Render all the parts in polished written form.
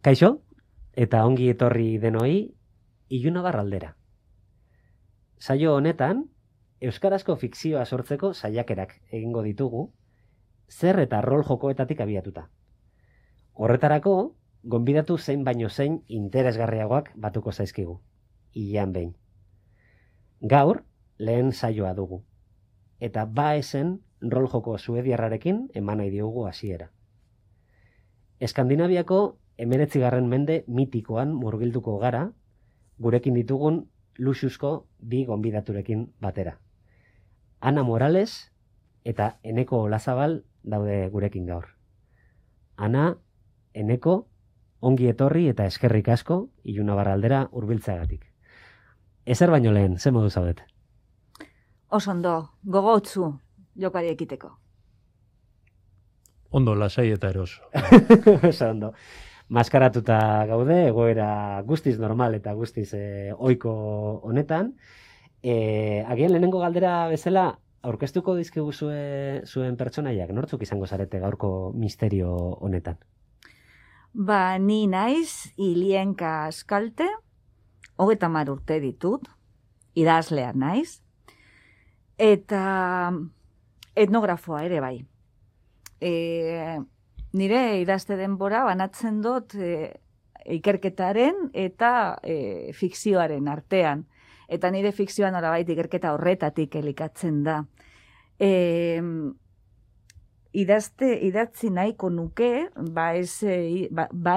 Kaixo, eta ongi etorri denoi, Ilunabar aldera. Saio honetan, euskarazko fikzioa sortzeko saiakerak egingo ditugu, zer eta rol jokoetatik abiatuta. Horretarako, gonbidatu zein baino zein interesgarriagoak batuko zaizkigu, hilean behin. Gaur, lehen saioa dugu, eta esen rol joko suediarrarekin eman nahi diogu hasiera. Eskandinaviako 19. mende mitikoan murgilduko gara, gurekin ditugun luxuzko bi gonbidaturekin batera. Ana Morales eta Eneko Olazabal daude gurekin gaur. Ana, Eneko, ongi etorri eta eskerrik asko Ilunabar aldera hurbiltzeagatik. Ezer baino lehen, ze modu zaudet? Oso ondo, gogotsu jokari ekiteko. Ondo, lasai eta eroso. Oso ondo. Maskaratuta gaude, egoera guztiz normal eta guztiz ohiko honetan. Agian lehenengo galdera bezala, aurkeztuko dizkigu zuen pertsonaiak, nortzuk izango zarete gaurko misterio honetan? Ni naiz Ilienka Askalte, 30 urte ditut, idazlea naiz, eta etnografoa ere bai. Nire idazte denbora banatzen dut ikerketaren eta fikzioaren artean. Eta nire fikzioa norabait ikerketa horretatik elikatzen da. Idatzi nahiko nuke,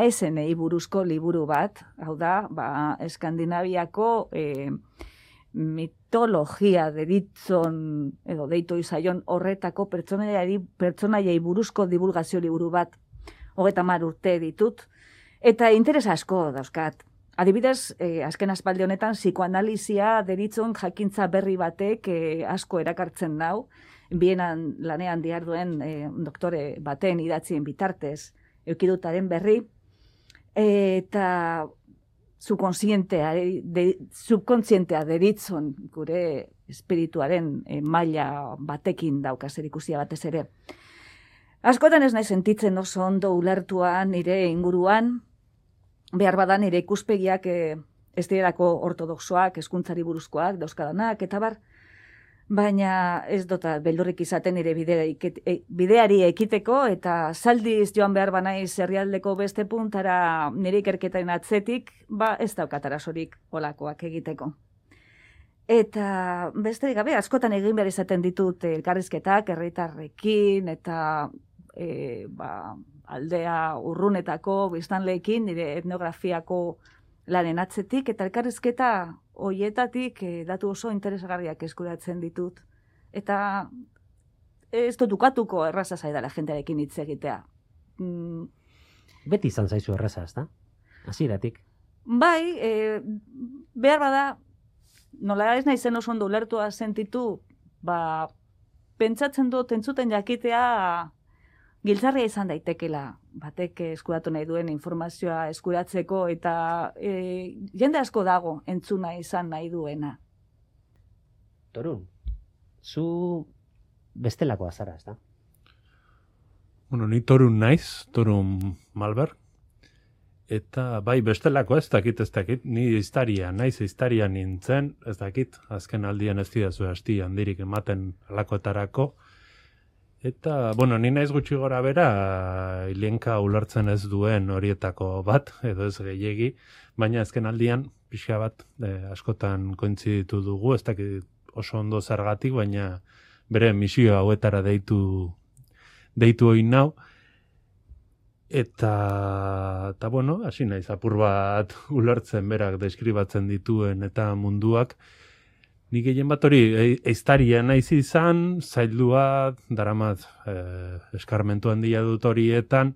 esenei buruzko liburu bat, hau da, Eskandinaviako mitologia deritzon, edo deitu izaion horretako pertsonaiei buruzko divulgazio liburu bat, 30 urte ditut, eta interes asko dauzkat. Adibidez, azken aspaldi honetan, psikoanalizia deritzon jakintza berri batek asko erakartzen nau, bienan lanean diharduen doktore baten idatzien bitartez, eukidutaren berri, eta subkontzientea deritzon gure espirituaren maila batekin dauka zerikusia batez ere. Askotan ez nahi sentitzen oso ondo ulertua nire inguruan, behar badan nire ikuspegiak ez direlako ortodoxoak, hezkuntzari buruzkoak, dauzkadanak, eta bar, baina ez dota beldurrik izaten nire bideari ekiteko, eta zaldiz joan behar banaiz herrialdeko beste puntara nire ikerketaren atzetik, ez daukat arazorik olakoak egiteko. Eta besterik gabe, askotan egin behar izaten ditut elkarrizketak herritarrekin, eta aldea urrunetako biztanleekin, nire etnografiako lanen atzetik, eta elkarrizketa hoietatik datu oso interesgarriak eskuratzen ditut. Eta ez dut ukatuko erraza zaidala jendearekin hitz egitea. Beti izan zaizu erraza, ezta? Hasieratik. Bai, behar bada, nola ez naizen oso ondo ulertua sentitu, pentsatzen dut entzuten jakitea giltzarria izan daitekela, batek eskuratu nahi duen informazioa eskuratzeko, eta jende asko dago entzuna izan nahi duena. Torun, zu bestelakoa zara, ezta? Ni Torun naiz, Torun Malberg, eta bai bestelako ez dakit, ni iztaria nintzen, ez dakit, azken aldian ez didazu hasti handirik ematen alakoetarako, eta, ni naiz gutxi gora bera, Ilienka ulertzen ez duen horietako bat, edo ez gehiegi, baina azken aldian, pixka bat, askotan kointziditu dugu, ez dakit oso ondo zergatik, baina bere misio hauetara deitu oin nau, eta hasi naiz apur bat ulertzen berak deskribatzen dituen eta munduak. Nik gehien bat hori eiztaria naiz izan, zaildua, daramat eskarmentu handia dut horietan,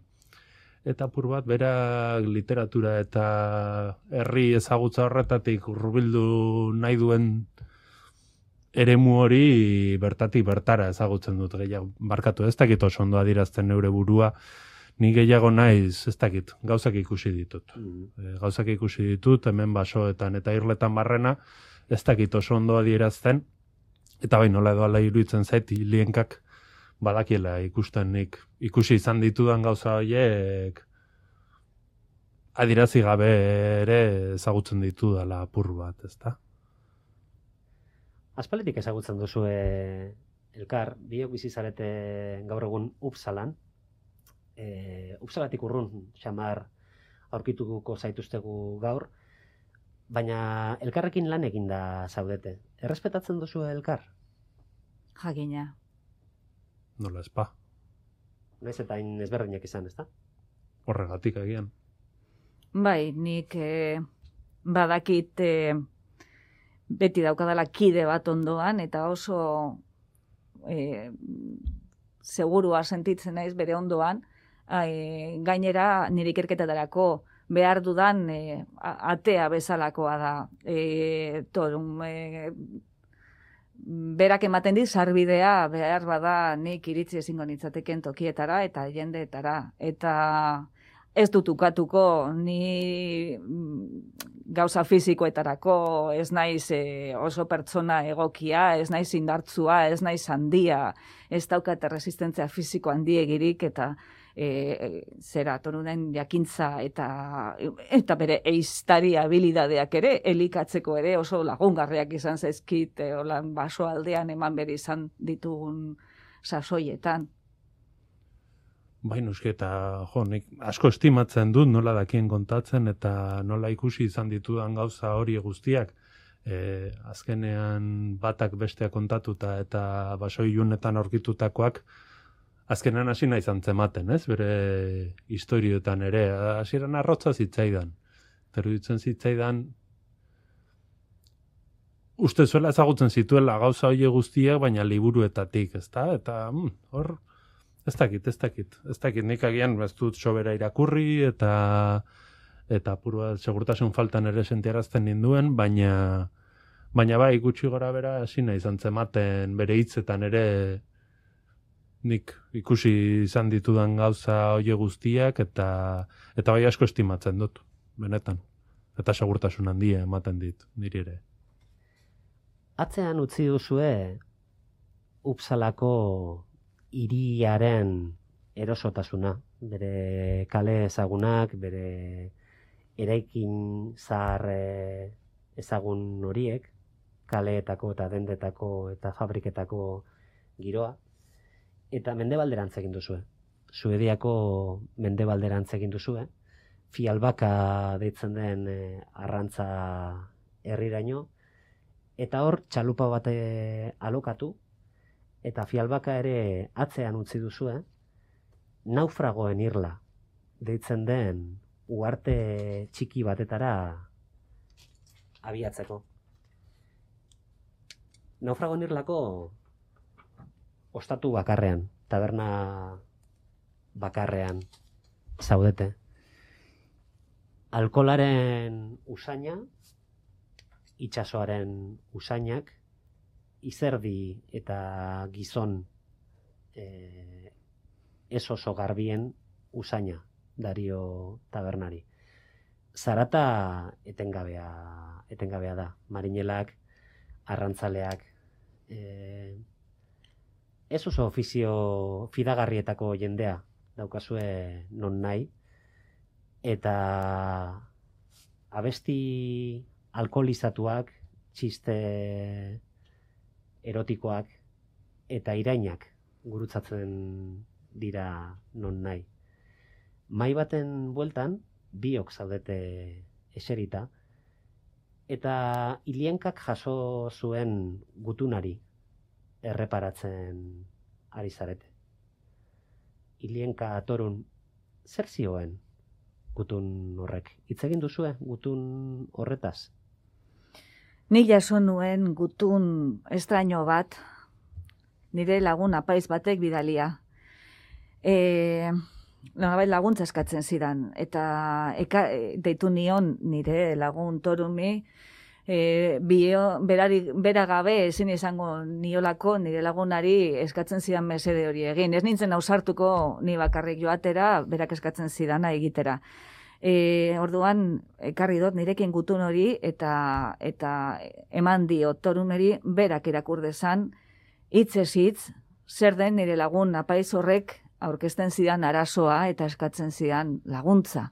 eta apur bat berak literatura eta herri ezagutza horretatik hurbildu nahi duen eremu hori bertatik bertara ezagutzen dut gehiago. Barkatu, ez dakit oso ondo adierazten neure burua, ni gehiago naiz, ez dakit, gauzak ikusi ditut. Gauzak ikusi ditut, hemen basoetan eta irletan barrena, ez dakit oso ondo adierazten, eta bai nola edo ala iruditzen zait, Ilienkak badakiela ikusten nik ikusi izan ditudan gauza horiek adirazi gabe ere ezagutzen ditu dela apur bat, ezta? Aspalditik ezagutzen duzu elkar, biok bizi zarete gaur egun Upsalan. Upsalatik urrun xamar aurkituko zaituztegu gaur, baina elkarrekin lan eginda zaudete. Errespetatzen duzu elkar? Jakina. Nola espa. Naiz eta hain ezberdinak izan, ezta? Horregatik agian. Bai, nik badakit beti daukadala kide bat ondoan, eta oso segurua sentitzen naiz bere ondoan, gainera nire ikerketetarako behar dudan atea bezalakoa da. Berak ematen dit sarbidea behar bada nik iritzi ezingo nitzateken tokietara eta jendeetara. Eta ez dut ukatuko, ni gauza fizikoetarako ez naiz oso pertsona egokia, ez naiz indartsua, ez naiz handia, ez daukat resistentzia fiziko handiegirik eta torunen jakintza eta bere eiztari habilidadeak ere, elikatzeko ere oso lagungarriak izan zaizkit, holan baso aldean eman bere izan ditugun sasoietan. Bai, nuski, eta nik asko estimatzen dut nola dakien kontatzen eta nola ikusi izan ditudan gauza hori guztiak. Azkenean batak besteak kontatuta eta basoi ilunetan aurkitutakoak azkenean hasi nahi zantzematen, ez? Bere historioetan ere, hasieran arrotza zitzaidan. Eruditzen zitzaidan, uste zuela ezagutzen zituela gauza hori guztiak, baina liburuetatik, ezta? Eta hor, ez dakit, nik agian ez dut sobera irakurri eta apurua segurtasun faltan ere sentiarazten ninduen, baina bai gutxi gora bera hasi nahi zantzematen bere hitzetan ere nik ikusi izan ditudan gauza hori guztiak eta bai asko estimatzen dut, benetan. Eta segurtasun handia ematen dit, niri ere. Atzean utzi duzue Upsalako hiriaren erosotasuna, bere kale ezagunak, bere eraikin zahar ezagun horiek, kaleetako eta dendetako eta fabriketako giroa, eta mendebalderantz egin duzue. Suediako mendebalderantz egin duzue, Fialbaka deitzen den arrantza herriraino, eta hor txalupa bat alokatu, eta Fialbaka ere atzean utzi duzue, naufragoen irla deitzen den uharte txiki batetara abiatzeko. Naufragoen irlako ostatu bakarrean, taberna bakarrean zaudete. Alkolaren usaina, itsasoaren usainak, izerdi eta gizon ez oso garbien usaina dario tabernari. Zarata etengabea da. Marinelak, arrantzaleak, ez oso ofizio fidagarrietako jendea daukazue non nahi, eta abesti alkoholizatuak, txiste erotikoak eta irainak gurutzatzen dira non nahi. Mai baten bueltan, biok zaudete eserita, eta Ilienkak jaso zuen gutunari erreparatzen ari zarete. Ilienka Torun, zer zioen gutun horrek? Hitz egin duzue gutun horretaz? Nik jaso nuen gutun estraño bat, nire lagun apaiz batek bidalia. Laguntza eskatzen zidan, eta deitu nion nire lagun Torumi, bera gabe ezin izango niolako nire lagunari eskatzen zidan mesede hori egin. Ez nintzen ausartuko ni bakarrik joatera, berak eskatzen zidana egitera. Orduan, ekarri dut nirekin gutun hori eta eman dio Torumeri berak irakur dezan, hitzez hitz, zer den nire lagun apaiz horrek aurkezten zidan arazoa eta eskatzen zidan laguntza.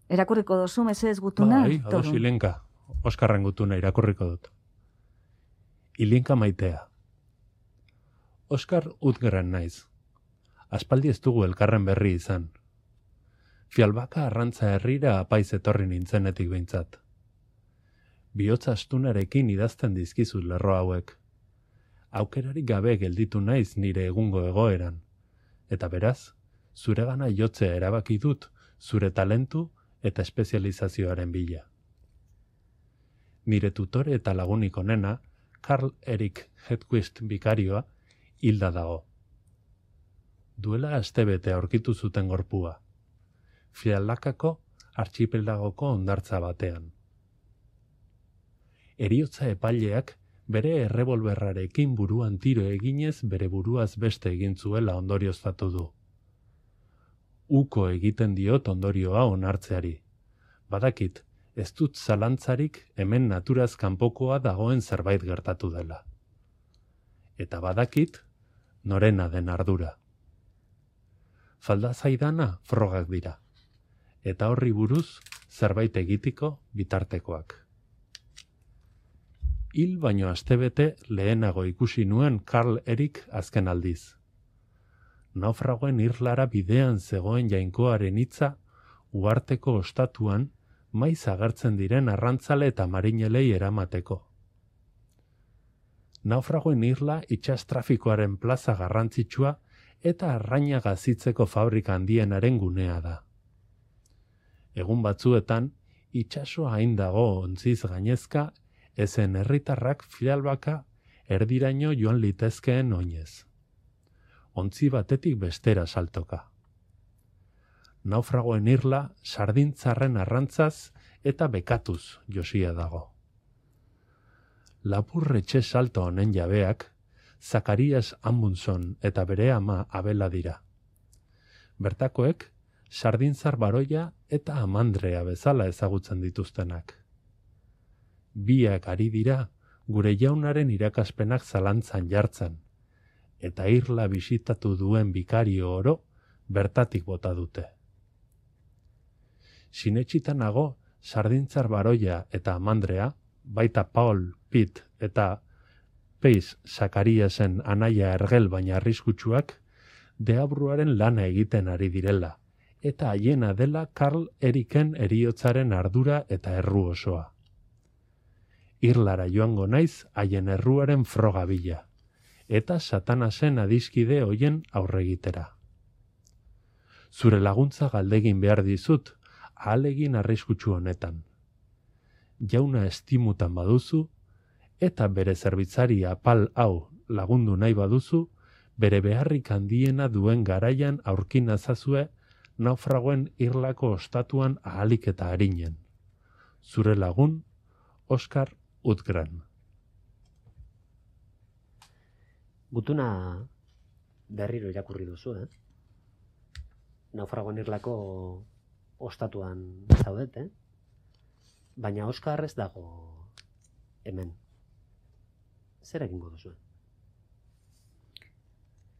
Erakurriko dozu, mesedez gutuna? Bai, ados Torun. Ilinka. Oskarren gutuna irakurriko dut. Ilinka maitea. Oskar Utgren naiz. Aspaldi ez dugu elkarren berri izan. Fialbaka arrantza herrira apaiz etorri nintzenetik behintzat. Bihotza astunarekin idazten dizkizut lerro hauek. Aukerarik gabe gelditu naiz nire egungo egoeran. Eta beraz, zuregana jotzea erabaki dut zure talentu eta espezializazioaren bila. Nire tutore eta lagunik onena, Karl Erik Hedquist bikarioa, hilda dago. Duela astebete aurkitu zuten gorpua. Fialakako artxipelagoko hondartza batean. Heriotza epaileak bere errebolberrarekin buruan tiro eginez bere buruaz beste egin zuela ondorioztatu du. Uko egiten diot ondorioa onartzeari. Badakit, ez dut zalantzarik hemen naturaz kanpokoa dagoen zerbait gertatu dela. Eta badakit, norena den ardura. Falda zaidana frogak dira. Eta horri buruz zerbait egitiko bitartekoak. Hil baino astebete lehenago ikusi nuen Karl Erik azken aldiz. Naufragoen irlara bidean zegoen jainkoaren hitza uharteko ostatuan maiz agertzen diren arrantzale eta marinelei eramateko. Naufragoen irla itsas trafikoaren plaza garrantzitsua eta arraina gazitzeko fabrika handienaren gunea da. Egun batzuetan, itsasoa hain dago ontziz gainezka, ezen herritarrak Fialbaka erdiraino joan litezkeen oinez. Ontzi batetik bestera saltoka. Naufragoen irla sardintzarren arrantzaz eta bekatuz josia dago. Lapurretxe salto honen jabeak, Zakarias Amundson eta bere ama Abela dira. Bertakoek, sardintzar baroia eta amandrea bezala ezagutzen dituztenak. Biak ari dira gure jaunaren irakaspenak zalantzan jartzen, eta irla bisitatu duen bikario oro bertatik bota dute. Sinetxitanago sardintzar baroia eta amandrea, baita Paul Pitt eta Peiz Zakariasen anaia ergel baina arriskutsuak, deabruaren lana egiten ari direla, eta haiena dela Karl Eriken heriotzaren ardura eta erru osoa. Irlara joango naiz haien erruaren froga bila, eta Satanasen adiskide hoien aurregitera. Zure laguntza galdegin behar dizut, ahalegin arriskutsu honetan. Jauna estimutan baduzu, eta bere zerbitzari apal hau lagundu nahi baduzu, bere beharrik handiena duen garaian aurkin nazazue naufragoen irlako ostatuan ahalik eta harinen. Zure lagun, Oskar Utgren. Gutuna berriro irakurri duzu, Naufragoen irlako ostatuan zaudet, Baina Oskar ez dago hemen. Zer egingo duzu?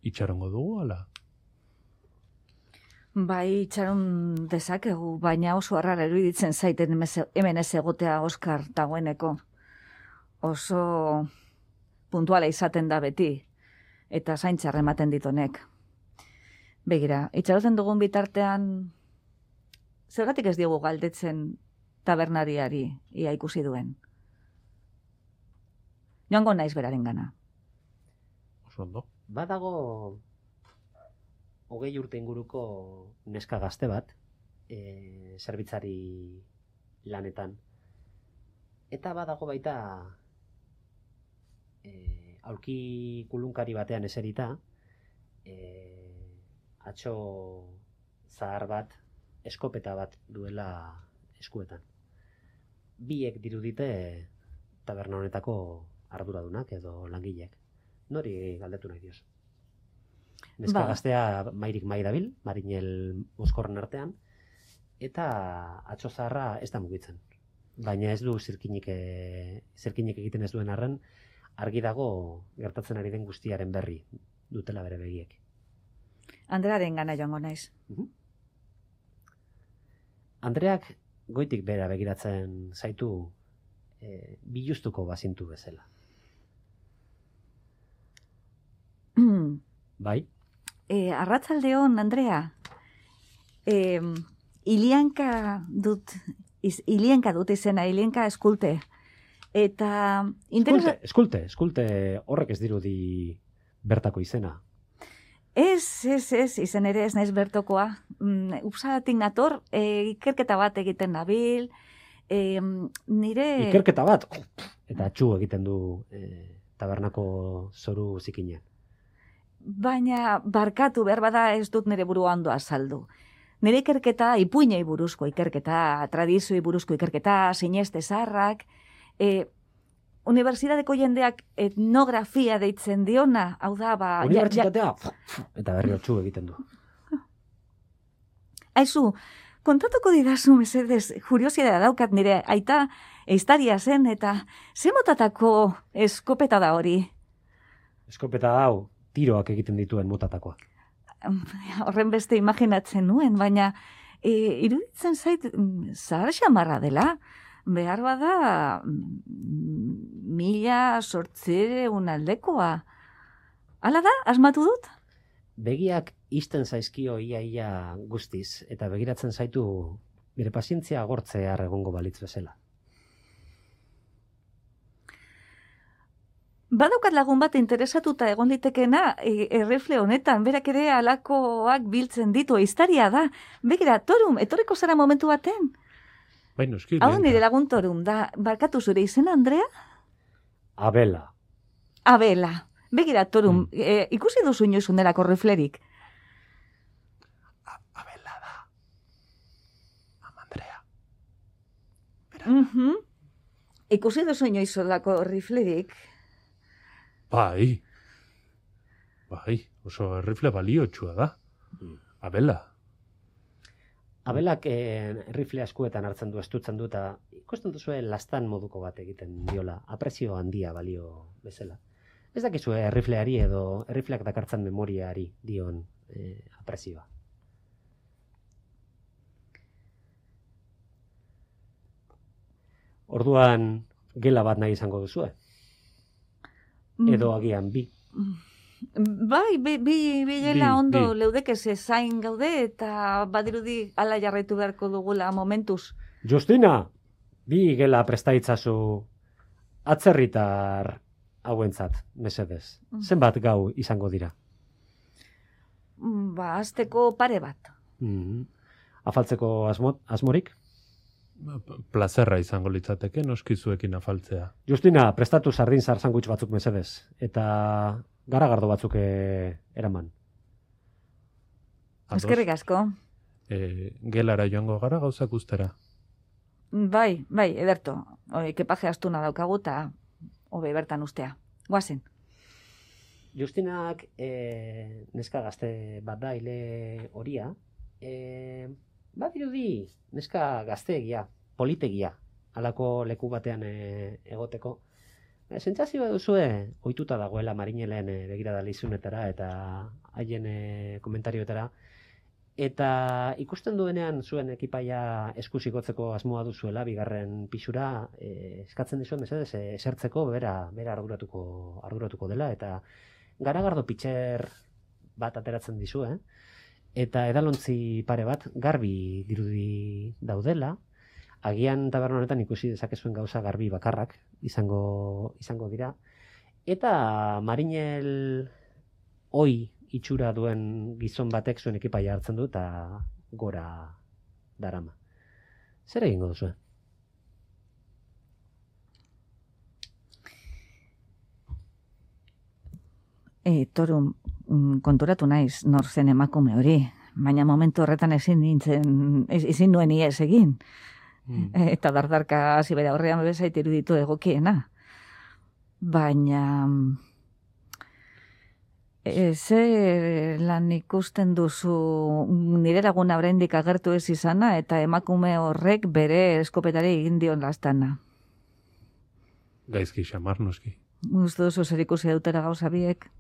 Itxarongo dugu, ala? Bai, itxaron dezakegu, baina oso harrara iruditzen zaiten hemen ez egotea Oskar dagoeneko. Oso puntuala izaten da beti, eta zaintzar ematen ditonek. Begira, itxaroten dugun bitartean, zergatik ez diogu galdetzen tabernariari ia ikusi duen. Joango naiz beraren gana. Oso ondo. Badago 20 urte inguruko neska gazte bat, zerbitzari lanetan. Eta badago baita aulki kulunkari batean eserita, atxo zahar bat, eskopeta bat duela eskuetan. Biek dirudite taberna honetako arduradunak edo langileak. Nori galdetu nahi dioz? Neska gaztea mairik mai dabil, marinel mozkorren artean, eta atxo zaharra ez da mugitzen. Baina ez du zirkinik egiten ez duen arren, argi dago gertatzen ari den guztiaren berri dutela bere begiek. Andrearen gana joango naiz. Andreak goitik bera begiratzen zaitu bilustuko bazintu bezala. Bai? Arratsaldeon, Andrea. Ilianka dut izena, Ilianka eskulte. Eta... Eskulte, horrek ez dirudi bertako izena. Ez, izen ere ez naiz bertokoa. Upsalatik nator, ikerketa bat egiten nabil, nire... Ikerketa bat? Eta txu egiten du tabernako zoru zikinean. Baina barkatu behar bada ez dut nire burua ondo azaldu. Nire ikerketa, ipuinei buruzko ikerketa, tradizioi buruzko ikerketa, sineste zaharrak, unibertsitateko jendeak etnografia deitzen diona, hau da, ba... Unibertsitatea, eta berri txu egiten du. Aizu, kontatuko didazu, mesedez, kuriosidadea daukat nire aita ehiztaria zen, eta ze motatako eskopeta da hori? Eskopeta hau, tiroak egiten dituen motatakoa. Horren beste imaginatzen nuen, baina iruditzen zait zahar xamarra dela. Behar bada 1800 aldekoa. Hala da, asmatu dut? Begiak isten zaizkio ia guztiz, eta begiratzen zaitu bere pazientzia agortzear egongo balitz bezala. Badaukat lagun bat interesatuta egon litekeena errifle honetan, berak ere alakoak biltzen ditu, ehiztaria da. Begira, Torum, etorriko zara momentu baten? Bai, noski. Hau nire lagun Torum, da, barkatu zure izena, Andrea? Abela. Begira, Torum, ikusi duzu inoiz unerako riflerik? Abela da. Mama Andrea. Ikusi duzu inoiz olako riflerik? Bai, oso rifle baliotsua da. Abela. Abelak rifle askuetan hartzen du, estutzen du, eta ikusten duzue lastan moduko bat egiten diola, aprezio handia balio bezala. Ez dakizue rifleari edo rifleak dakartzan memoriari dion aprezioa. Orduan gela bat nahi izango duzue? Edo agian bi. Bai, bi gela ondo leudeke ze zain gaude eta badirudi hala jarraitu beharko dugula momentuz. Justina, bi gela prestaitzazu atzerritar hauentzat, mesedez. Zenbat gau izango dira? Ba, azteko pare bat. Afaltzeko asmorik? Plazerra izango litzateke, noskizuekin afaltzea. Justina, prestatu sardin zar sandwich batzuk mesedez. Eta garagardo batzuk eraman. Eskerrik asko. Gelara joango gara gauzak ustera. Bai, ederto. Kepaje astuna daukagu eta hobe bertan ustea. Guazen. Justinak neska gazte bat da hile horia. Badirudi neska gazteegia, politegia, halako leku batean egoteko. Sentsazioa duzue ohituta dagoela marinelen begirada lizunetara eta haien komentarioetara. Eta ikusten duenean zuen ekipaia eskusikotzeko asmoa duzuela, bigarren pisura, eskatzen dizuen mesedez esertzeko bera arduratuko dela, eta garagardo pitxer bat ateratzen dizue, eta edalontzi pare bat garbi dirudi daudela, agian taberna honetan ikusi dezakezuen gauza garbi bakarrak izango dira, eta marinel oi itxura duen gizon batek zuen ekipaia hartzen du eta gora darama. Zer egingo duzu? Torum, konturatu naiz nor zen emakume hori, baina momentu horretan ezin nuen ies egin. Eta dardarka hasi bere aurrean bezait iruditu egokiena. Baina zer lan ikusten duzu nire laguna oraindik agertu ez izana eta emakume horrek bere eskopetari egin dion lastana. Gaizki xamar noski. Uste duzu zer ikusi dutera gauza biek?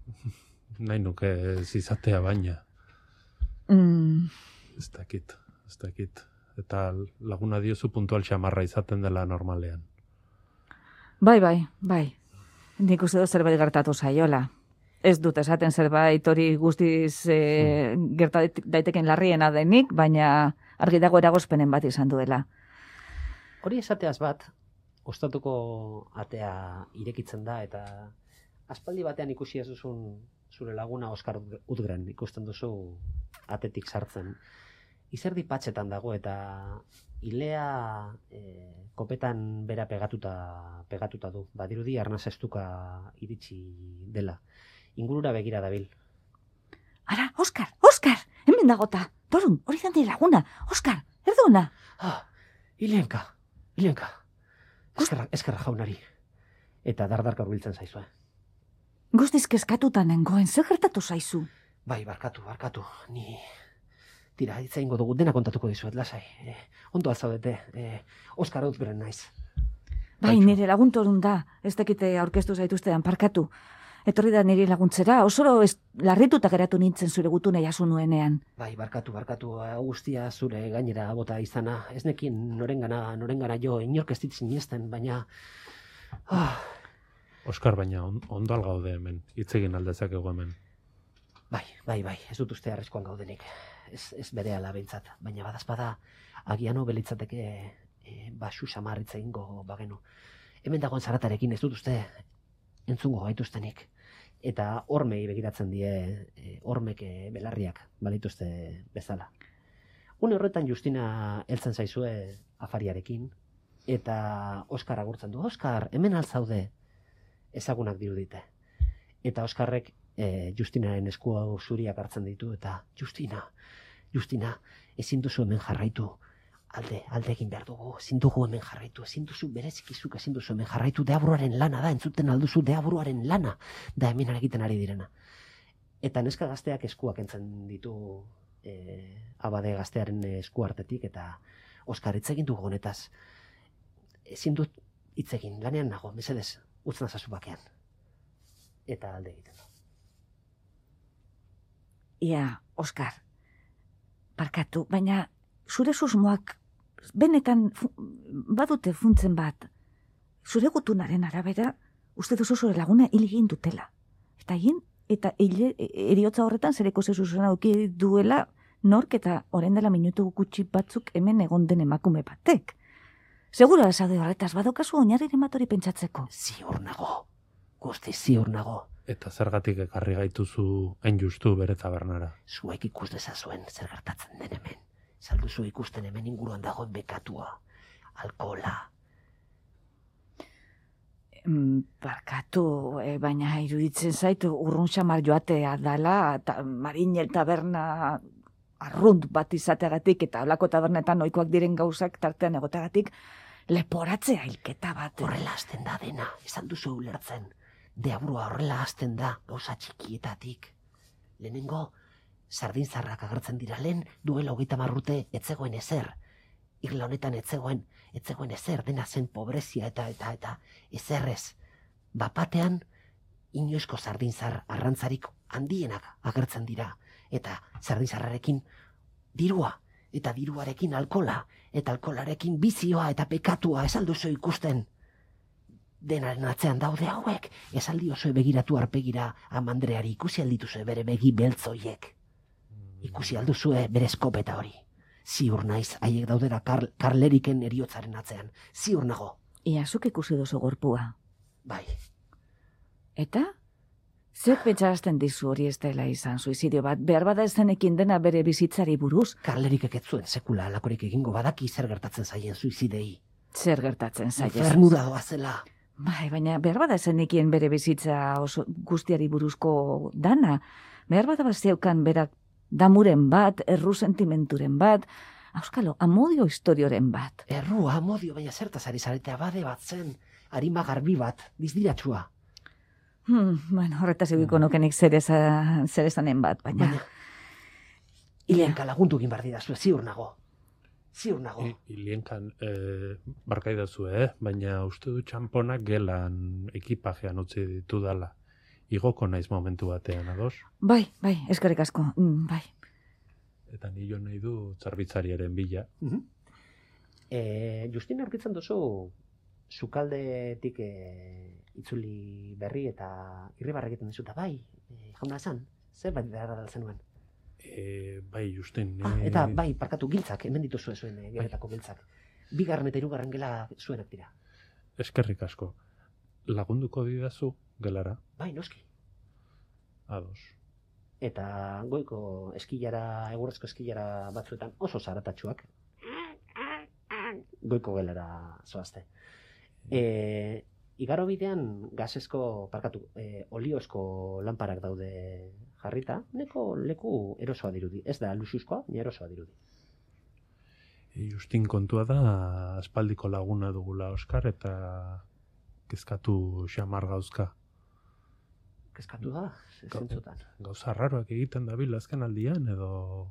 Nahi nuke ez izatea baina. Ez dakit. eta laguna diozu puntual xamarra izaten dela normalean. Bai. Nik uste dut zerbait gertatu zaiola. Ez dut esaten zerbait hori guztiz gerta daiteken larriena denik, baina argi dago eragozpenen bat izan duela. Hori esateaz bat, ostatuko atea irekitzen da, eta aspaldi batean ikusi ez duzun zure laguna Oskar Utgren, ikusten duzu atetik sartzen. Izerdi patxetan dago, eta ilea kopetan bera pegatuta du. Badirudi arnaz estuka iritsi dela. Ingurura begira dabil. Ara, Oskar, hemen dagota. Torun, hori zan laguna. Oskar, erdona. Ilenka. Eskerra jaunari. Eta dardarka hurbiltzen zaizue. Guztiz kezkatuta nengoen, zer gertatu zaizu? Bai, barkatu. Ni... Tira, hitza ingo dugu, dena kontatuko dizuet, lasai. Ondo alzaudete, Oskar Utgren naiz. Bai, nire lagun Torun da, ez dakite aurkeztu zaituztean, parkatu. Etorri da nire laguntzera, osoro larrituta geratu nintzen zure gutune jasu nuenean. Bai, barkatu, guztia zure gainera bota izana. Ez nekin norengana jo, inork ez dit sinesten, baina... Oskar, baina ondo algaude hemen, hitz egin aldezakegu hemen. Bai, ez dut uste arreskoan gaudenik. Ez berehala behintzat, baina badazpada agiano belitzateke basu samarritza ingo bagenu. Hemen dagoen zaratarekin ez dut uste entzungo gaituztenik. Eta hormei begiratzen die hormek belarriak balituzte bezala. Une horretan Justina heltzen zaizue afariarekin, eta Oskar agurtzen du. Oskar, hemen alzaude ezagunak dirudite. Eta Oskarrek Justinaren eskua zuriak hartzen ditu, eta Justina, ezin duzu hemen jarraitu, alde egin behar dugu, ezin dugu hemen jarraitu, ezin duzu berezikizuk, ezin duzu hemen jarraitu, deaburuaren lana da, entzuten alduzu deaburuaren lana, da hemen egiten ari direna. Eta neska gazteak eskuak entzen ditu abade gaztearen esku hartetik, eta Oskar, hitz egin dugu honetaz, ezin dut hitz egin, lanean nago, mesedez, utz nazazu bakean. Eta alde egiten du. Ia, Oskar, barkatu, baina zure susmoak benetan badute funtzen bat. Zure gutunaren arabera, uste duzu zure laguna hil egin dutela. Eta eriotza horretan zereko zezuzena auki duela nork eta orain dela minutu gutxi batzuk hemen egon den emakume batek. Segura esade horretaz badokazu oinarriren bat hori pentsatzeko. Ziur nago, guzti ziur nago. Eta zergatik ekarri gaituzu hain justu bere tabernara? Zuek ikus dezazuen zer gertatzen den hemen. Salduzu ikusten hemen inguruan dagoen bekatua, alkohola. Barkatu, baina iruditzen zaitu urrun xamar joatea dala, eta Marinel taberna arrunt bat izateagatik, eta holako tabernetan ohikoak diren gauzak tartean egoteagatik, leporatzea hilketa bat. Horrela hasten da dena, esan duzu ulertzen. Deaburua horrela hasten da, gauza txikietatik. Lehenengo, sardinzarrak agertzen dira lehen, duela 30 urte etzegoen ezer. Irla honetan etzegoen ezer, dena zen pobrezia eta ezerrez. Bapatean, inoizko sardinzar arrantzarik handienak agertzen dira. Eta sardinzarrarekin dirua, eta diruarekin alkola, eta alkolarekin bizioa eta pekatua esalduzu ikusten. Denaren atzean daude hauek, esaldi oso begiratu arpegira amandreari, ikusi aldituzue bere begi beltzoiek. Ikusi alduzue bere eskopeta hori. Ziur naiz, haiek daudera Karleriken eriotzaren atzean. Ziur nago. Ia, zuk ikusi duzu gorpua. Bai. Eta? Zer pentsarazten dizu hori ez dela izan suizidio bat, behar bada ez zenekin dena bere bizitzari buruz? Karlerikek ez zuen sekula alakorik egingo badaki zer gertatzen zaien suizidei. Zer gertatzen zaien? Infernura doazela. Bai, baina behar bada zenekien bere bizitza oso guztiari buruzko dana. Behar bada baziaukan berak damuren bat, erru sentimenturen bat, auskalo, amodio historioren bat. Erru, amodio, baina zertaz ari zarete abade bat zen, harima garbi bat, dizdiratxua. Bueno, horretaz egiko nukenik zer esanen bat, baina... Ilenka lagundu egin bardidazu, ziur nago. Ziur nago. Ilienkan, barkaidazu, baina uste du txamponak gelan ekipajean utzi ditu dala. Igoko naiz momentu batean, ados? Bai, eskerrik asko, bai. Eta ni jo nahi du zerbitzariaren bila. Justin aurkitzen duzu sukaldetik itzuli berri eta irribarra egiten dizuta, bai, jauna esan, zer bai behar da zenuen. Bai, Justin. Eta bai, parkatu giltzak, hemen dituzue zuen geletako giltzak. Bigarren eta hirugarren gela zuenak dira. Eskerrik asko. Lagunduko didazu gelara? Bai, noski. Ados. Eta goiko eskilara, egurrezko eskilara batzuetan oso zaratatsuak. Goiko gelara zoazte. Igaro bidean gasesko, oliozko lanparak daude jarrita, neko leku erosoa dirudi. Ez da luxuzkoa, ni erosoa dirudi. Justin kontua da, aspaldiko laguna dugula Oskar, eta kezkatu xamar gauzka. Kezkatu da, zentzutan. Gauza raroak egiten dabil azken aldian, edo...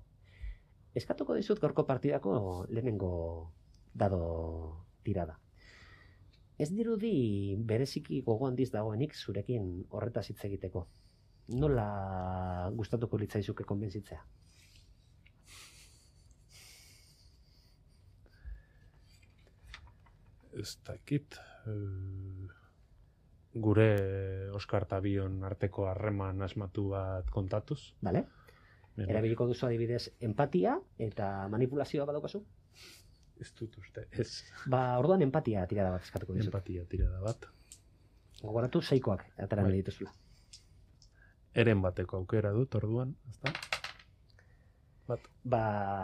Eskatuko dizut gaurko partidako lehenengo dado tirada. Ez dirudi bereziki gogo handiz dagoenik zurekin horretaz hitz egiteko. Nola gustatuko litzaizuke konbentzitzea? Ez dakit... Gure Oskar eta Bion arteko harreman asmatu bat kontatuz. Bale. Erabiliko duzu adibidez empatia eta manipulazioa badaukazu? Ez dut uste, ez. Orduan empatia tirada bat eskatuko dizut. Empatia tirada bat. Gogoratu seikoak atera nahi dituzula. Eren bateko aukera dut orduan, ezta? Bat.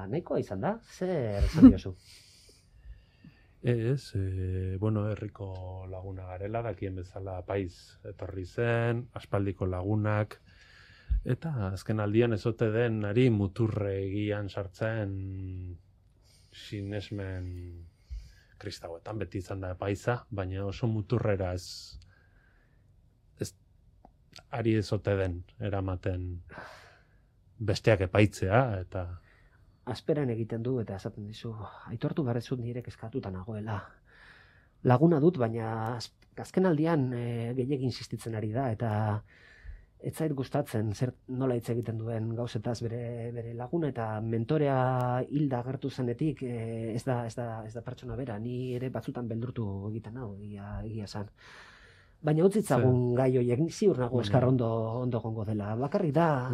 Nahikoa izan da, zer esan diozu? Ez, herriko laguna garela, dakien bezala paiz etorri zen, aspaldiko lagunak, eta azken aldian ezote den ari muturre egian sartzen sinesmen kristauetan, beti izan da paiza, baina oso muturrera ez ari ezote den eramaten besteak epaitzea, eta... Asperan egiten du eta esaten dizu, aitortu barrezut nire kezkatuta nagoela. Laguna dut, baina azken aldian gehiagin insistitzen ari da, eta ez zait gustatzen nola hitz egiten duen gauzetaz bere laguna, eta mentorea hilda agertu zenetik ez da pertsona bera, ni ere batzutan beldurtu egiten hau, egia esan. Baina utzitzagun gai horiek, ziur nago eskar ondo gongo dela. Bakarrik da...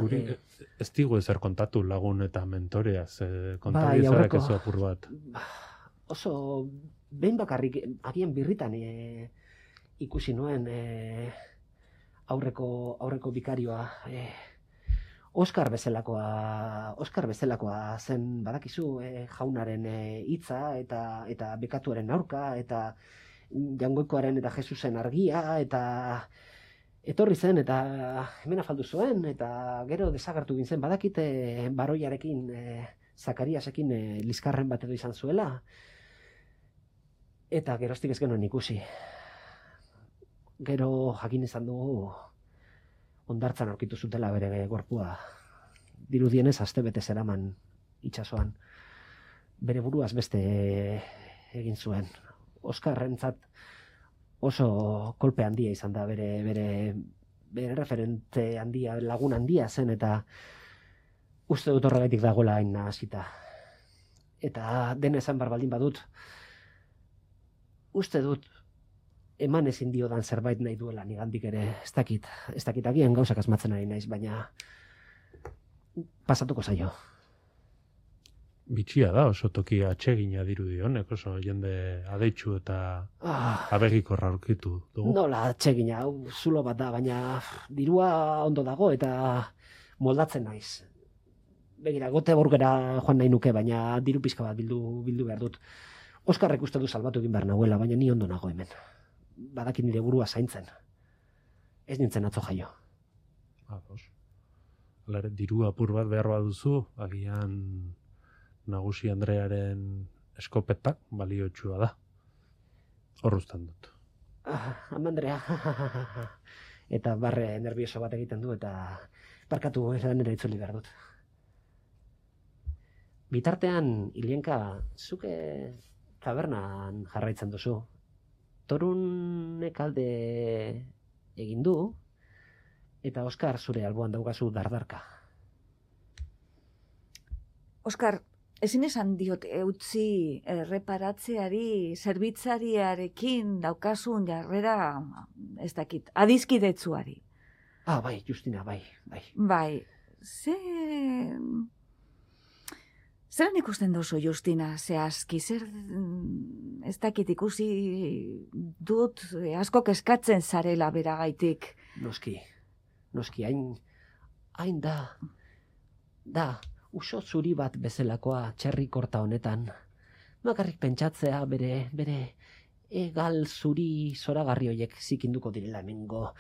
Ez digu ezer kontatu lagun eta mentoreaz, kontari ezarak ez apur bat. Oso, behin bakarrik, agian birritan ikusi nuen aurreko bikarioa. Oskar bezalakoa zen badakizu jaunaren hitza eta bekatuaren aurka, eta Jangoikoaren eta Jesusen argia, eta etorri zen, eta hemen afaldu zuen, eta gero desagertu gintzen, badakite baroiarekin, Zakariasekin liskarren bat edo izan zuela, eta geroztik ez genuen ikusi. Gero jakin izan dugu, hondartzan aurkitu zutela bere gorpua, dirudienez astebete zeraman itsasoan, bere buruaz beste egin zuen. Oskarrentzat oso kolpe handia izan da, bere referente handia, lagun handia zen, eta uste dut horregaitik dagoela hain nahasita. Eta dena esan baldin badut, uste dut eman ezin diodan zerbait nahi duela nigandik ere, ez dakit agian gauzak asmatzen ari naiz, baina pasatuko zaio. Bitxia da, oso toki atsegina dirudi honek, oso jende adeitsu eta abegikorra aurkitu dugu. Nola atsegina, zulo bat da, baina dirua ondo dago eta moldatzen naiz. Begira, Göteborgera joan nahi nuke, baina diru pizka bat bildu behar dut. Oskarrek uste du salbatu egin behar nahuela, baina ni ondo nago hemen. Badaki nire burua zaintzen. Ez nintzen atzo jaio. Ados. Alare, diru apur bat behar baduzu, agian Nagusi Andrearen eskopetak baliotsua da. Horruztan dut. Andrea. Eta barre nervioso bat egiten du, eta parkatu nire itzuli behar dut. Bitartean, Ilienka, zuke tabernan jarraitzen duzu. Torunek alde egin du, eta Oskar zure alboan daukazu dardarka. Oskar, ezin esan diot eutzi erreparatzeari, zerbitzariarekin daukasun jarrera, ez dakit, adizkidetzuari. Bai, Justina, bai. Bai, zeran ikusten duzu, Justina, zehazki, ez dakit ikusi dut asko kezkatzen zarela beragaitik. Noski, hain da, uso zuri bat bezalakoa txerri korta honetan. Bakarrik pentsatzea bere egal zuri zoragarri hoiek zikinduko direla mengo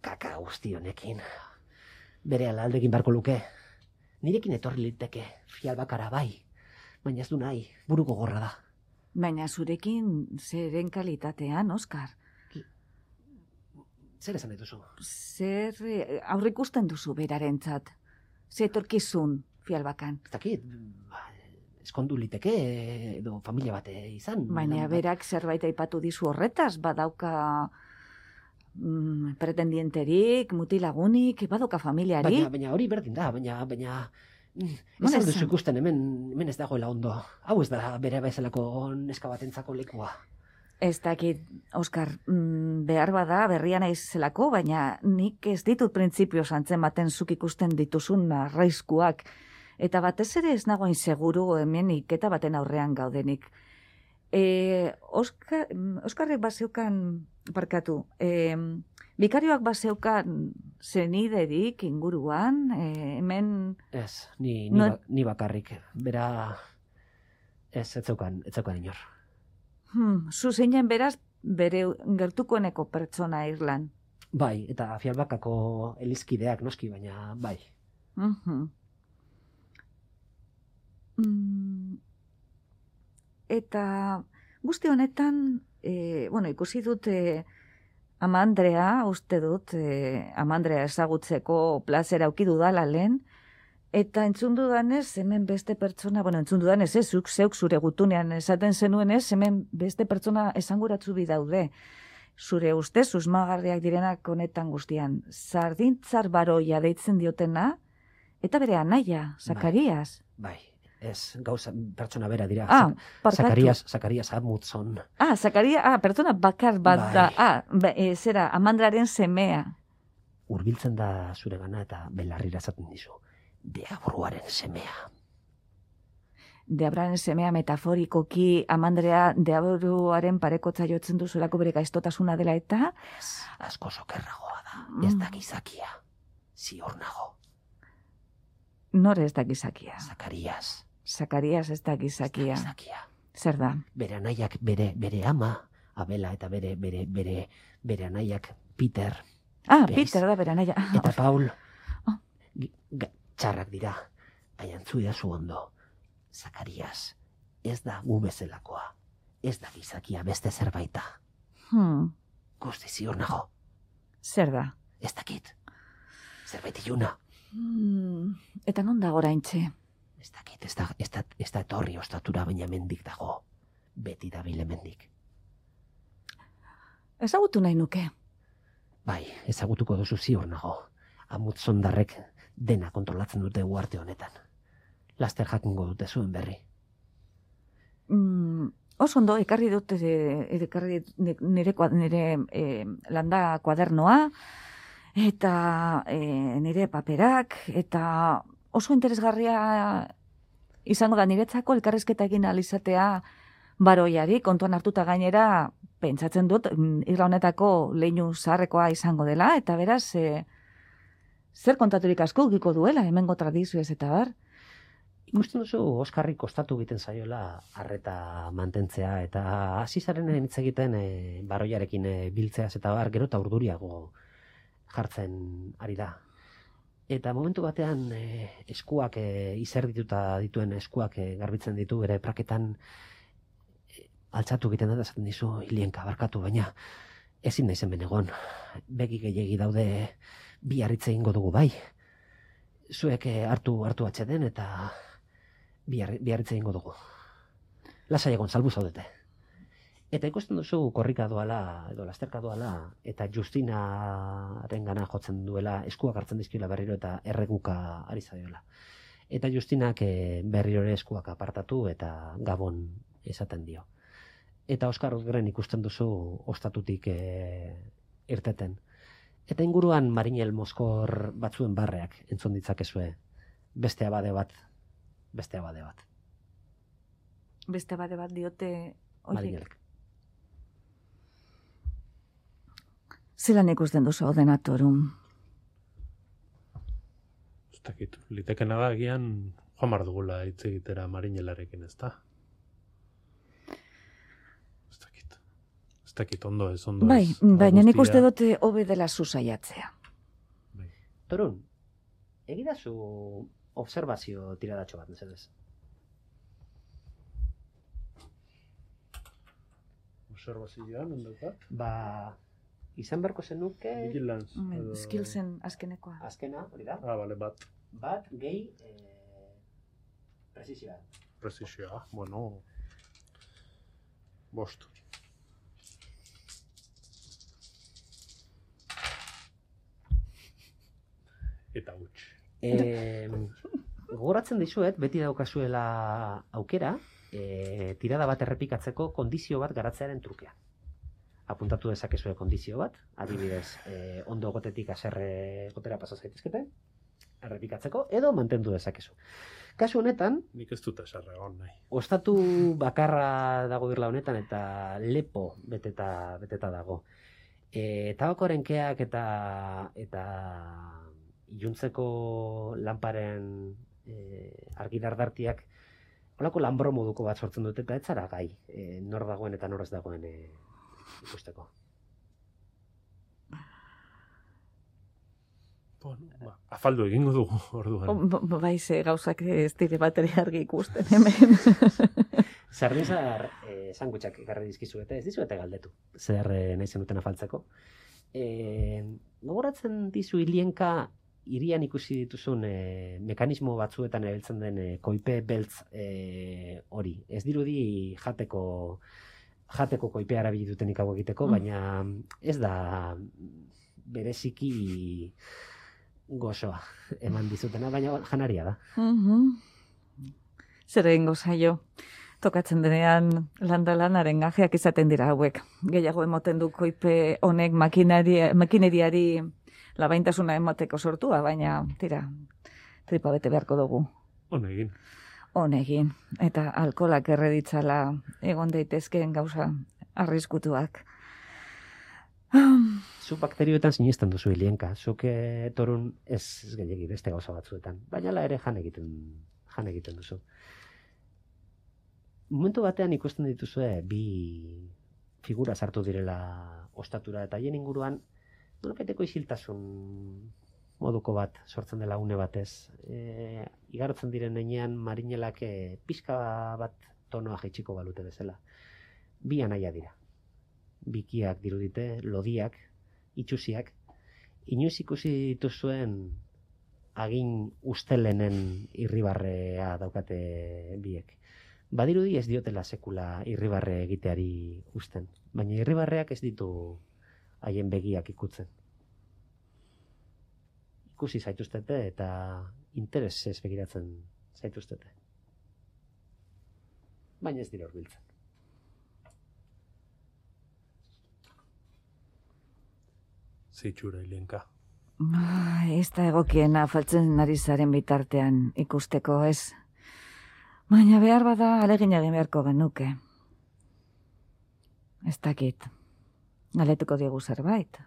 kaka guzti honekin. Bere aldekin barko luke. Nirekin etorri liteke, fialbakara bai, baina ez du nahi, buru gogorra da. Baina zurekin zeren kalitatean, Oskar? Zer esan dituzu? Zer aurrikusten duzu berarentzat? Zer etorkizun fialbakan? Ez dakit, eskondu liteke edo familia bate izan. Baina berak zerbait aipatu dizu horretaz, badauka pretendienterik, mutilagunik, badauka familiarik. Baina hori berdin da, baina ez duzu ikusten hemen ez dagoela ondo. Hau ez da bere bezalako neska batentzako lekua. Ez dakit, Oskar, behar bada berria naizelako, baina nik ez ditut printzipioz antzematen zuk ikusten dituzun arraizkuak. Eta batez ere ez nagoin seguru hemen iketa baten aurrean gaudenik. Oskarrek bazeukan, barkatu, bikarioak bazeukan zeniderik inguruan, hemen... Ez, ni bakarrik, bera ez zeukan inor. Zu zeinen beraz bere gertukoeneko pertsona irlan. Bai, eta fialbakako elizkideak noski, baina bai. Eta guzti honetan, ikusi dut Amandrea, uste dut, Amandrea ezagutzeko plazera auki dudala lehen, eta entzun dudanez, hemen beste pertsona, entzun dudanez, zeuk zure gutunean esaten zenuenez, hemen beste pertsona esanguratzu bi daude. Zure uste, susmagarriak direnak honetan guztian. Zardintzar baroia deitzen diotena, eta bere anaia, Zakarias. Bai. Ez, gauza, pertsona bera dira. Zakarias Amundson. Zakarias, pertsona bakar bat da. Zera, Amandraren semea. Hurbiltzen da zure gana eta belarrira esaten dizu. Deabruaren semea. Deabruaren semea metaforikoki Amandrea deabruaren parekotza jotzen duzulako bere gaiztotasuna dela eta... Ez, asko sokerragoa da. Ez da gizakia. Ziur nago. Nor ez da gizakia? Zakarias ez da gizakia. Zer da? Bere anaiak, bere ama, Abela, eta bere anaiak Peter. Peter da bere anaia. Eta Paul. Txarrak dira. Baina zu ondo. Zakarias ez da gu bezalakoa. Ez da gizakia beste zerbaita. Guzti ziur nago. Zer da? Ez dakit. Zerbait iluna. Eta non dago oraintxe? Ez dakit, ez da etorri ostatura, baina mendik dago. Beti dabile mendik. Ezagutu nahi nuke. Bai, ezagutuko duzu ziur nago. Amutzondarrek dena kontrolatzen dute uarte honetan. Laster jakingo dute zuen berri. Oso ondo, ekarri nire landa kuadernoa, eta nire paperak, eta oso interesgarria izango da niretzako elkarrizketa egin alizatea baroiari, kontuan hartuta gainera, pentsatzen dut, irla honetako leinu zaharrekoa izango dela, eta beraz, zer kontaturik asko ukiko duela, hemengo tradizioez eta bar. Ikusten duzu Oskarri kostatu egiten zaiola arreta mantentzea, eta hasi zaren hitz egiten baroiarekin biltzeaz eta bar, gero eta urduriago jartzen ari da. Eta momentu batean eskuak, izerdituta dituen eskuak garbitzen ditu, bere praketan altzatu egiten da, esaten dizu, hilienka barkatu, baina ezin naizen benegon. Begi gehiegi daude, bi harritze egingo dugu bai. Zuek hartu atxeden eta bi harritze egingo dugu. Lasai egon, salbu zaudete. Eta ikusten duzu korrika doala, edo lasterka doala, eta Justinaren gana jotzen duela, eskuak hartzen dizkiola berriro eta erreguka ari zaiola. Eta Justinak berriro ere eskuak apartatu eta gabon esaten dio. Eta Oskar Uzgren ikusten duzu ostatutik irteten. Eta inguruan Marinel Moskor batzuen barreak entzun ditzakezue. Beste abade bat. Beste abade bat diote Marinelek. Zelan ikusten duzu ordenatorum? Ez dakit, litekena da agian joan behar dugula hitz egitera Marinelarekin, ez da? Ez dakit ondo ez. Bai, baina nik uste dute hobe dela zuzaiatzea. Bai. Torun, egidazu observazio tiradatxo bat, mesedez. Observazioan, ondokat? Ba, izan berko zenuke... Vigilance. Skillsen azkenekoa. Azkena, hori da? Bale, bat. Bat, gehi, presisioa. Presisioa, bueno... Bost. Eta huts. Gogoratzen dizuet, beti daukazuela aukera, tirada bat errepikatzeko kondizio bat garatzearen trukea. Apuntatu dezakezue kondizio bat, adibidez, ondo gotetik haserre gotera pasa zaitezkete, errepikatzeko, edo mantendu dezakezu. Kasu honetan, nik ez dut haserre egon nahi. ostatu bakarra dago irla honetan eta lepo beteta dago. Tabakoren keak eta iluntzeko lanparen argidardartiak holako lanbro moduko bat sortzen dute eta ez zara gai, nor dagoen eta nor ez dagoen ikusteko. Bueno, afaldu egingo dugu orduan. Bai, ze gauzak ez dire bateri argi ikusten hemen. Zardinzar sandwichak ekarri dizkizuete, ez dizuete galdetu. Zer nahi zenuten afaltzeko. Gogoratzen dizu Ilienka hirian ikusi dituzun mekanismo batzuetan erabiltzen den koipe beltz hori. Ez dirudi jateko koipea erabili dutenik hau egiteko, baina ez da bereziki gozoa eman dizutena, baina janaria da. Zer egingo zaio? Tokatzen denean landalanaren gajeak izaten dira hauek. Gehiago emoten du koipe honek makineriari labaintasuna emateko sortua, baina tira, tripa bete beharko dugu. Honegin. Eta alkolak erreditzala egon daitezkeen gauza arriskutuak. Zu bakterioetan sinesten duzu Ilienka. Zuk Torun ez gehiegi beste gauza batzuetan. Baina la ere jan egiten duzu. Momentu batean ikusten dituzue bi figura sartu direla ostatura eta hien inguruan nolapeteko isiltasun moduko bat sortzen dela une batez. Igarotzen diren heinean Marinelak pixka bat tonoa jaitsiko balute bezala. Bi anaia dira. Bikiak dirudite, lodiak, itxusiak. Inoiz ikusi dituzuen agin ustelenen irribarrea daukate biek. Badirudi ez diotela sekula irribarre egiteari usten, baina irribarreak ez ditu haien begiak ikutzen. Ikusi zaituztete eta interesez begiratzen zaituztete. Baina ez dira hurbiltzen. Zeitxura, Ilienka. Ez da egokiena faltzen ari zaren bitartean ikusteko, ez? Baina behar bada alegin egin beharko genuke. Ez dakit. Galetuko diegu zerbait.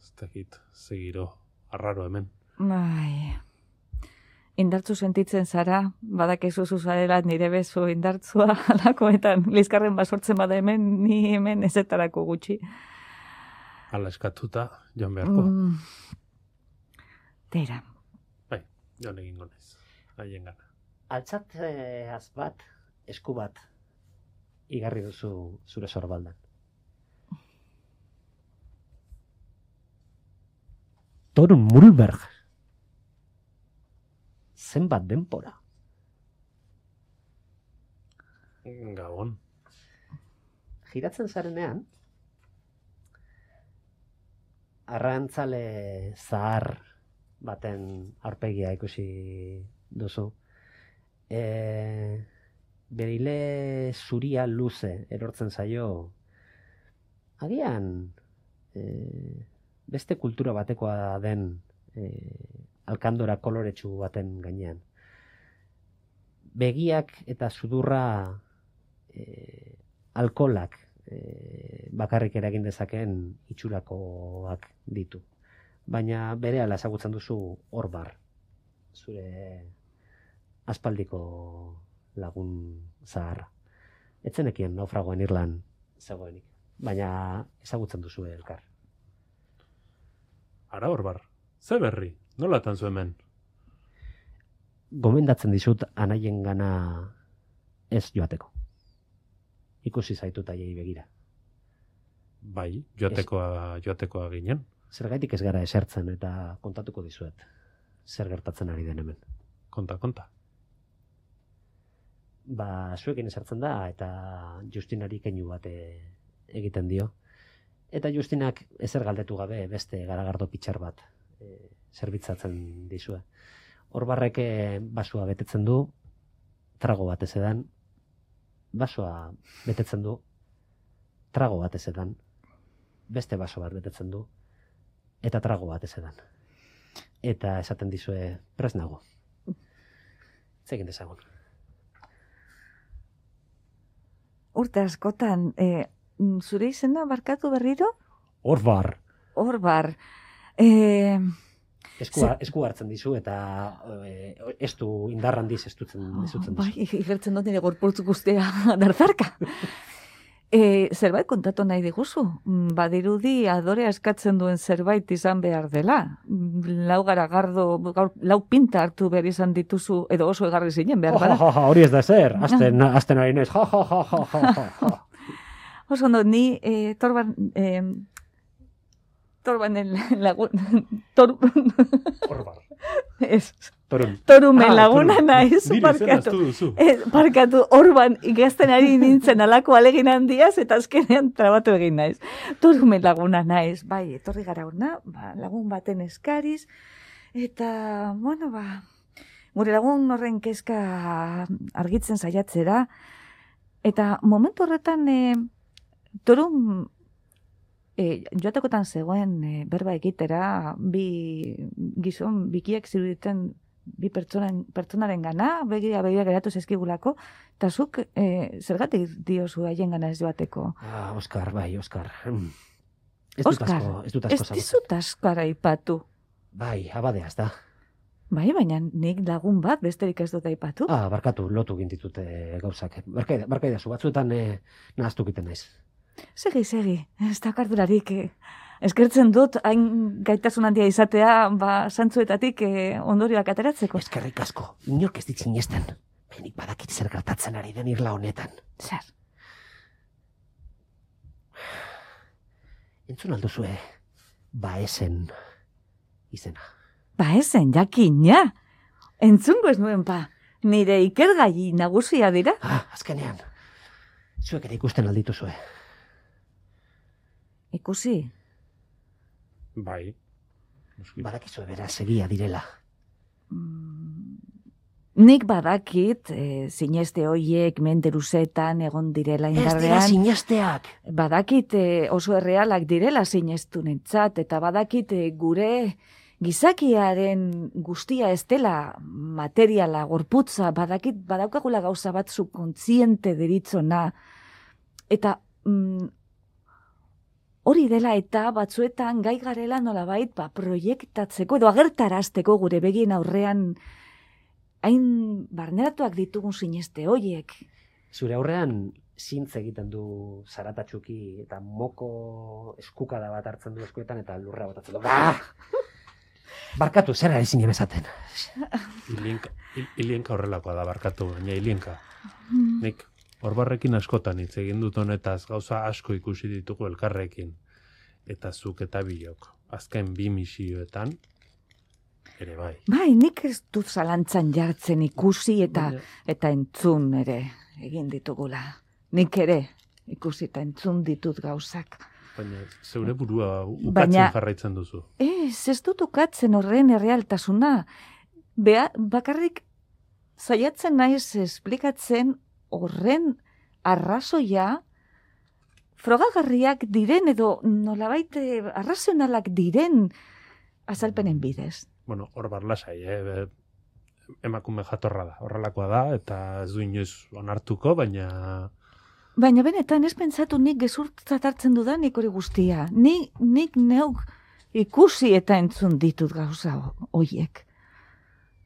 Ez dakit, segiro, arraro hemen. Bai. Indartzu sentitzen zara, badakizu zuzarela nire bezu indartzua alakoetan. Lizkarren basortzen bada hemen, ni hemen ezetarako gutxi. Hala eskatuta, joan beharko. Tira. Bai, joan egingo naiz. Haien gana. Altzatzeaz bat, esku bat, igarri duzu zure sorbaldan. Torun Mulberg. Zenbat denpora. Gabon. Giratzen zarenean, arrantzale zahar baten aurpegia ikusi duzu. Berile zuria luze erortzen zaio, agian beste kultura batekoa den alkandora koloretsu baten gainean. Begiak eta sudurra alkolak bakarrik eragin dezakeen itxurakoak ditu. Baina berehala ezagutzen duzu Orbar, zure aspaldiko lagun zaharra. Etzenekien naufragoen Irlan zegoenik, baina ezagutzen duzu elkar. Ara Orbar, ze berri, nolatan zu hemen? Gomendatzen dizut anaien gana ez joateko. Ikusi zaitut aiei begira. Bai, joatekoa ginen. Zergaitik ez gara esertzen eta kontatuko dizuet. Zer gertatzen ari den hemen. Konta. Zuekin esertzen da eta Justinari keinu bat egiten dio. Eta Justinak ezer galdetu gabe beste garagardo pitxar bat zerbitzatzen dizue. Orbarrek basua betetzen du, trago bat ez edan. Basoa betetzen du, trago bat ez edan. Beste baso bat betetzen du, eta trago bat ez edan. Eta esaten dizue prest nago. Zegin dezagun. Urte askotan, zure izena barkatu berriro? Orbar. Esku hartzen dizu eta ez du indarrandiz estutzen dizu. Bai, igertzen dut nire gorputz guztia darzarka. Zerbait kontatu nahi diguzu. Badirudi adorea eskatzen duen zerbait izan behar dela. Lau lau pinta hartu behar izan dituzu, edo oso egarri zinen behar bada. Hori ez da zer, azten ari naiz. Oso ondo, ni Torbanen lagun... Orbar. Ez. Torun. Torumen laguna naiz, parkatu. Parkatu, Orban ikasten ari nintzen alako alegin handiaz, eta azkenean trabatu egin naiz. Torumen laguna naiz, bai, etorri gara hona, lagun baten eskariz, eta, bueno, gure lagun horren kezka argitzen saiatzera, eta momentu horretan, Torun, joatekotan zegoen berba egitera, bi gizon bikiek ziruditen bi pertsonaren gana, begira geratu zezkigulako, eta zuk zergatik diozu haien gana ez joateko? Oskar. Ez dizut askara aipatu. Bai, abadeaz da. Bai, baina nik lagun bat besterik ez dut aipatu. Barkatu, lotu gintitute gauzak. Barkaidazu, batzuetan nahaztu egiten naiz. Segi, ez da kardurarik. Eskertzen dut, hain gaitasun handia izatea, santzuetatik ondorioak ateratzeko. Eskerrik asko, inork ez ditzen jesten. Benik badakit zer gertatzen ari den Irla honetan. Zer? Entzun alduzue, Baesen izena. Baesen, jakina. Entzungo ez nuen nire ikergai nagusia dira. Azkenean, zuek ere ikusten aldituzue. Ikusi? Bai. Badakizue beraz egia direla. Nik badakit, sineste hoiek menderuzetan egon direla indarrean. Ez dira sinesteak! Badakit oso errealak direla sinestunentzat, eta badakit gure gizakiaren guztia ez dela materiala, gorputza, badakit badaukagula gauza bat subkontziente deritzona. Eta hori dela eta batzuetan gai garela nolabait proiektatzeko edo agertarazteko gure begien aurrean hain barneratuak ditugun sineste hoiek. Zure aurrean zintz egiten du zaratatxuki eta moko eskukada bat hartzen du eskuetan eta lurra botatzen du. Barkatu, zer ari zinen esaten? Ilienka horrelakoa da, barkatu, baina Ilienka. Nik Orbarrekin askotan hitz egin dut honetaz, gauza asko ikusi ditugu elkarrekin. Eta zuk eta biok, azken 2 misioetan, ere bai. Bai, nik ez dut zalantzan jartzen ikusi eta entzun ere egin ditugula. Nik ere ikusi eta entzun ditut gauzak. Baina zeure burua ukatzen Baina- jarraitzen duzu. Ez dut ukatzen horren errealtasuna. Bakarrik saiatzen naiz esplikatzen horren arrazoia frogagarriak diren edo nolabait arrazionalak diren azalpenen bidez. Bueno, hor barlasai, emakume jatorra da, horrelakoa da, eta ez du inoiz onartuko, baina... Baina benetan ez pentsatu nik gezurtzat hartzen dudanik hori guztia. Nik neuk ikusi eta entzun ditut gauza hoiek.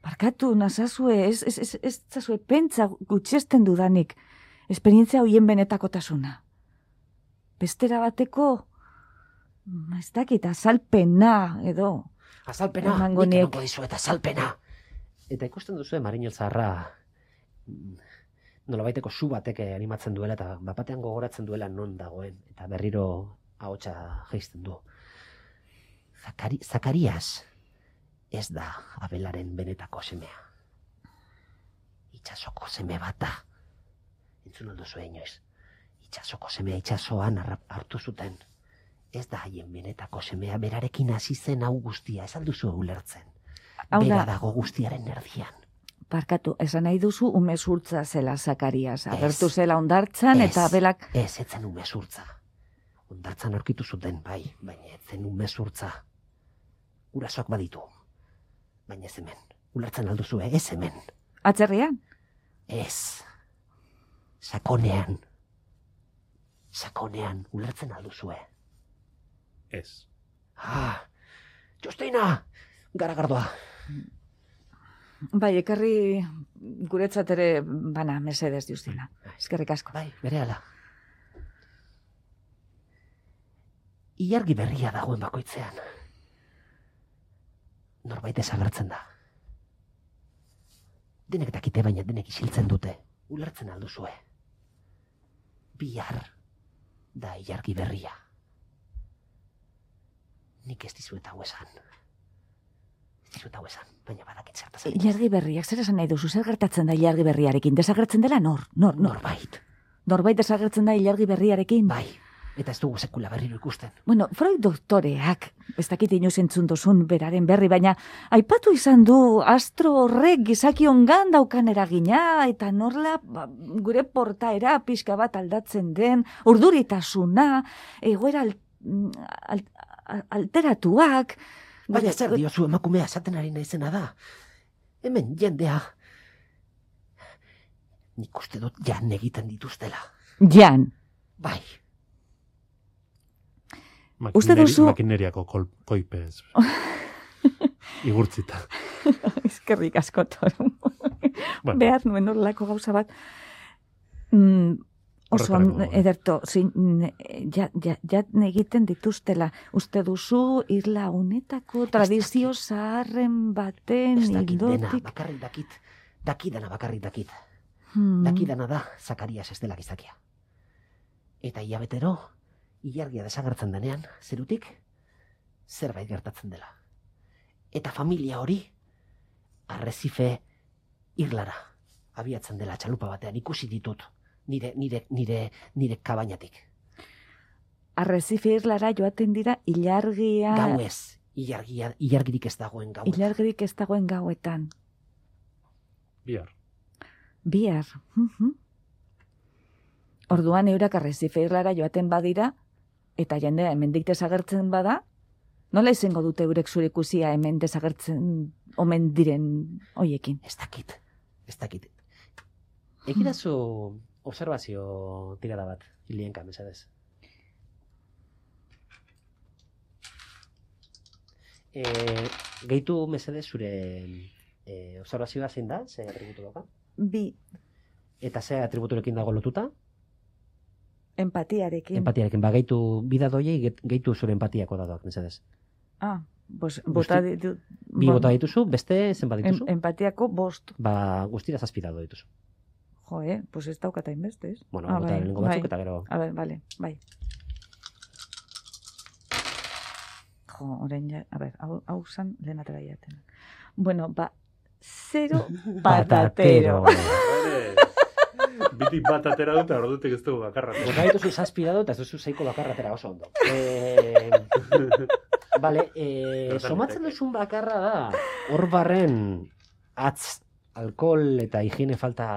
Barkatu nazazue, ez zazue pentsa gutxesten dudanik esperientzia hoien benetakotasuna. Bestera bateko, ez dakit, azalpena edo... Azalpena, Emango nik niek. emango dizuet azalpena. Eta ikusten duzu Marinel Zaharra nolabaiteko su batek animatzen duela eta bapatean gogoratzen duela non dagoen eta berriro ahotsa jaisten du. Zakarias ez da Abelaren benetako semea. Itsasoko seme bat da. Entzun alduzu inoiz. Itsasoko semea itsasoan hartu zuten. Ez da haien benetako semea, berarekin hasi zen hau guztia, ez alduzu ulertzen. Hau Bera da, dago guztiaren erdian. barkatu, esan nahi duzu umezurtza zela Zakarias. Agertu zela ondartzan eta belak... Ez zen umezurtza. Ondartzan aurkitu zuten, bai, baina ez zen umezurtza. Urasoak baditu. Baina ez hemen. Ulertzen alduzu, ez hemen. Atzerrian? Ez. Sakonean. Sakonean, ulertzen alduzue. Ez. Justina! Garagardoa. Bai, ekarri guretzat ere bana, mesedez, Justina. Eskerrik asko. Bai, berehala. Ilargi berria dagoen bakoitzean. Norbait desagertzen da. Denek dakite, baina denek isiltzen dute. Ulertzen alduzue. Bihar da ilargi berria. Nik ez dizuet hau esan. Baina badakit zertaz. Ilargi berriak, zer esan nahi duzu, zer gertatzen da ilargi berriarekin? Desagertzen dela nor? Norbait. Norbait desagertzen da ilargi berriarekin? Bai, eta ez dugu sekula berriro ikusten. Bueno, Freud doktoreak, ez dakit inoiz entzun duzun beraren berri, baina aipatu izan du astro horrek gizakiongan daukan eragina, eta norla gure portaera pixka bat aldatzen den, urduritasuna, egoera alteratuak... Baina zer diozu emakumea esaten ari naizena da. Hemen jendea. Nik uste dut jan egiten dituztela. Jan. Bai. Uste duzu... Makineriako koipez. Igurtzita. Eskerrik asko, Toru. Bueno. Behar nuen horrelako gauza bat. Oso, Horretarako, ederto, ja egiten dituztela. Uste duzu irla honetako tradizio zaharren baten Ez dakit dena, ildotik... bakarrik dakit. Dakidana bakarrik dakit. Hmm. Dakidana da Zakarias ez dela gizakia. Eta hilabetero, ilargia desagertzen denean, zerutik, zerbait gertatzen dela. Eta familia hori, Arrecife irlara abiatzen dela txalupa batean ikusi ditut. Nire kabainatik. Arrecife irlara joaten dira ilargia... Gauez, ilargirik ez dagoen gauetan. Ilargirik ez dagoen gauetan. Bihar. Bihar. Orduan eurak Arrecife irlara joaten badira, eta jendea hemendik desagertzen bada, nola izango dute eurek zure ikusia hemen desagertzen omen diren hoiekin? Ez dakit. Egidazu observazio tirada bat, Ilienka, mesedez. Gehitu mesedez zure observazioa zein da, ze atributu doka? Bi, Eta ze atributurekin dago lotuta? empatiarekin. Empatiarekin, gehitu bidadoiei, gehitu zure empatiako dadoak, mesedez. Pues, bota ditut... Bi bota dituzu, beste zenbat dituzu? Empatiako 5. Guztira 7 dado dituzu. Jo, pues ez daukata inbeste, ez? Bueno, bota lehenengo batzuk eta gero... A ber, bai. Jo, orain ja, a ber, hau zan lehen atera jaten. Bueno, 0 patatero. Bitik bat atera dut, ordutik ez dugu bakarra. Bota dituzu zazpi dado, eta ez duzu seiko bakarratera oso ondo. Bale, somatzen duzun bakarra da, hor barren atz, alkohol eta higiene falta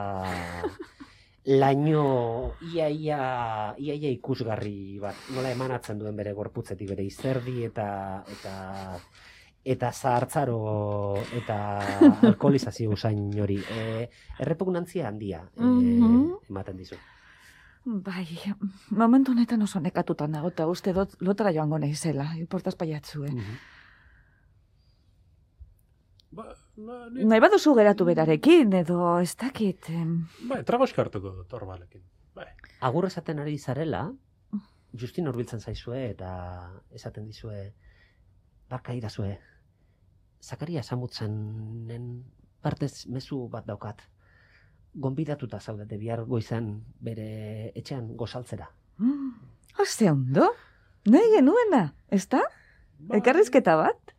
laino ia ikusgarri bat. Nola emanatzen duen bere gorputzetik, bere izerdi eta zahartzaro eta alkoholizazio usain hori. Errepugnantzia handia ematen dizu. Bai, momentu honetan oso nekatuta nago, eta uste dut lotara joango naizela, portaz paiatzu, Nahi baduzu geratu berarekin, edo ez dakit... Bai, tragoska hartuko dut, Orbalekin. Bai. Agur esaten ari zarela, Justin hurbiltzen zaizue eta esaten dizue, barka idazue, Zakaria Samutzenen partez mezu bat daukat. Gonbidatuta zaudete bihar goizan bere etxean gozaltzera. Ze ondo? Nahi genuena, ez da? Elkarrizketa bat?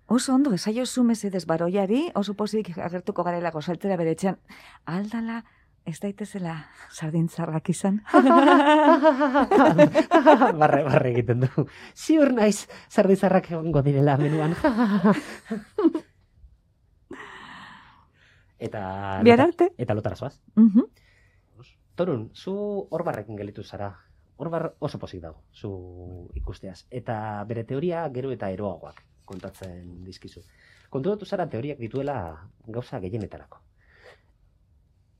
Oso ondo, esaiozu mesedez baroiari, oso pozik agertuko garela gozaltzera bere etxean. Aldala, ez daitezela sardintzarrak izan. Barre egiten du. Ziur naiz sardintzarrak egongo direla menuan. Bihar arte? Eta lotara zoaz. Torun, zu Orbarrekin gelitu zara. Orbar oso pozik dago, zu ikusteaz. Eta bere teoria gero eta eroagoak kontatzen dizkizu. Konturatu zara teoriak dituela gauza gehienetarako.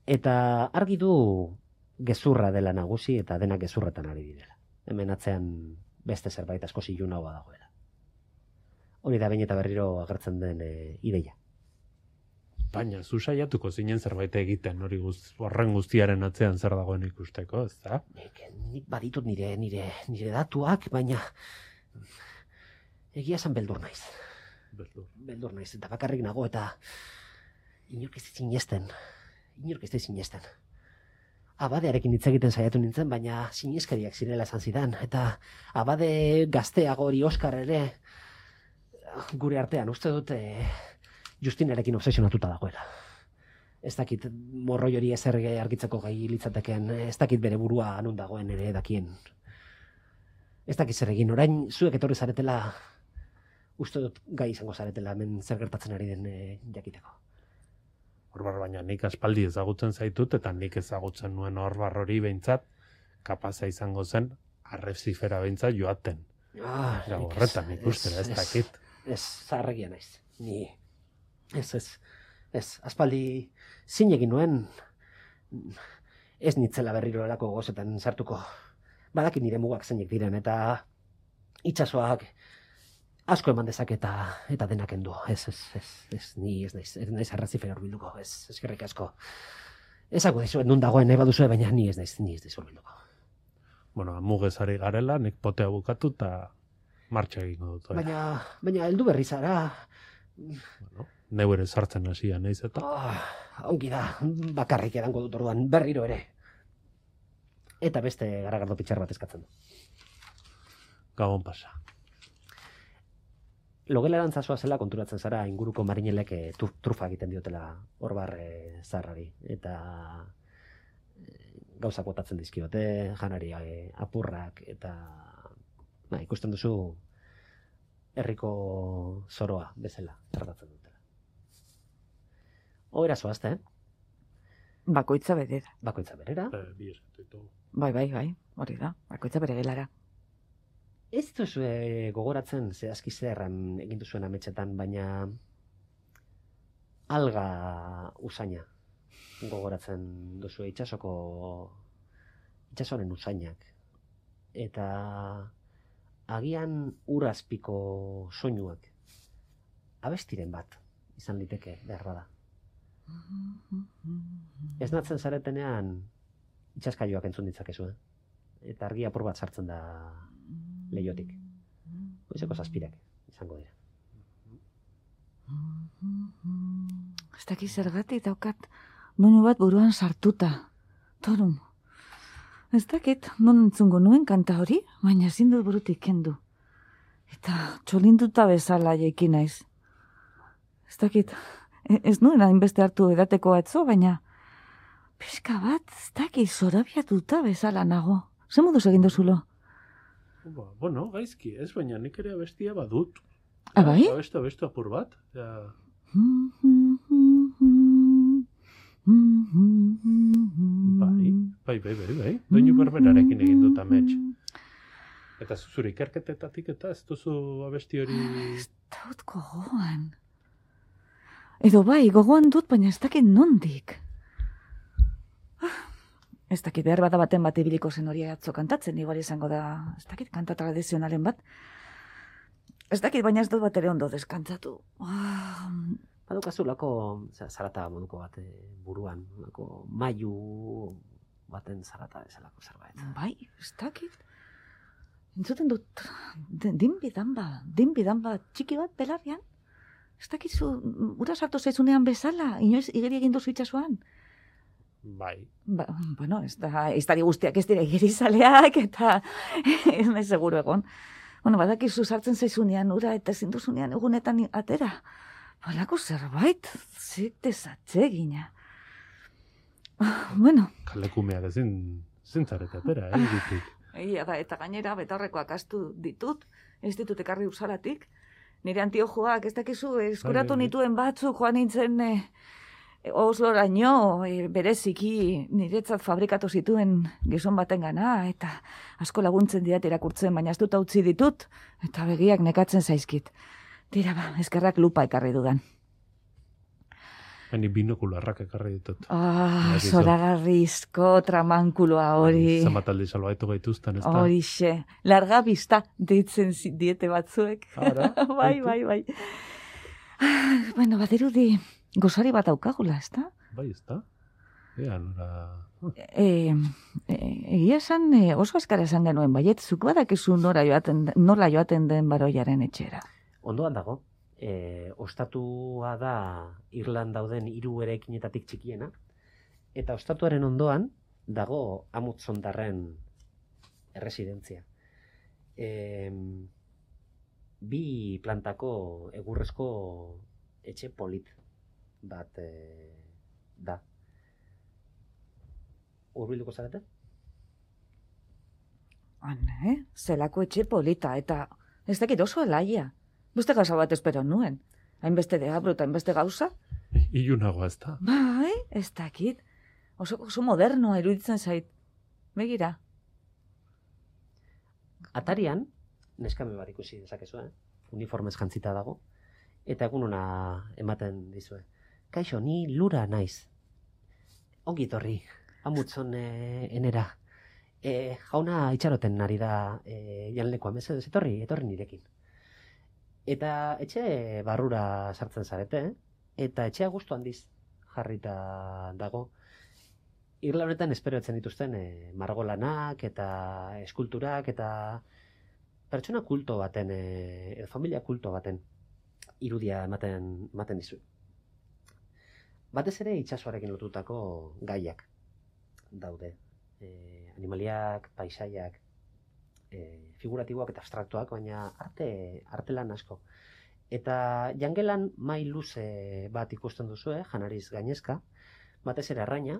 Eta argi du gezurra dela nagusi eta denak gezurretan ari direla. Hemen atzean beste zerbait asko zilunagoa dagoela. Hori da behin eta berriro agertzen den ideia. Baina, zu saiatuko zinen zerbait egiten, hori horren guztiaren atzean zer dagoen ikusteko, ez da? Nik baditut nire datuak, baina egia esan beldur naiz. Beldur naiz, eta bakarrik nago, eta inork ez sinesten. Abadearekin hitz egiten saiatu nintzen, baina sineskariak zirela esan zidan, eta abade gazteago hori Oskar ere gure artean uste dute Justinarekin obsesionatuta dagoela. Ez dakit morroi hori ezer argitzeko gai litzateken, ez dakit bere burua non dagoen ere dakien. Ez dakit zer egin, orain zuek etorri zaretela, uste dut gai izango zaretela hemen zer gertatzen ari den jakiteko. Orbar, baina nik aspaldi ezagutzen zaitut, eta nik ezagutzen nuen Orbar hori behintzat, kapaza izango zen, arrezifera behintzat joaten. Horretan ikustera, ez dakit. Ez, zaharregia naiz, ni... Ez, aspaldi zinegin nuen, ez nitzela berriro elako gozetan sartuko. Badaki nire mugak zeinek diren, eta itsasoak asko eman dezake eta denak endu. Ni ez naiz arrazifera horbilduko, ez eskerrik asko. Ezako dizuet nun dagoen nahi baduzue, baina ni ez naiz horbilduko. Bueno, mugezari garela, nik potea bukatu eta martxa egingo dut. Baina heldu berri zara... Bueno, neu ere sartzen hasia naiz eta... Ongi da, bakarrik edango dut orduan, berriro ere. Eta beste garagardo pitxar bat eskatzen du. Gabon pasa. Logelarantza zela konturatzen zara inguruko marinelek trufa egiten diotela Orbar zaharrari. Eta gauzak botatzen dizkiote, janari apurrak, eta ikusten duzu herriko zoroa bezala tratatzen dutela. Oera zoazte, Bakoitza berera. Bakoitza berera? Bi esatu. Bai, hori da, bakoitza bere gelara. Ez duzu gogoratzen zehazki zerran egin duzuen ametxetan, baina alga usaina gogoratzen duzu itsasoren usainak. Eta agian urazpiko soinuak abestiren bat izan liteke behar bada. Ez natzen zaretenean itxaskailuak entzun ditzakezu, eta argi apur bat sartzen da leiotik. Goizeko zazpirak izango dira. Ez dakiz zergatik daukat doinu bat buruan sartuta. Torun. Ez dakit non entzungo nuen kanta hori, baina ezin dut burutik kendu. Eta txolinduta bezala jaiki naiz. Ez dakit, ez nuen hainbeste hartu edateko atzo, baina pixka bat, ez daki zorabiatuta bezala nago. Ze moduz egin duzulo? Bueno, gaizki, ez baina nik ere abestia badut. Bai? Abestu apur bat. Ja. Bai. Doinu berberarekin egin dut amets. Eta zure ikerketetatik eta ez duzu abesti hori... Ez dut gogoan. Edo bai, gogoan dut, baina ez dakit nondik. Ez dakit behar bada baten bat ibiliko zen hori atzo kantatzen, igual izango da, ez dakit kanta tradizionalen bat. Ez dakit, baina ez dut bat ere ondo deskantzatu. Badukazu lako zarata moduko bat buruan, lako mailu baten zarata bezalako zerbait. Bai, ez dakit. Entzuten dut, dinbidanba txiki bat belarrian. Ez dakizu, ura sartu zaizunean bezala, inoiz igeri egin duzu itxasuan. Bai. Bueno, ez da guztiak ez dira igerizaleak, eta ez nahi seguru egon. Bueno, badakizu sartzen zaizunean ura eta ezin duzunean egunetan atera. Balako zerbait, zik desatzegina. Bueno. Kalekumeak ezin zintzarete atera, ditik. Ia da, eta gainera betaurrekoak astu ditut, ez ditut ekarri usalatik. Nire antiojoak, ez dakizu, eskuratu nituen batzuk joan nintzen Osloraino, bereziki niretzat fabrikatu zituen gizon baten gana, eta asko laguntzen diat irakurtzen, baina ez dut utzi ditut, eta begiak nekatzen zaizkit. Tira ba, eskerrak lupa ekarri dudan. Ni binokularrak ekarri ditut. Zoragarrizko tramankuloa hori. Zamataldi salbaitu gaituzten, ez da? Horixe, larga bista deitzen diete batzuek. Bai. Bueno, badirudi gozari bat aukagula, ez da? Bai, ez da? Egia esan oso eskara esan genuen, baiet, zuk badakizu nola joaten den baroiaren etxera. Ondoan dago. Ostatua da Irlan dauden 3 eraikinetatik txikiena, eta ostatuaren ondoan dago Amutzondarren erresidentzia. 2 plantako egurrezko etxe polit bat da. Hurbilduko zarete? Zelako etxe polita, eta ez dakit oso alaia. Beste gauza bat espero nuen. Hainbeste deabro eta hainbeste gauza. Ilunagoa ez da. Bai, ez dakit. Oso modernoa iruditzen zait. Begira. Atarian, neskame bat ikusi dezakezu, uniformez jantzita dago, eta egun ona ematen dizue. Kaixo, ni lura naiz. Ongi torri, Amutzon enera. Jauna itxaroten ari da janlekoa, mesedez, etorri nirekin. Eta etxe barrura sartzen zarete, eta etxea gustu handiz jarrita dago. Irla honetan esperoetzen dituzten margolanak eta eskulturak eta pertsona kulto baten, familia kulto baten irudia ematen dizu. Batez ere itsasoarekin lotutako gaiak daude. Animaliak, paisaiak, figuratiboak eta abstraktuak, baina artelan asko. Eta jangelan mai luze bat ikusten duzu, janariz gainezka, batez ere arraina,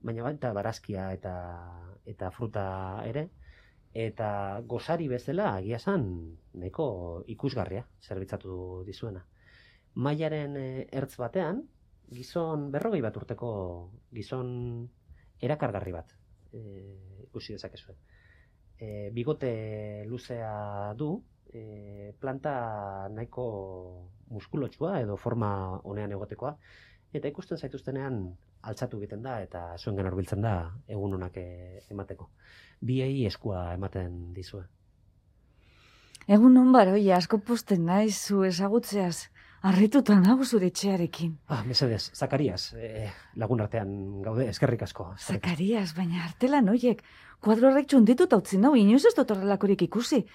baina baita barazkia eta fruta ere, eta gozari bezala agia esan nahiko ikusgarria zerbitzatu dizuena. Mailaren ertz batean, gizon 40 bat urteko gizon erakargarri bat ikusi dezakezue. Bigote luzea du, planta nahiko muskulotsua edo forma honean egotekoa, eta ikusten zaituztenean altzatu egiten da eta zuengan hurbiltzen da egun onak emateko. Biei eskua ematen dizue. Egun on baroi, asko posten naiz zu ezagutzeaz. Arrituta nago zure etxearekin. Mesedez, Zakarias, lagun artean gaude, eskerrik asko. Zakarias, baina artelan hoiek, kuadro horrek txundituta utzi nau, inoiz ez dut horrelakorik ikusi.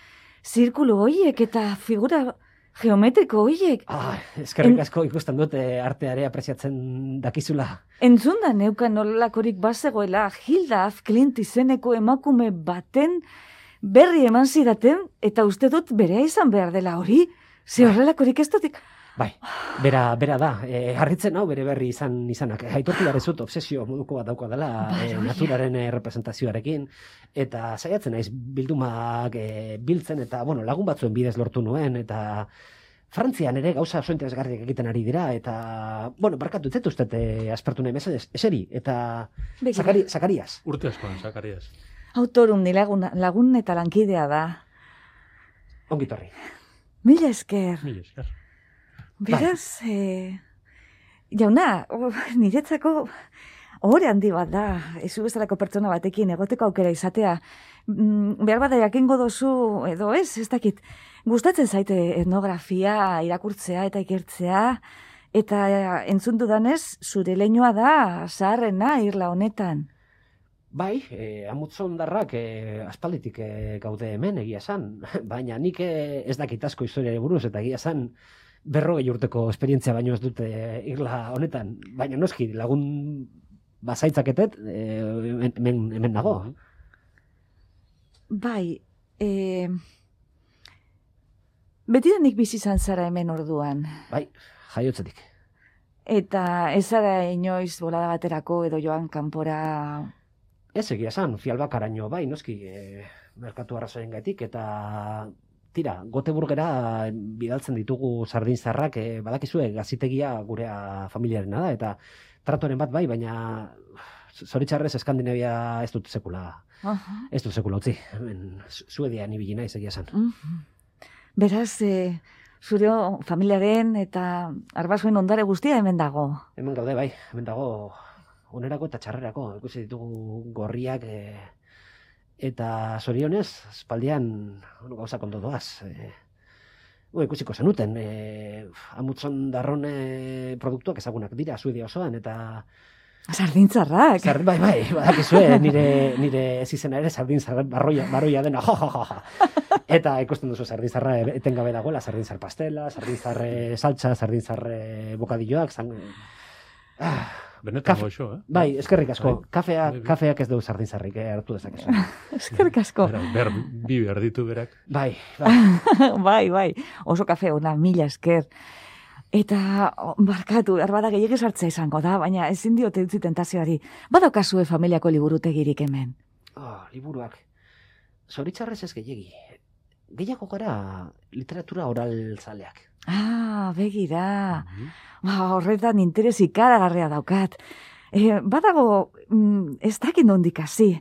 Zirkulu hoiek eta figura geometriko hoiek. Eskerrik asko ikusten dut arteare apreziatzen dakizula. Entzun da neukan horrelakorik bazegoela Hilda af Clint izeneko emakume baten berri eman zidaten, eta uste dut berea izan behar dela hori. Ze horrelakorik ez dut... Bai, bera da. Harritzen hau bere berri izanak. Aitortu behar ezut, obsesio moduko bat dauka dela naturaren representazioarekin, eta saiatzen naiz bildumak biltzen, eta lagun batzuen bidez lortu nuen, eta Frantzian ere gauza oso interesgarriak egiten ari dira, eta, barkatu, ez dut aspertu nahi mesedez, eseri, eta Zakarias. Urte askoan, Zakarias. Autorum ni lagun eta lankidea da. Ongitorri. Mila esker. Beraz, jauna, niretzako ohore handi bat da, ezu bezalako pertsona batekin egoteko aukera izatea. Behar bada jakingo dozu, edo ez dakit, gustatzen zaite etnografia irakurtzea eta ikertzea, eta entzun dudanez, zure leinua da zaharrena irla honetan. Bai, amutzondarrak aspalditik gaude hemen egia esan, baina nik ez dakit asko historiari buruz, eta egia esan 40 urteko esperientzia baino ez dute irla honetan, baina noski lagun bazaitzaketet hemen nago. Bai, betidanik bizi izan zara hemen orduan. Bai, jaiotzetik. Eta ez zara inoiz bolada baterako edo joan kanpora... Ez egia esan, Fialbakaraino bai, noski, merkatu arrazoien gaitik, eta tira, Goteburgera bidaltzen ditugu sardinzarrak, badakizue gazitegia gurea familiarena da, eta tratoren bat bai, baina zoritzarrez Eskandinavia ez dut sekula. Ez dut sekula utzi, Suedian ibili naiz egia esan. Beraz, zure familiaren eta arbasoen ondare guztia hemen dago. Hemen gaude bai, hemen dago onerako eta txarrerako, ikusi ditugu gorriak, eta zorionez, espaldian gauzak ondo doaz. Ikusiko zenuten, amutzon darron produktuak ezagunak dira, Suedia osoan, eta... Sardintzarrak! Bai, badakizue, nire ez izena ere sardintzarrak barroia dena, Eta ikusten duzu sardintzarra etengabe dagoela, sardintzar pastela, sardintzar saltza, sardintzar bokadilloak, Benetan goxo, Bai, eskerrik asko. Kafeak ez du sardinzarrik, hartu dezakezu. Eskerrik asko. Bi behar ditu berak. Bai. Bai. Oso kafe ona, mila esker. Eta, barkatu, erbada gehiagiz hartzea izango da, baina ezin diote utzi tentazioari. Badaukazue familiako liburutegirik hemen. Liburuak. Zoritzarrez ez gehiagi. Gehiago gara literatura oral zaleak. Begira. Horretan interes ikaragarria daukat. Badago, ez dakit nondik hasi.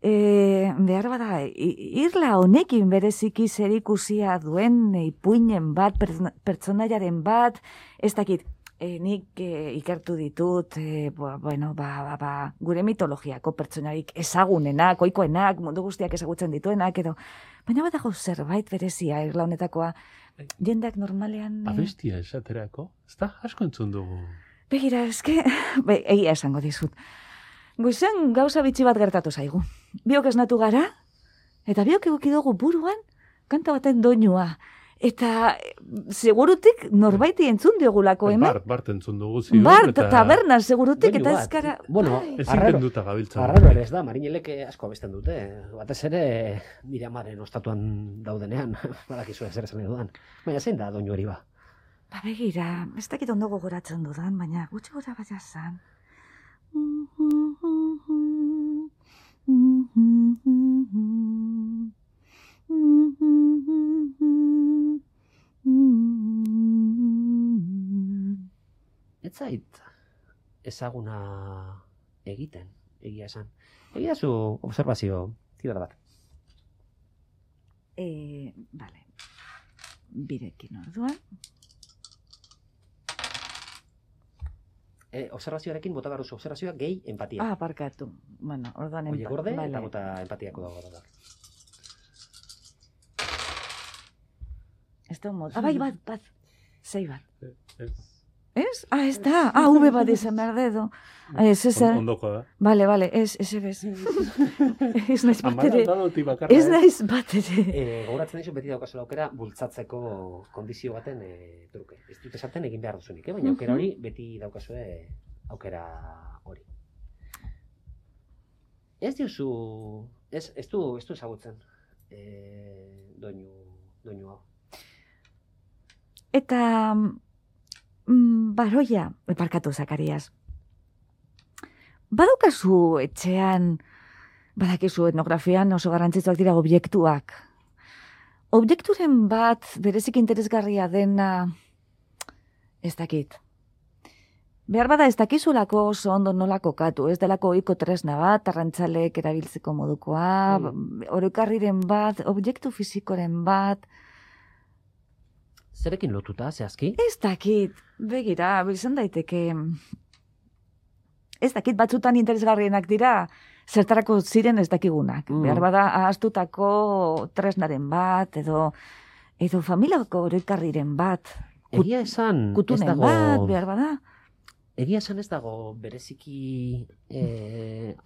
Behar bada, irla honekin bereziki zerikusia duen ipuinen bat, pertsonaiaren bat, ez dakit, nik ikertu ditut, gure mitologiako pertsonarik ezagunenak, ohikoenak, mundu guztiak ezagutzen dituenak, edo, baina badago zerbait berezia irla honetakoa, jendeak normalean... Abestia esaterako, ez da asko entzun dugu. Begira, egia esango dizut. Goizen gauza bitxi bat gertatu zaigu. Biok esnatu gara, eta biok eguki dugu buruan kanta baten doinua. Eta segurutik norbaiti entzun diogulako hemen. Bart entzun dugu zion. Bart, taberna segurutik eta ezkara... Ezin duta gabiltzen. Arraro ere ez da, marinelek asko abesten dute. Batez ere nire amaren ostatuan daudenean, badakizu zer esan dudan. Baina zein da doinu hori ba? Begira, ez dakit ondo gogoratzen dudan, baina gutxi gora baina zan. Ez zait ezaguna egiten, egia esan. Egia zu observazio, tira bat. Vale. Birekin orduan. Observazioarekin bota barruzu, observazioa gehi empatia. Parkatu. Bueno, orduan empatia. Oie gorde, eta bota empatiako dago da. Ez da mod. Bai, bat. Zei bat. Ez? Ez da. V bat izan behar dedo. Ondoko da. Bale, ez bez. Ez naiz batere. Ez naiz batere. Gauratzen daizu beti daukazula aukera bultzatzeko kondizio baten truke. Ez dut esaten egin behar duzunik, baina aukera hori beti daukazue aukera hori. Ez diozu, ez du ezagutzen doinu hau. Eta Baroia, barkatu Zakarias. Badaukazu etxean, badakizu etnografian oso garrantzitsuak dira objektuak. Objekturen bat berezik interesgarria dena, ez dakit. Behar bada ez dakizulako oso ondo nola kokatu, ez delako ohiko tresna bat, arrantzalek erabiltzeko modukoa, orokarriren bat, objektu fisikoren bat. Zerekin lotuta, zehazki? Ez dakit, begira, izan daiteke. Ez dakit batzutan interesgarrienak dira, zertarako ziren ez dakigunak. Behar bada ahaztutako tresnaren bat, edo familiako orokarriren bat. Egia esan, ez kutunen dago... bat, behar bada. Egia esan ez dago bereziki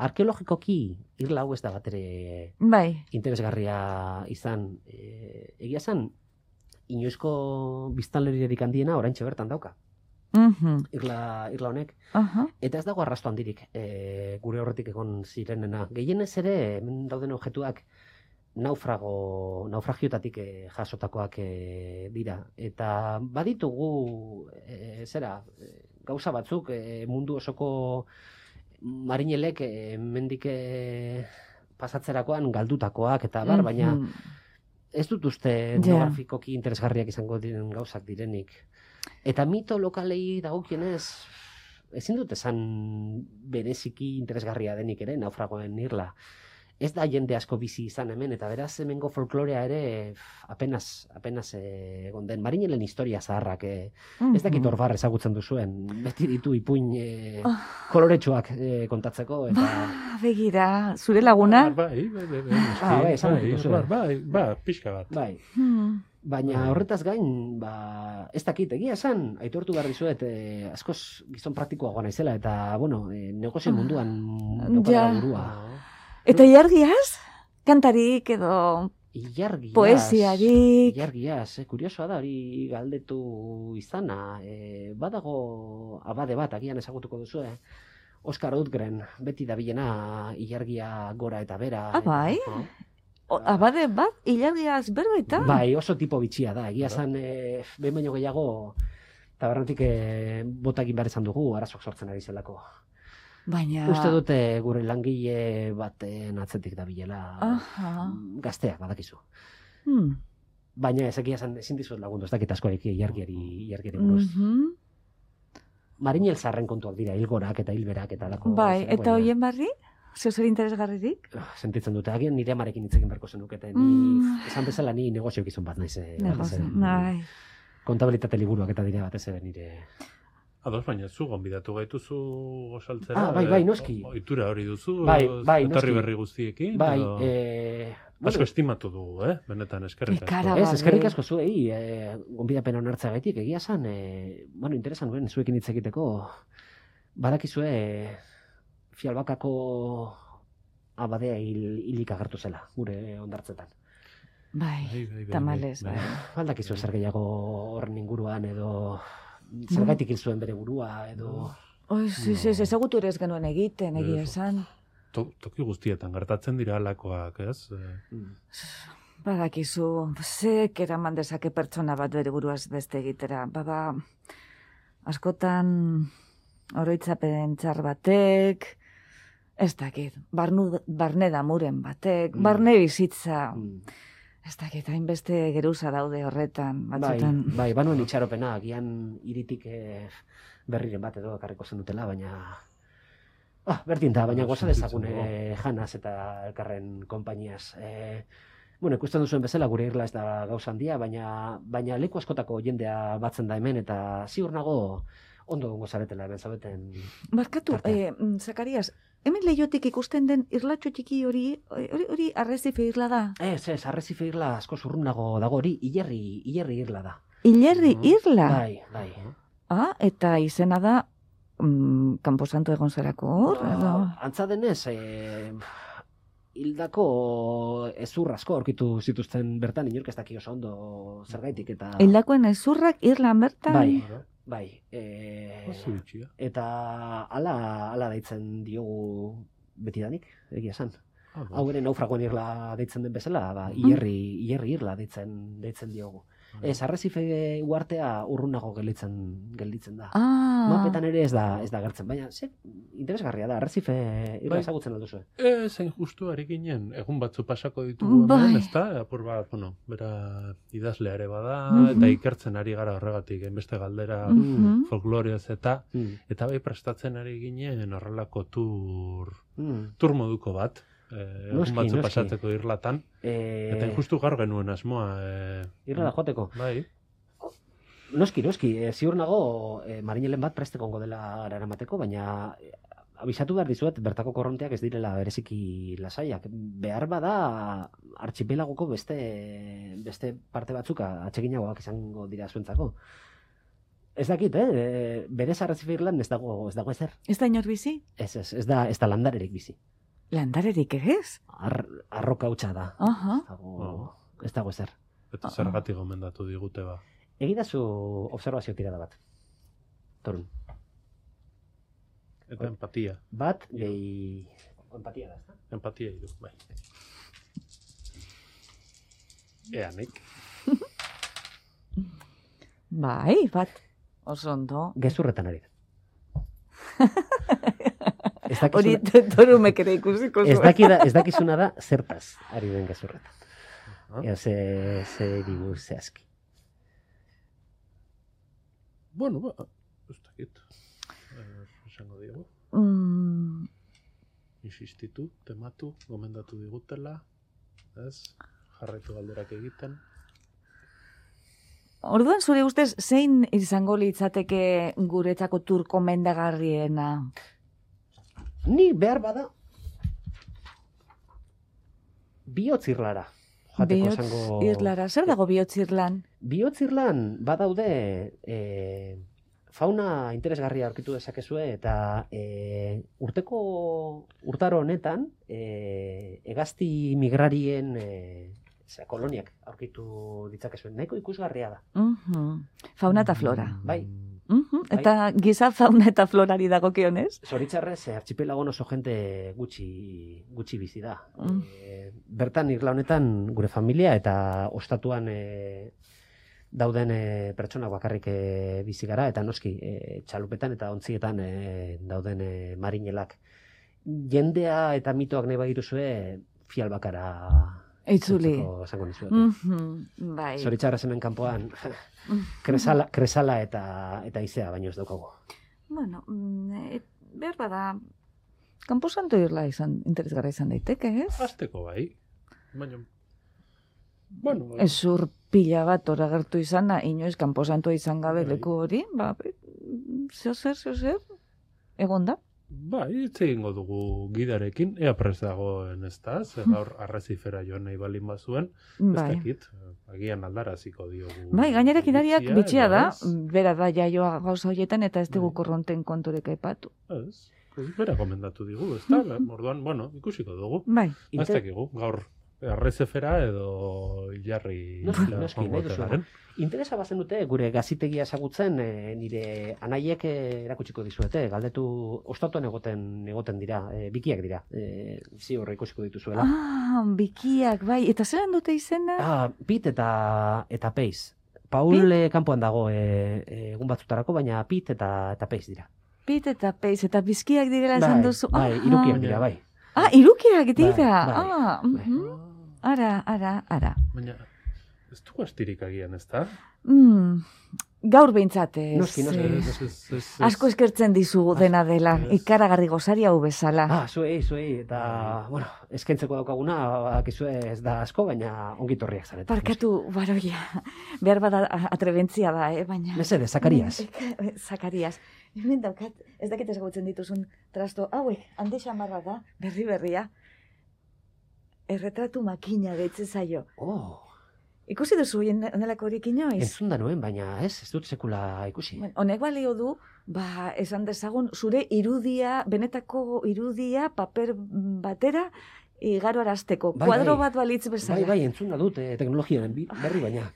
arkeologikoki irla hau ez da bat ere Bai. interesgarria izan. Egia esan, inoizko biztanleriarik handiena oraintxe bertan dauka. Irla honek. Eta ez dago arrasto handirik gure horretik egon zirenena. Gehienez ere, hemen dauden objektuak naufragiotatik jasotakoak dira. Eta baditugu, gauza batzuk mundu osoko marinelek mendik pasatzerakoan galdutakoak eta bar, baina ez dut uste etnografikoki interesgarriak izango diren gauzak direnik. Eta mito lokalei dagokienez, ezin dut esan bereziki interesgarria denik ere naufragoen irla. Ez da jende asko bizi izan hemen, eta beraz hemengo folklorea ere apenas egon den. Marinelen historia zaharrak, ez dakit Orbar ezagutzen duzuen, beti ditu ipuin koloretsuak kontatzeko. Eta... begira, zure laguna? Bai, pixka bat. Bai. Baina horretaz gain, ez dakit, egia esan, aitortu behar dizuet, askoz gizon praktikoagoa naizela, eta, bueno, negozio munduan daukadala burua. Eta ilargiaz? Kantarik edo poesiarik? Ilargiaz, kuriosoa da hori galdetu izana. Badago abade bat, agian ezagutuko duzu, Oskar Outgren, beti dabilena ilargia gora eta bera. Bai? Abade bat, ilargiaz berbetan? Bai, oso tipo bitxia da. Egia zan, behin baino gehiago, tabernatik botakin behar izan dugu, arazok sortzen ari zelako. Baina... Uste dute gure langile baten atzetik dabilela gazteak badakizu. Baina ezin dizut lagundu, ez dakit askorik ilargiari buruz. Marinel zarren kontuak dira, hilgorak eta hilberak eta lako. Bai, eta hoien barri? Zer interesgarririk? Sentitzen dute, agian nire amarekin hitzekin berko zenukete. Esan bezala ni negozio gizon bat naiz. Bai. Kontabilitate liburuak eta dira batez ere nire... Ados, baina zu gonbidatu gaituzu gosaltzera. Bai, noski. Ohitura hori duzu, noski. berri guztiekin. Bai, asko estimatu dugu, benetan eskerrik asko. Ez, eskerrik asko zuei, gonbidapen onartza gaitik, egia zan, interesan nuen zuekin hitz egiteko, badakizue Fialbakako abadea hilik agertu zela, gure ondartzetan. Bai, tamalez. Baldakizu zer gehiago horren inguruan edo... Zergaitik hil zuen bere burua, edo... Ezagutu ere ez genuen egiten, egia esan. Toki guztietan gertatzen dira alakoak, ez? Badakizu, zek eraman dezake pertsona bat bere buruaz beste egitera. Askotan oroitzapen txar batek, ez dakit, barne damuren batek, barne bizitza... Ez dakit, hainbeste geruza daude horretan, batzutan. Bai, banuen itxaropena, agian iritik berriren bat edo ekarriko zen dutela, baina... Berdin da, baina goza dezakune janaz eta elkarren konpainiaz. Ikusten duzuen bezala gure irla ez da gauza handia, baina leku askotako jendea batzen da hemen, eta ziur nago ondo gongo zaretela hemen zabeten... Barkatu, Zakarias, hemen lehiotik ikusten den irlatxo txiki hori arrezife irla da? Ez, arrezife irla asko zurrunago dago hori, hilerri irla da. Hilerri irla? Bai. Eta izena da, kanposantu egon zerako hor? Antza denez, hildako ezur asko aurkitu zituzten bertan, inork ez daki oso ondo zergaitik eta... Hildakoen ezurrak irlan bertan? Bai. Eta ala deitzen diogu betidanik, egia esan. Hau ere naufragoen irla deitzen den bezala, hilerri irla deitzen diogu. Ez, Arresife uartea urrunago gelditzen da. Ah. Mapetan ere ez da gertzen, baina interesgarria da, Arresife irla ezagutzen alduzu. Zein justu ari ginen, egun batzu pasako ditugu hemen, ez da? Apur bat, bera idazlea ere bada, eta ikertzen ari gara horregatik, enbeste galdera folklorioz eta bai prestatzen ari ginen horrelako tur moduko bat. Egun batzu pasatzeko irlatan, eta justu gaur genuen asmoa. Irlada joateko. Bai. Noski, ziur nago marinelen bat prestekongo dela eramateko, baina abisatu behar dizuet, bertako korronteak ez direla bereziki lasaiak. Behar bada archipelagoko beste parte batzuk atseginagoak izango dira zuentzako. Ez dakit, berez Arresife Irlan ez dago ezer. Ez da inor bizi? Ez da landarerik bizi. Landarerik ez? Arroka hutsa da. Ez dago ezer. Eta zergatik gomendatu digute ba. Egidazu observazio tirada bat. Torun. Eta empatia. Bat, empatia da, ez da? Empatia idu, bai. Eanik. Bai, bat. Oso ondo. Gezurretan ari da. Hori torumek ere ikusiko zuen. Ez dakizuna da zertaz ari den gezurretan. Ze digu zehazki. Bueno, ez dakit. Esango digu. Insistitu, tematu, gomendatu digutela. Ez, jarraitu galderak egiten. Orduan, zure ustez, zein izango litzateke guretzako tur komendagarriena? Ni behar bada bihotzirlara. Bihotzirlara, zer dago bihotzirlan? Bihotzirlan badaude fauna interesgarria aurkitu dezakezue eta urtaro honetan hegazti migrarien koloniak aurkitu ditzakezuen. Nahiko ikusgarria da. Fauna eta flora. Bai. Eta giza fauna eta florari dagokionez? Zoritxarrez, archipelagon oso jente gutxi bizi da. Bertan irla honetan gure familia eta ostatuan dauden pertsonak bakarrik bizi gara, eta noski txalupetan eta ontzietan dauden marinelak. Jendea eta mitoak nahi bagituzue fial bakara eitzuli. Bai. Zoritxarrez hemen kanpoan kresala eta izea baino ez daukagu. Bueno, behar bada, Kanposanto irla interesgarra izan daiteke, ez? Azteko bai. Baina, bueno... Ezur pila bat ora gertu izana, inoiz kanposantoa izan gabe leku hori, ba, zer, egon da? Bai, hitz egingo dugu gidarekin, ea prest dagoen ez da, gaur Arrezifera joan nahi balin bazuen, ez dakit, agian aldaraziko diogu. Bai, gainera gidariak bitxia da, bera da jaioa gauza horietan eta ez dugu korronten konturek aipatu. Ez, bera gomendatu digu, ez da, orduan, bueno, ikusiko dugu. Bai. Ez dakigu, gaur Arrezifera edo Ilarri joango. Interesa bazen dute gure gazitegia ezagutzen nire anaiek erakutsiko dizuete, galdetu ostatuan egoten dira, bikiak dira, ziur ikusiko dituzuela. Bikiak, bai, eta zelan dute izena? Pit eta Peiz. Paul kanpoan dago egun batzutarako, baina Pit eta Peiz dira. Pit eta Peiz, eta bizkiak direla esan duzu. Bai, irukiak dira, bai. Irukiak dira, Ara. Baina, ez du astirik agian, ez da? Gaur behintzat ez. Noski. Asko eskertzen dizugu dena dela, ikaragarri gozari hau bezala. Zuei, eta, bueno, eskentzeko daukaguna, bakizue ez da asko, baina ongitorriak zaretu. Parkatu, baroia, behar bada atrebentzia da, baina... Mesede, Zakarias. Zakarias. Hemen daukat, ez dakit ezagutzen dituzun trasto, hauek, handi xamarra da, berria. Erretratu makina deitze zaio. Ikusi duzu onelako horik inoiz? Entzun da noen, baina ez dut sekula ikusi. Honek balio du, esan dezagun, zure irudia, benetako irudia, paper batera, igaro arazteko. Kuadro bat balitz bezala. Bai, entzun da dut, teknologiaren berri baina.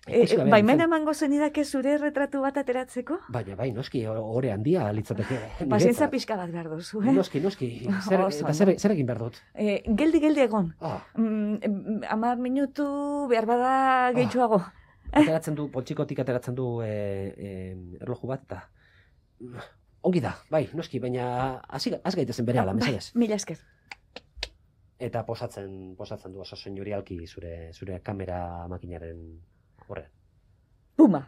Baimena emango zenidake zure retratu bat ateratzeko? Baina, noski, ore handia litzateke. Pazientza pixka bat behar duzu, Noski. Zer egin behar dut? Geldi egon. 10 minutu behar bada gehitxuago. ateratzen du, poltsikotik ateratzen du erloju bat, eta ongi da, bai, noski, baina az gaitezen bere ala, mesedez. Mila esker. Eta posatzen du oso senyorialki zure kamera makinaren horrean. Puma.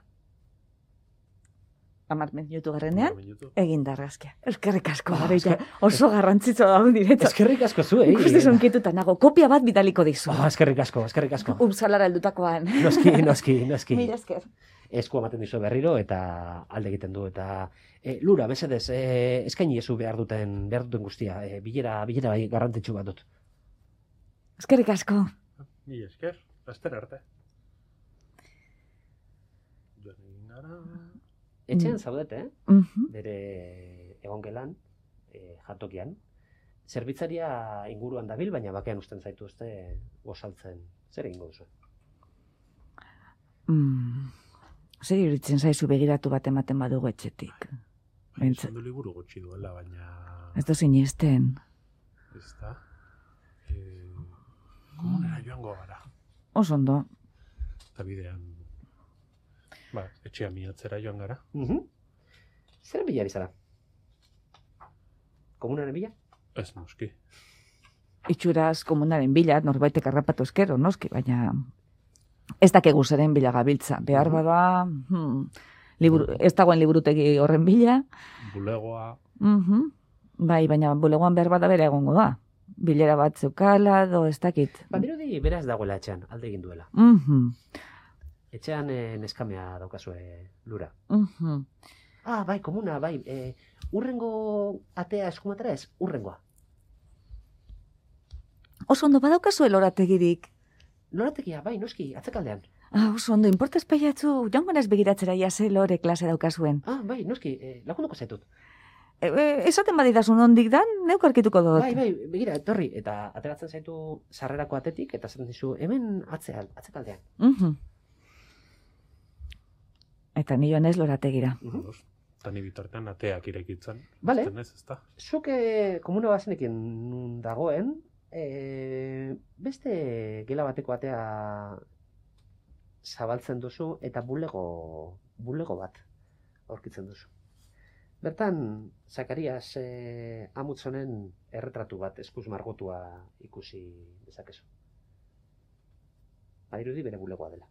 10 minutu garrenean, egin da argazkia. Eskerrik asko, Garoita. Oso garrantzitsua da direto. Eskerrik asko zuei. Ikuste zonkituta nago, kopia bat bidaliko dizu. Eskerrik asko. Upsalara heldutakoan. Noski. Mila esker. Esku ematen dizu berriro eta alde egiten du. Eta Lura, mesedez, eskaini ezu behar duten guztia. Bilera bai garrantzitsu bat dut. Eskerrik asko. Mila esker, laster arte. Etxean zaudete, bere egongelan, jatokian. Zerbitzaria inguruan dabil, baina bakean usten zaitu gozaltzen. Zer egingo duzu? Zer iruditzen zaizu begiratu bat ematen badugu etxetik? Izan du liburu gutxi duela, baina... Ez da sinesten. Ez da. Komunera joango gara. Oso ondo. Eta bidean... etxea miatzera joan gara. Zeren bilari zara? Komunaren bila? Ez noski. Itxuraz komunaren bila, norbaitek harrapatu eskero, noski, baina ez dakegu zeren bila gabiltza. Behar bada, ez dagoen liburutegi horren bila. Bulegoa. Bai, baina bulegoan behar bada bera egongo da. Bilera bat zeukala, ez dakit. Badirudi beraz dagoela etxean, alde egin duela. Etxean neskamea daukazue Lura. Bai, komuna, bai. Urrengo atea eskumatera ez, urrengoa. Oso ondo badaukazue lorategirik. Lorategia, bai, noski, atzekaldean. Oso ondo, importaz peiatzu, joango naz begiratzera jase lore klase daukazuen. Bai, noski, lagunduko zaitut. Esaten badidazun ondik dan, neuk arkituko dut. Bai, begira, etorri, eta ateratzen zaitu sarrerako atetik, eta zaten dizu, hemen atzekaldean. Eta ni joan ez lorategira. Eta ni bitartean ateak irekitzen. Bale, Ez da. zuk komuna bazenekin nun dagoen, beste gela bateko atea zabaltzen duzu eta bulego bat aurkitzen duzu. Bertan, Zakarias Amutzonen erretratu bat eskuz margotua ikusi dezakezu. Badirudi bere bulegoa dela.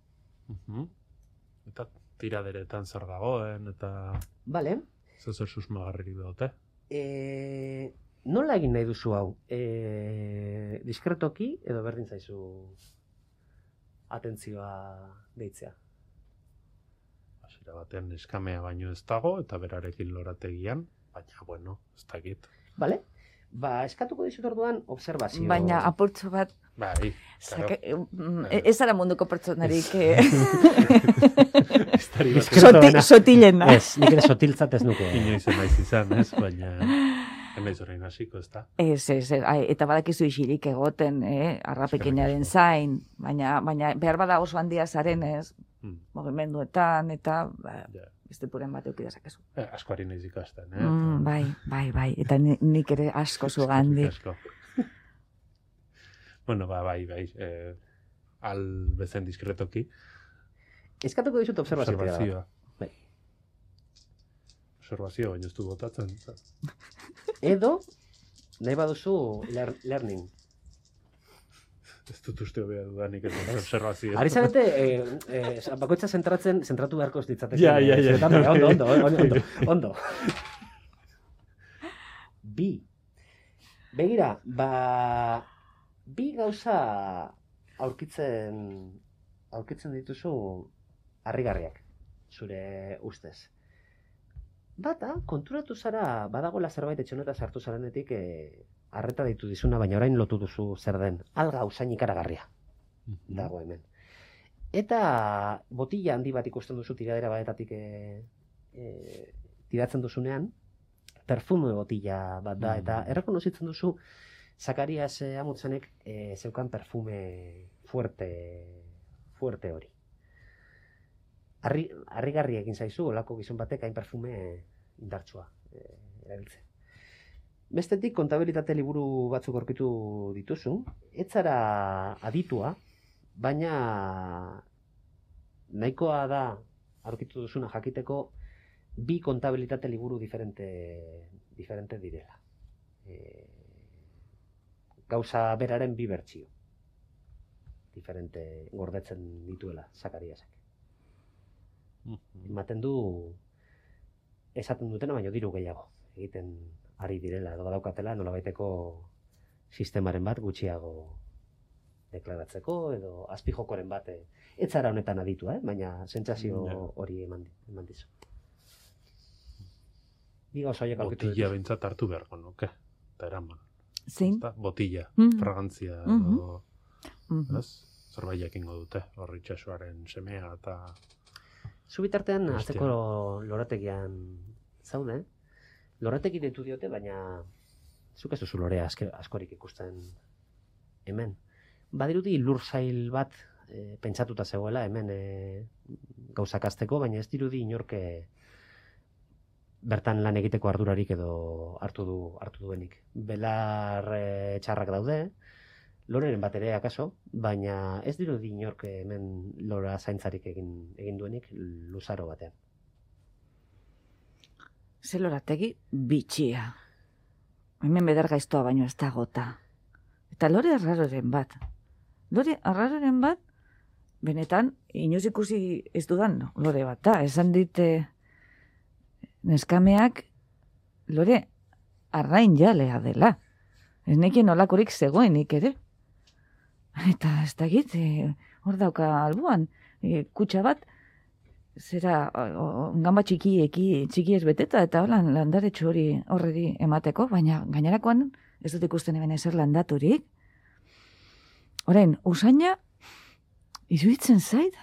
Eta tiraderetan zer dagoen, eta... Bale. Zer susmagarrik dute. Nola egin nahi duzu hau? Diskretoki edo berdin zaizu atentzioa deitzea? Hasiera batean neskamea baino ez dago, eta berarekin lorategian, baina, bueno, ez dakit. Bale? Eskatuko dizut orduan observazio. Baina apurtxo bat... Bai, ez zara munduko pertsonarik... Sotilena. Ez, nik ere sotiltzat ez nuke. Inoiz naiz izan, ez, baina... Naiz orain hasiko, ez da? Ez, eta badakizu isirik egoten, arrapekinaren zain, baina behar bada oso handia zaren, ez, mugimenduetan, eta... Beste puren bat eukidezakezu. Askoari nahiz ikasten, Bai, eta nik ere asko zugandi. Bueno, bai, al bezen diskretoki. Eskatuko dizut observazioa. Bai. Observazio, baina ez du botatzen. Edo, nahi baduzu learning. Ez dut uste hobea dudanik ez dut observazio. Ari zarete, bakoitza zentratu beharko ez ditzatek. Ja. Ondo. Begira, bi gauza aurkitzen dituzu harrigarriak, zure ustez. Bata, konturatu zara, badagoela zerbait etxoneta sartu zarenetik arreta ditu dizuna, baina orain lotu duzu zer den. Alga usain ikaragarria dago hemen. Eta botila handi bat ikusten duzu tiradera batetatik tiratzen duzunean, perfume botila bat da, eta errekonozitzen duzu Zakarias Amutzenek zeukan perfume fuerte hori. Harrigarri egin zaizu, olako gizon batek hain perfume indartsua erabiltzen. Bestetik, kontabilitate liburu batzuk aurkitu dituzu, ez zara aditua, baina nahikoa da aurkitu duzuna jakiteko bi kontabilitate liburu diferente direla. Gauza beraren bi bertsio. Diferente gordetzen dituela Zakariasak. Ematen du esaten dutena baino diru gehiago egiten ari direla edo daukatela nolabaiteko sistemaren bat gutxiago deklaratzeko edo azpijokoren bat ez zara honetan aditu, baina sentsazio hori eman dizu. Diga oso haiek aurkitu Botilla bintzat hartu beharko nuke, eta eraman. Zein? Botilla, fragantzia, zerbait jakingo dute, hor itxasoaren semea eta... Zubitartean atzeko lorategian zaude, lorategi deitu diote, baina zuk ez duzu lorea askorik ikusten hemen. Badirudi lursail bat pentsatuta zegoela hemen gauzak hasteko, baina ez dirudi inorke bertan lan egiteko ardurarik edo hartu duenik. Belar txarrak daude, loreren bat ere akaso, baina ez dirudi inork hemen lora zaintzarik egin duenik luzaro batean. Ze lorategi bitxia. Hemen bedar gaiztoa baino ez da gota. Eta lore arraroren bat. Lore arraroren bat, benetan, inoz ikusi ez dudan lore bat da. Esan dit neskameak lore arrain jalea dela. Ez nekien olakorik zegoenik ere. Eta ez dakit, hor dauka albuan, kutxa bat, zera gamba txiki ez beteta, eta holan landaretxu hori horreri emateko, baina gainerakoan ez dut ikusten hemen ezer landaturik. Orain, usaina, iruditzen zait,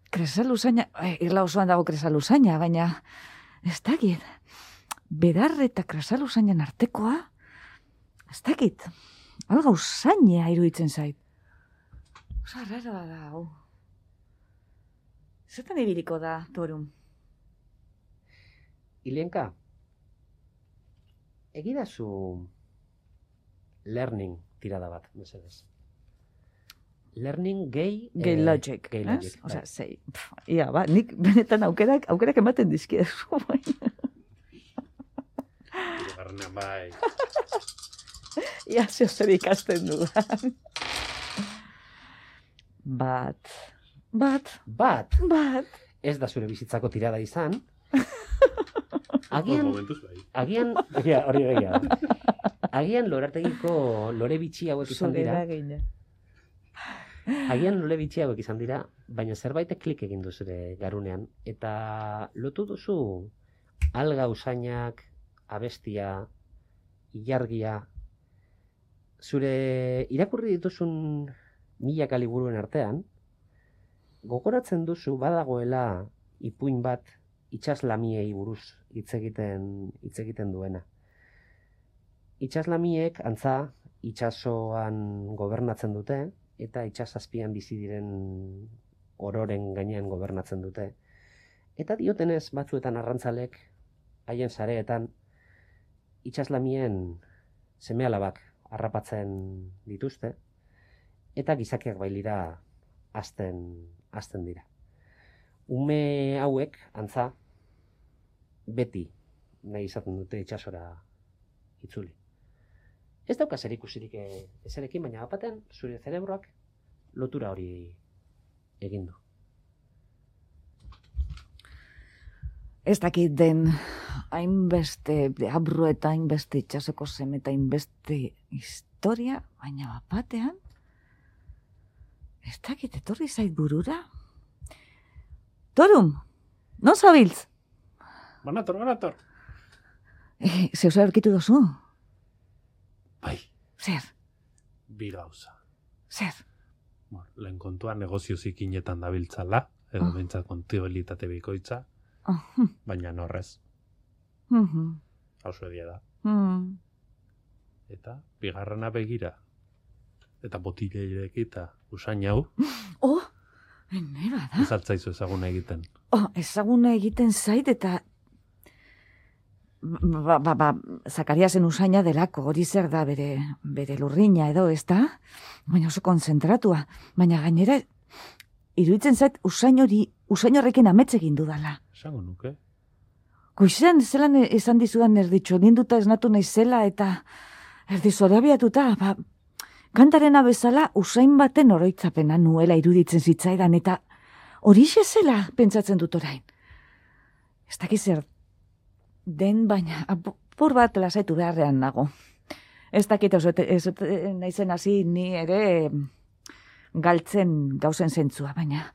kresal usaina, irla osoan dago kresal usaina, baina ez dakit, bedar eta kresal usainan artekoa, ez dakit, alga usaina iruditzen zait. Osa raroa da, hau. Zertan ibiliko da, Torum? Ilienka, egidazu learning tirada bat, mesedez. Learning gay logic. Gay logic. Osa, zei. Ia, ba, nik benetan aukerak ematen dizkidezu. Garnean bai. Ia, zeo zer ikasten dudan. Bat. Ez da zure bizitzako tirada izan. Momentuz bai. Agian lorategiko lore bitxi hauek izan dira. Agian lore bitxi hauek izan dira, baina zerbaitek klik egin du zure garunean. Eta lotu duzu alga usainak, abestia, ilargia, zure irakurri dituzun milaka liburuen artean, gogoratzen duzu badagoela ipuin bat itsaslamiei buruz hitz egiten duena. Itsaslamiek antza itsasoan gobernatzen dute eta itsasazpian bizi diren ororen gainean gobernatzen dute. Eta diotenez batzuetan arrantzalek haien sareetan itsaslamien seme-alabak harrapatzen dituzte eta gizakiak bailira hasten dira. Ume hauek antza beti nahi izaten dute itsasora itzuli. Ez dauka zerikusirik ezerekin, baina batean zure zerebroak lotura hori egin du. Ez dakit den hainbeste deabru eta hainbeste itsasoko seme eta hainbeste historia, baina batean ez dakit etorri zait burura. Torum, non zabiltz? Banator. Zeu zer aurkitu dozu? Bai. Zer? Bi gauza. Zer? Lehen kontua negozio zikinetan dabiltzala, edo bintzat kontabilitate bikoitza, baina norrez. Hauzo edia da. Eta bigarrena begira. Eta botileirek eta usain hau. Neba da. Ez altzaizu ezaguna egiten. Ezaguna egiten zait eta Zakariasen usaina delako, hori zer da bere lurrina edo, ez da? Baina oso konzentratua. Baina gainera iruditzen zait usain horrekin amets egin dudala. Esango nuke. Goizean zelan esan dizudan erditxo, ninduta esnatu naizela eta erdizorabiatuta, kantarena bezala usain baten oroitzapena nuela iruditzen zitzaidan eta horixe zela pentsatzen dut orain. Ez dakiz zer den baina apur bat lasaitu beharrean nago. Ez dakit naizen hasi ni ere galtzen gauzen zentzua, baina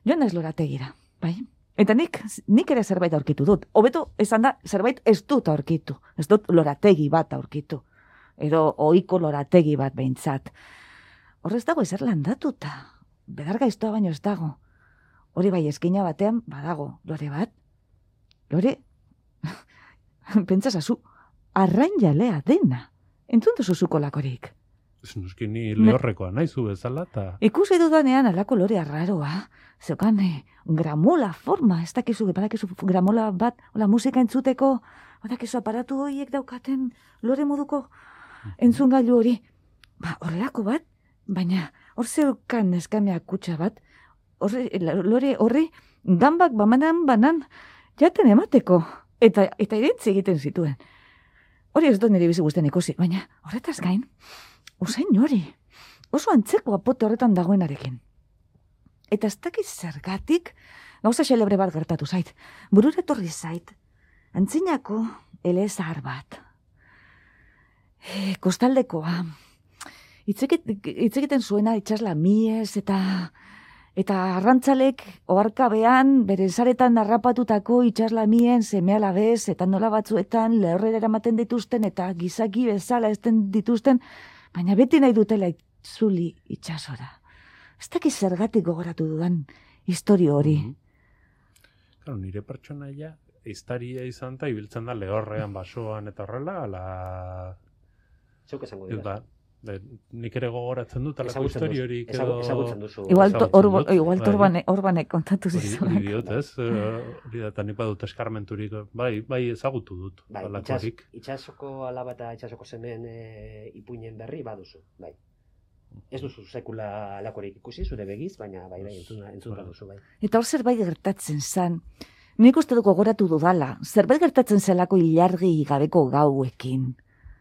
joan ez lorategira, bai? Eta nik ere zerbait aurkitu dut. Hobeto esan da, zerbait ez dut aurkitu. Ez dut lorategi bat aurkitu. Edo ohiko lorategi bat behintzat. Horrez dago ezer landatuta. Bedar gaiztoa baino ez dago. Hori bai eskina batean badago. Lore bat? Lore? Pentsasazu, arrain jalea dena. Entzun duzu zuko lakorik. Ez nuski ni lehorrekoa naizu bezala eta... Ikusi dudanean alako lore arraroa. Zeukan gramola forma, ez dakizu, badakizu gramola bat, hola musika entzuteko, badakizu aparatu horiek daukaten lore moduko entzungailu hori. Horrelako bat, baina hor zeukan eskamea kutsa bat, lore horri ganbak banan jaten emateko, eta irentzi egiten zituen. Hori ez dut nire bizi guztien ikusi, baina horretaz gain, usain hori, oso antzeko apote horretan dagoenarekin. Eta ez dakiz zergatik, gauza xelebre bat gertatu zait. Burura etorri zait, antzinako elezahar bat. Kostaldekoa. Itzekiten zuena itxasla mies eta arrantzalek oharkabean bere zaretan harrapatutako itxasla mien seme-alabez eta nola batzuetan lehorrera eramaten dituzten eta gizaki bezala ezten dituzten, baina beti nahi dutela itzuli itxasora. Ez dakiz zergatik gogoratu dudan historio hori. Claro, nire pertsonaia historia izan eta ibiltzen da lehorrean, basoan eta horrela, ala... Zeuk esango dira. Nik ere gogoratzen dut, alako historio hori... Ezagutzen duzu. Igual torbanek kontatu zizunak. Hori diot, ez? Hori da, eta nik badut eskarmenturik, bai ezagutu dut. Itxasoko alaba eta itxasoko semen ipuinen berri baduzu, bai. Ez duzu sekula alakorik ikusi, zure begiz, baina bai, entzuna duzu, bai. Eta hor zerbait gertatzen zan. Nik uste dut gogoratu dudala. Zerbait gertatzen zelako ilargi gabeko gauekin.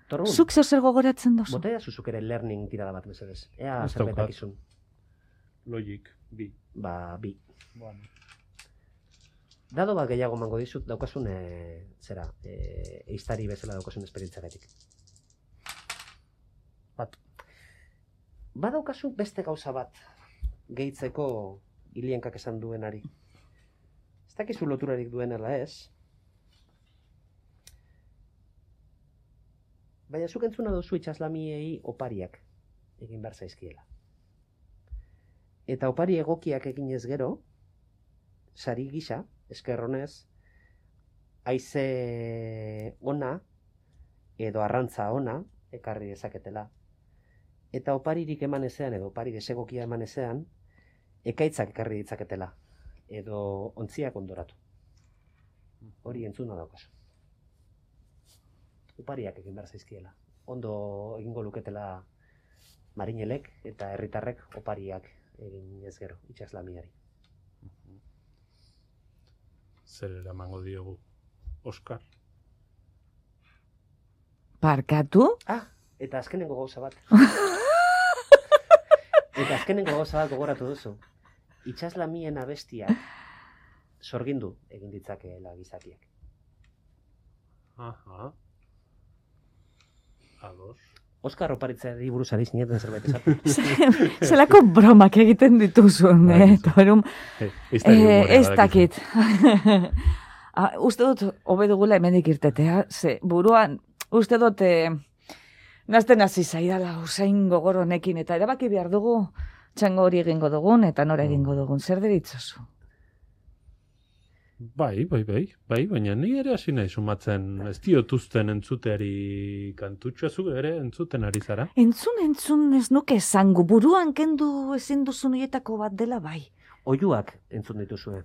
Torrun, Zuk zer gogoratzen duzu? Botea zuzuk ere learning tirada bat mesedez. Ea zerbetak izun. Logic, bi. Bi. Bueno. Dado bat gehiago mango dizut, daukasun, eiztari bezala daukasun esperientzagatik. Badaukazu beste gauza bat gehitzeko hilienkak esan duenari. Ez dakizu loturarik duenela ez. Baina zuk entzuna duzu itxaslamiei opariak egin behar zaizkiela. Eta opari egokiak eginez gero, sari gisa, eskerronez, haize ona edo arrantza ona ekarri dezaketela. Eta oparirik eman ezean, edo opari desegokia eman ezean, ekaitzak ekarri ditzaketela, edo ontziak ondoratu. Hori entzuna daukazu. Opariak egin behar zaizkiela. Ondo egingo luketela marinelek eta herritarrek opariak egin ez gero, itxaslamiari. Zer eramango diogu, Oskar? Barkatu? Eta azkenengo gauza bat. Gogoratu duzu. Itxaslamien abestiak sorgindu egin ditzakeela gizakiak. Aha. Ados. Oskar oparitzeari buruz ari zineten zerbait esatu. Zelako bromak egiten dituzun, ez dakit. Uste dut, hobe dugula hemenik irtetea, ze buruan, uste dut, nazten hasi zaidala usain gogor honekin, eta erabaki behar dugu, txango hori egingo dugun, eta nora egingo dugun, zer deritzozu? Bai, baina ni ere hasi nahi sumatzen, ez diotuzten entzuteari kantutxoa zu ere entzuten ari zara? Entzun ez nuke esango, buruan kendu ezin duzun hietako bat dela bai. Oiuak entzun dituzue.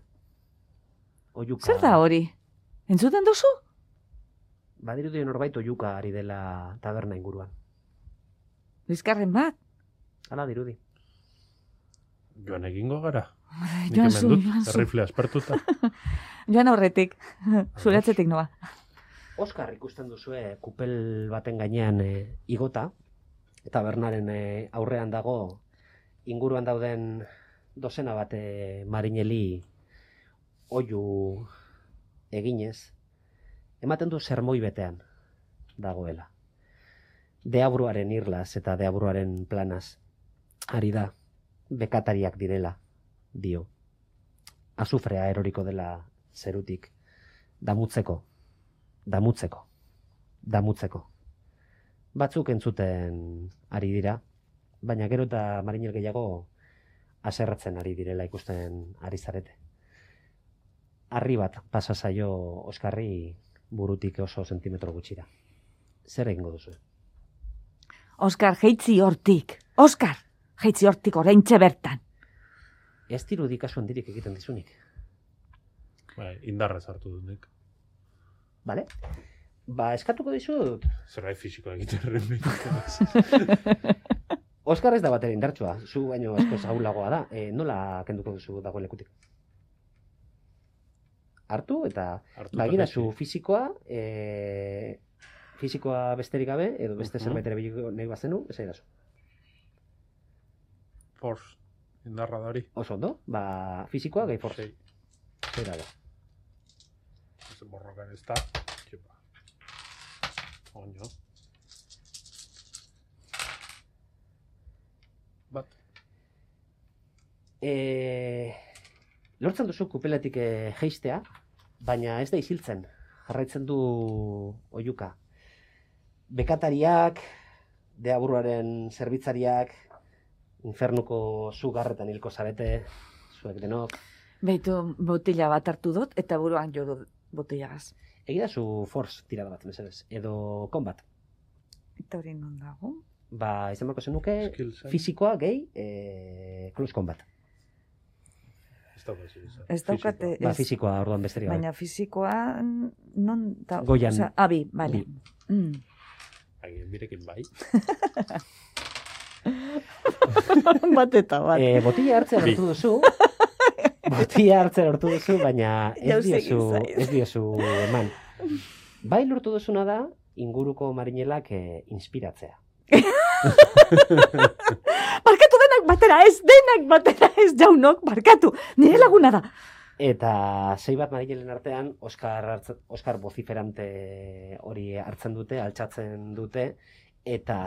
Oiuka... Zer da hori? Entzuten duzu? Badirudi norbait oiuka ari dela taberna inguruan. Bizkarren bat? Hala dirudi. Joan egingo gara. Nik Joan hemen zu, dut, joan zu. errifle aspertuta. Joan aurretik, zuratzetik noa. Oskar ikusten duzue kupel baten gainean igota, eta Bernaren aurrean dago inguruan dauden dozena bat marineli oihu eginez, ematen du sermoi betean dagoela. Deabruaren irlaz eta deabruaren planaz ari da, bekatariak direla, dio. Azufrea eroriko dela zerutik, damutzeko. Batzuk entzuten ari dira, baina gero eta marinel gehiago haserretzen ari direla ikusten ari zarete. Harri bat pasa zaio Oskarri burutik oso sentimetro gutxira. Zer egingo duzu? Oskar, jeitzi hortik. Oskar, jeitzi hortik oraintxe bertan. Ez dirudi kasu handirik egiten dizunik. Bai, indarrez hartu dut nik. Bale? Ba, eskatuko dizut. Zerbait fisikoa egiten Oskar ez da batera indartsua, zu baino askoz ahulagoa da. Nola kenduko duzu dagoen lekutik? Hartu eta baginazu fisikoa, fisikoa besterik gabe, edo beste zerbait ere biliko nahi bazenu, ez aidazu. Force, indarra da hori. Oso ondo, ba, fisikoa gehi force. Zera da. Ez borrokan ez da. Txepa. Oño. Bat. Lortzen duzu kupelatik jeistea, baina ez da isiltzen. Jarraitzen du oihuka. Bekatariak, deaburuaren zerbitzariak, infernuko zugarretan hilko zarete, zuek denok. Beitu botila bat hartu dut, eta buruan jo dut botilagaz. Egidazu force tirada bat, mesedez, edo combat. Eta hori non dago? Ba, izan barko zenuke, Skills, fisikoa gehi, close combat. Ez daukate, Ba, fisikoa orduan besterik gabe. baina fisikoa non da... Goian. Osea, abi, bale. Agien birekin bai. Bat eta bat. Botila hartzen lortu duzu. Botila hartzen lortu duzu, baina ez diozu eman. Bai lortu duzuna da, inguruko marinelak inspiratzea. Barkatu denak batera ez, jaunok, barkatu. Nire laguna da. Eta sei bat marinelen artean, Oskar vociferante hori hartzen dute, altxatzen dute, eta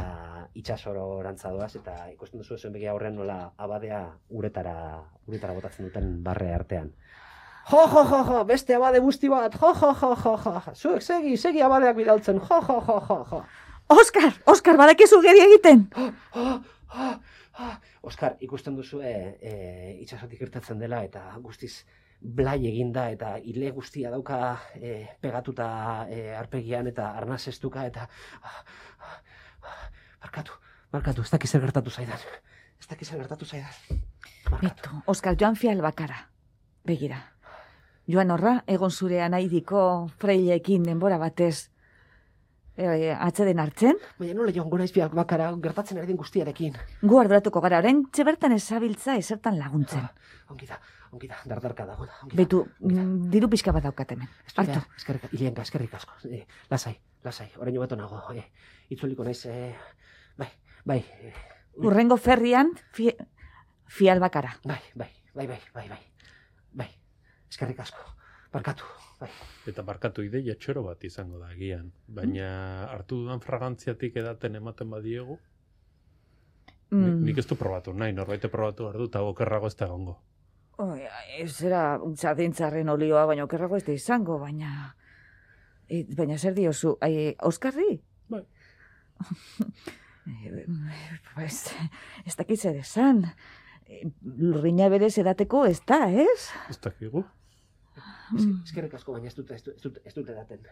itsasoro rantzadoaz, eta ikusten duzu zuen begi aurrean nola abadea uretara botatzen duten barre artean. Jo, beste abade guzti bat, jo. Zuek segi abadeak bidaltzen, jo. Oskar, badakizu geri egiten. Oskar, ikusten duzu itsasotik irtetzen dela, eta guztiz blai eginda, eta ile guztia dauka pegatuta arpegian, eta arnaz estuka, eta... Barkatu, ez dakiz zer gertatu zaidan. Beto, Oskar, joan fial bakara. Begira. Joan horra, egon zure anaidiko freileekin denbora batez atzeden hartzen? Baina nola joan gora izbiak bakara gertatzen ari den guztiarekin. Gu arduratuko gara, orain txebertan ezabiltza esertan laguntzen. Ongi da, dardarka dago. Betu, diru pixka bat daukat hemen. Hartu. Eskerrik asko. Lasai, orain beto nago. Itzuliko naiz, bai. Urrengo ferrian, fial bakara. Bai. Eskerrik asko. Barkatu, bai. Eta barkatu ideia txoro bat izango da agian. Baina hartu dudan fragantziatik edaten ematen badiegu, nik ez du probatu nahi, norbaite probatu behar du, eta okerrago ez da egongo. Ez era sardintzarren olioa, baina okerrago ez da izango, baina zer diozu, Oskarri? Bai. Ez dakitze desan. Lurrina berez edateko ez da, ez? Ez dakigu? Eskerrik asko, baina ez dut edaten.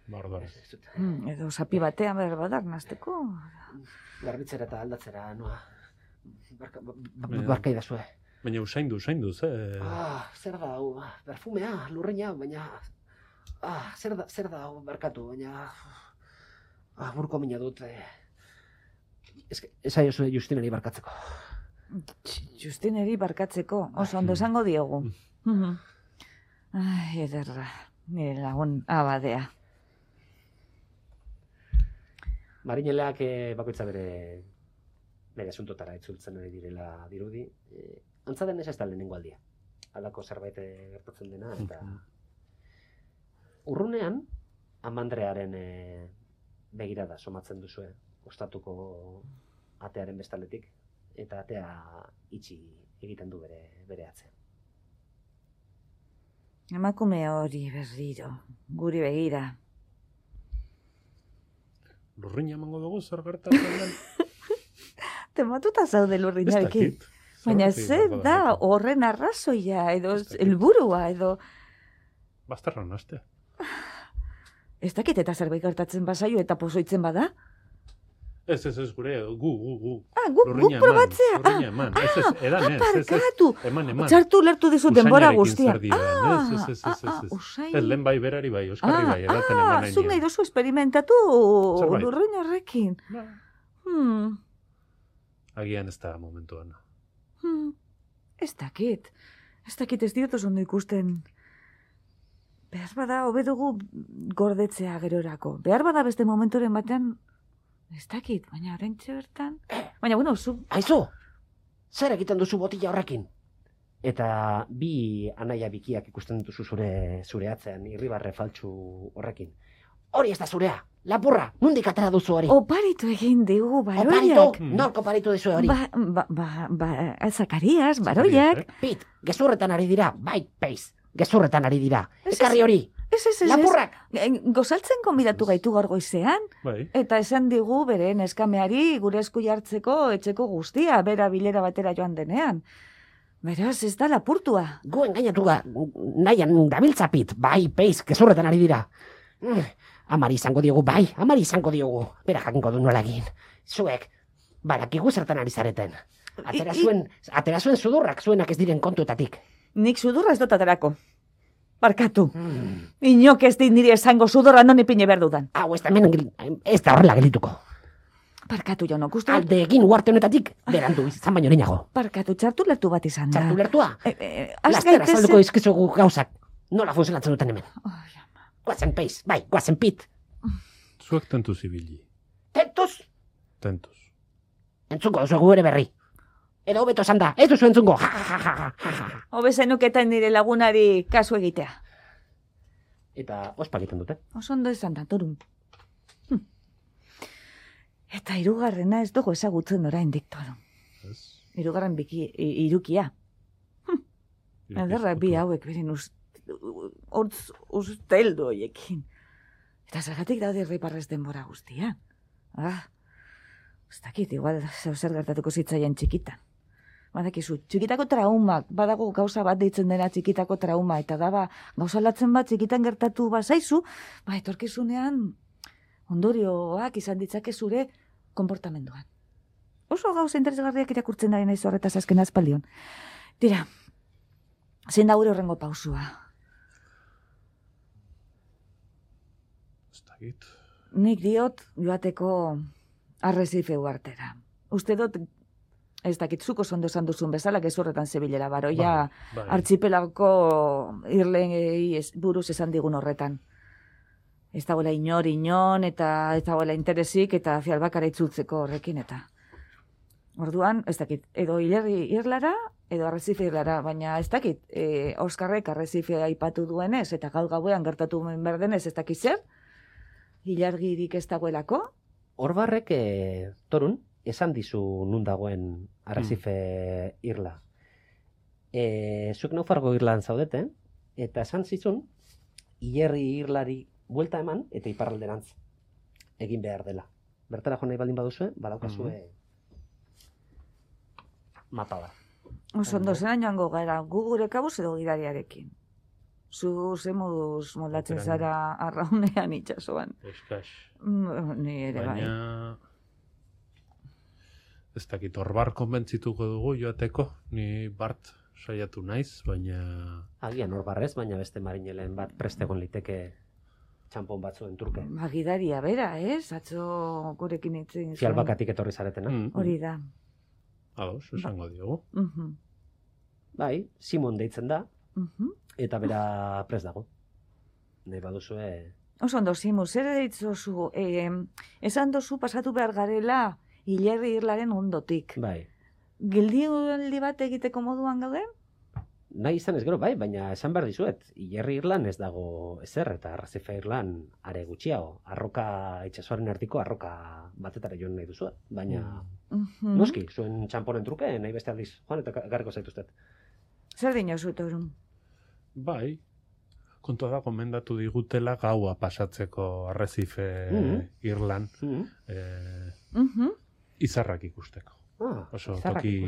Bardar. Edo sapi batean behar badak nazteko. Garbitzera eta aldatzera, noa. Barka idazue. Baina usaindu, ze? Zer da, perfumea, lurrina, baina... Zer da, barkatu, baina... Burko mina dut... Ez aiozu Justinari barkatzeko. Justineri barkatzeko, oso ondo esango diogu. Ai, ederra, nire lagun abadea. Marineleak bakoitza bere asuntotara itzultzen ari direla dirudi. Antza denez ez da lehenengo aldia. Halako zerbait gertatzen dena, eta urrunean, Amandrearen begirada somatzen duzue, ostatuko atearen bestaletik, eta atea itxi egiten du bere atzean. Emakume hori berriro, guri begira. Lurrina emango dugu zer gertatzen den? Tematuta zaude lurrinarekin. Ez dakit. Baina Zergatik zer da dago horren arrazoia, edo Ez dakit. helburua, edo... Bazterran haste. Ez dakit eta zerbait gertatzen bazaio eta pozoitzen bada? Ez, gure, gu. Ah, guk probatzea. Lurrina eman. Edan ez. Parkatu. Eman. Txartu lertu dizu denbora Usainarekin guztia. zer diren, ez. Usain. Ez, lehen bai berari bai, Oskarri bai, edaten eman nahi zuk nahi nion. duzu esperimentatu Zerbait. lurrin horrekin. Ba, Agian ez da momentuan. Ez dakit ez diot oso ondo ikusten. Behar bada, hobe dugu gordetzea gerorako. Behar bada beste momenturen batean, ez dakit, baina oraintxe bertan... Baina, bueno, zu... Aizu, zer egiten duzu botila horrekin? Eta bi anaia bikiak ikusten dituzu zure atzean, irribarre faltsu horrekin. Hori ez da zurea, lapurra, nondik atera duzu hori? Oparitu egin digu, baroiak. Oparitu, nork oparitu duzu hori? Zakarias, baroiak. Pit, gezurretan ari dira, bai, peiz, gezurretan ari dira. Ez, Ekarri hori, Ez. lapurrak! Gozaltzen konbidatu gaitu gaur goizean, Bai, eta esan digu bere neskameari gure esku jartzeko etxeko guztia, bera bilera batera joan denean. Beraz, ez da lapurtua. Gu engainatu nahian dabiltzapit, bai, peiz, gezurretan ari dira. Amari izango diogu, bai, amari izango diogu. Bera jakingo du nola egin. Zuek, barakigu zertan ari zareten. Atera zuen sudurrak zuenak ez diren kontuetatik. Nik sudurra ez dut aterako. Barkatu. Inok ez dit niri esango sudurra non ipine behar dudan. Hau, ez da horrela gelituko. Barkatu, Jonok, uste... Alde egin uarte honetatik, berandu izan baino lehenago. Barkatu, txartu lertu bat izan da. Txartu lertua? Az Laster gaitezen- azalduko izkizugu gauzak. Nola funtzionatzen duten hemen. Guazen peiz, bai, guazen pit. zuek tentuz ibili. Tentuz, Tentuz. entzungo duzu gure berri. Edo hobeto esan da, ez duzu entzungo. Hobe zenuketan nire lagunari kasu egitea. Eta ospa egiten dute. Oso ondo izan da, Torun. Eta hirugarrena ez dugu ezagutzen oraindik, Torun. Ez? Hirugarren irukia. Ederra bi hauek beren hortz usteldu hoiekin. Eta zergatik daude riparrez denbora guztia. Ez dakit, igual zer gertatuko zitzaien txikitan. Badakizu, txikitako traumak, badago gauza bat deitzen dena txikitako trauma, eta da gauza latzen bat txikitan gertatu bazaizu, etorkizunean ondorioak izan ditzake zure konportamenduan. Oso gauza interesgarriak irakurtzen ari naiz horretaz azken aspaldion. Tira, zein da gure horrengo pausua? Ez dakit. Nik diot joateko Arresife uhartera. Uste dut, ez dakit zuko ondo esan duzun bezala, gezurretan zebilera baroia Bai. artxipelako irlei buruz esan digun horretan. Ez dagoela inon, eta ez dagoela interesik, eta fialbakara itzultzeko horrekin, eta... Orduan, ez dakit, edo hilerri irlara, edo Arresife irlara, baina ez dakit, Oskarrek Arresife aipatu duenez, eta gaur gauean gertatu berdenez, ez dakit zer, hilargirik ez dagoelako. Orbarrek, Torun, esan dizu nun dagoen Arresife irla. Zuek naufargo irlan zaudete, eta esan zizun, hilerri irlari buelta eman, eta iparralderantz egin behar dela. Bertara jo nahi baldin baduzue, badaukazue mapa bat. Oso ondo zelan joango gara, gu gure kabuz edo gidariarekin. Zu ze moduz moldatzen Aukera. zara arraunean itxasoan. Eskas. Ni ere bai. Baina... Ez dakit, Orbar konbentzituko dugu joateko, ni Bart saiatu naiz, baina... Agian Orbarrez, baina beste marinelen bat prestegon liteke txampon batzuen turke. Gidaria bera, ez? Atzo gurekin itzen zuen. Fialbakatik etorri zaretena. Hori da. Ados, esango diogu. Bai, Simon deitzen da, eta bera prest dago. Nahi baduzue... Oso ondo, Simu, zer deitzozu? Esan dozu pasatu behar garela hilerri irlaren ondotik. Bai. Gildialdi bat egiteko moduan gaude? Nahi izan ez gero, bai, baina esan behar dizuet, hilerri irlan ez dago ezer, eta Arrecife irlan are gutxiago. Arroka, itxasoaren erdiko arroka batetara joan nahi duzuet. Baina, noski, zuen txamponen truke, nahi beste aldiz, joan eta garriko zaituztet. Zer dinozu, Torun? Bai, kontua da gomendatu digutela gaua pasatzeko Arrecife irlan izarrak ikusteko. Oso toki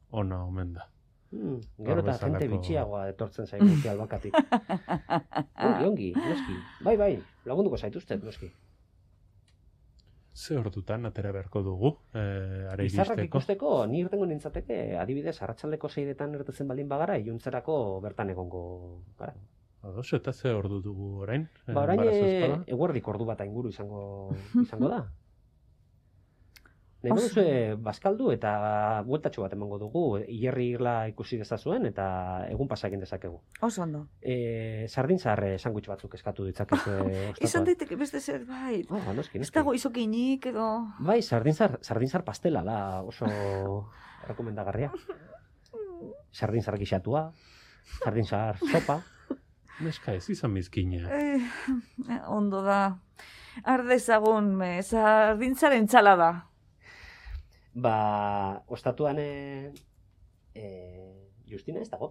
ona omen da. Gero eta jente bitxiagoa etortzen zaigu albakatik. Ongi, noski. Bai, lagunduko zaituztet, noski. Ze ordutan atera beharko dugu, are Izarrak iristeko? ikusteko, ni irtengo nintzateke, adibidez, arratsaldeko 6etan irtetzen baldin bagara, iluntzerako bertan egongo gara. Ados, eta ze ordu dugu orain? Orain Barazazpada? eguerdik ordu bat inguru izango da. Nahi baduzue bazkaldu eta bueltatxo bat emango dugu, hilerri irla ikusi dezazuen eta egun pasa egin dezakegu. Oso ondo. Sardinzar sandwich batzuk eskatu ditzakezu. Izan daiteke beste zerbait. Noski. Ez dago izokinik edo... Bai, sardinzar pastela da oso rekomendagarria. Sardinzar gixatua, sardinzar sopa. Neska ez izan bizkina. Ondo da. Ardezagun, sardintzaren txalada. Ostatuan Justina ez dago,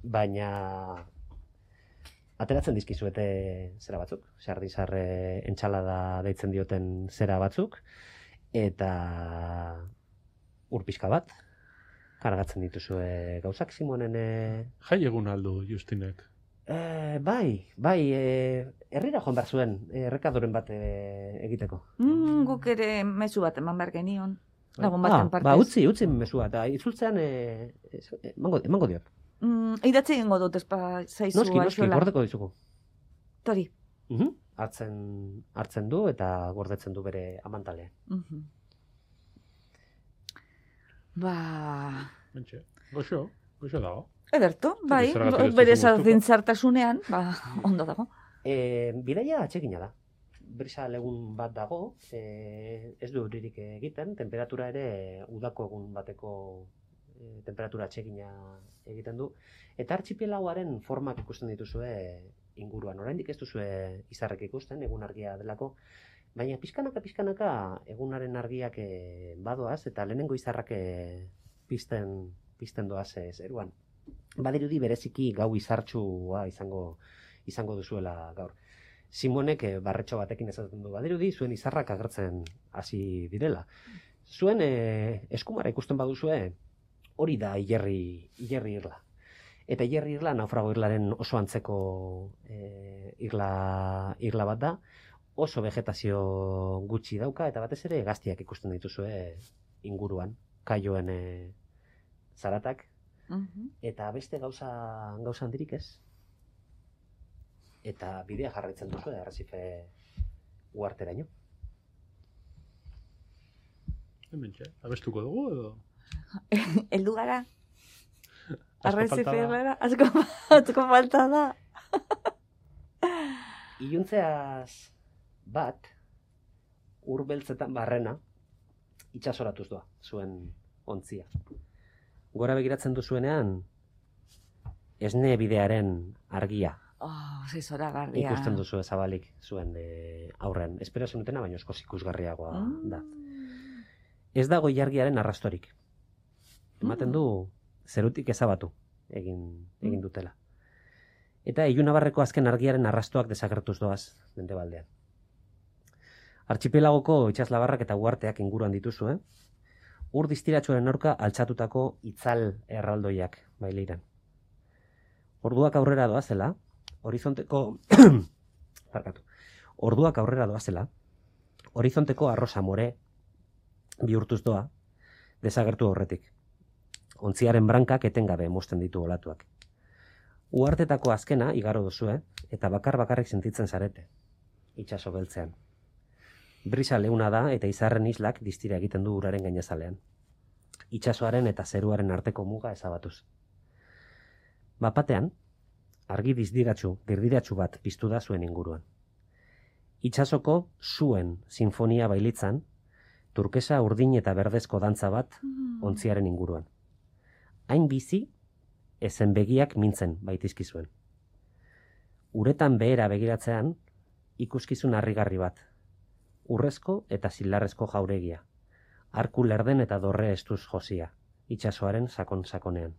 baina ateratzen dizkizuete zera batzuk, sardinzar entxalada deitzen dioten zera batzuk, eta urpizka bat, kargatzen dituzue gauzak Simonen... Jai egun aldu Justinek. Bai, herrira joan behar zuen, errekadoren bat egiteko. Guk ere mezu bat eman behar genion. Lagun baten partez. Utzi mesua, eta itzultzean emango diot. Idatzi egingo dut zaizu. Noski, gordeko dizugu. Tori. Hartzen du eta gordetzen du bere amantalean. Goxo dago. Ederto, bai, bere sardintzartasunean, ondo dago. Bidaia atsegina da. Brisa legun bat dago, ez du euririk egiten, temperatura ere udako egun bateko temperatura atsegina egiten du. Eta artxipelagoaren formak ikusten dituzue inguruan. Oraindik ez duzue izarrek ikusten, egun argia delako, baina pixkanaka egunaren argiak badoaz, eta lehenengo izarrak pizten doaz zeruan. Badirudi bereziki gau izartsua izango duzuela gaur. Simonek barretxo batekin esaten du, badirudi zuen izarrak agertzen hasi direla. Zuen eskumara ikusten baduzue, hori da hilerri irla. Eta hilerri irla naufrago irlaren oso antzeko irla bat da, oso vegetazio gutxi dauka, eta batez ere hegaztiak ikusten dituzue inguruan, kaioen zaratak, eta beste gauza handirik ez. Eta bidea jarraitzen duzu Arrecife uharteraino. Hementxe, abestuko dugu edo? Heldu gara. Arrecife gara, asko falta da. Iluntzeaz bat, urbeltzetan barrena, itxasoratuz doa, zuen ontzia. Gora begiratzen duzuenean, esne bidearen argia. Ze zoragarria. Ikusten duzu ezabalik zuen aurrean. Espero zenutena, baina eskoz ikusgarriagoa da. Ez dago ilargiaren arrastorik. Ematen du zerutik ezabatu egin dutela. Eta ilunabarreko azken argiaren arrastoak desagertuz doaz mendebaldean. Artxipelagoko itsaslabarrak eta uharteak inguruan dituzu, Ur distiratsuaren aurka altxatutako itzal erraldoiak bailiran. Orduak aurrera doazela, horizonteko arrosa more bihurtuz doa, desagertu horretik. Ontziaren brankak etengabe mozten ditu olatuak. Uhartetako azkena igaro duzue, eta bakarrik sentitzen zarete, itsaso beltzean. Brisa leuna da eta izarren islak distira egiten du uraren gainazalean. itsasoaren eta zeruaren arteko muga ezabatuz. Bapatean, argi dirdiratsu bat piztu da zuen inguruan. Itsasoko zuen sinfonia bailitzan, turkesa urdin eta berdezko dantza bat ontziaren inguruan. Hain bizi, ezen begiak mintzen baitizkizuen. Uretan behera begiratzean, ikuskizun harrigarri bat. Urrezko eta zilarrezko jauregia. Arku lerden eta dorre estuz josia, itsasoaren sakon-sakonean.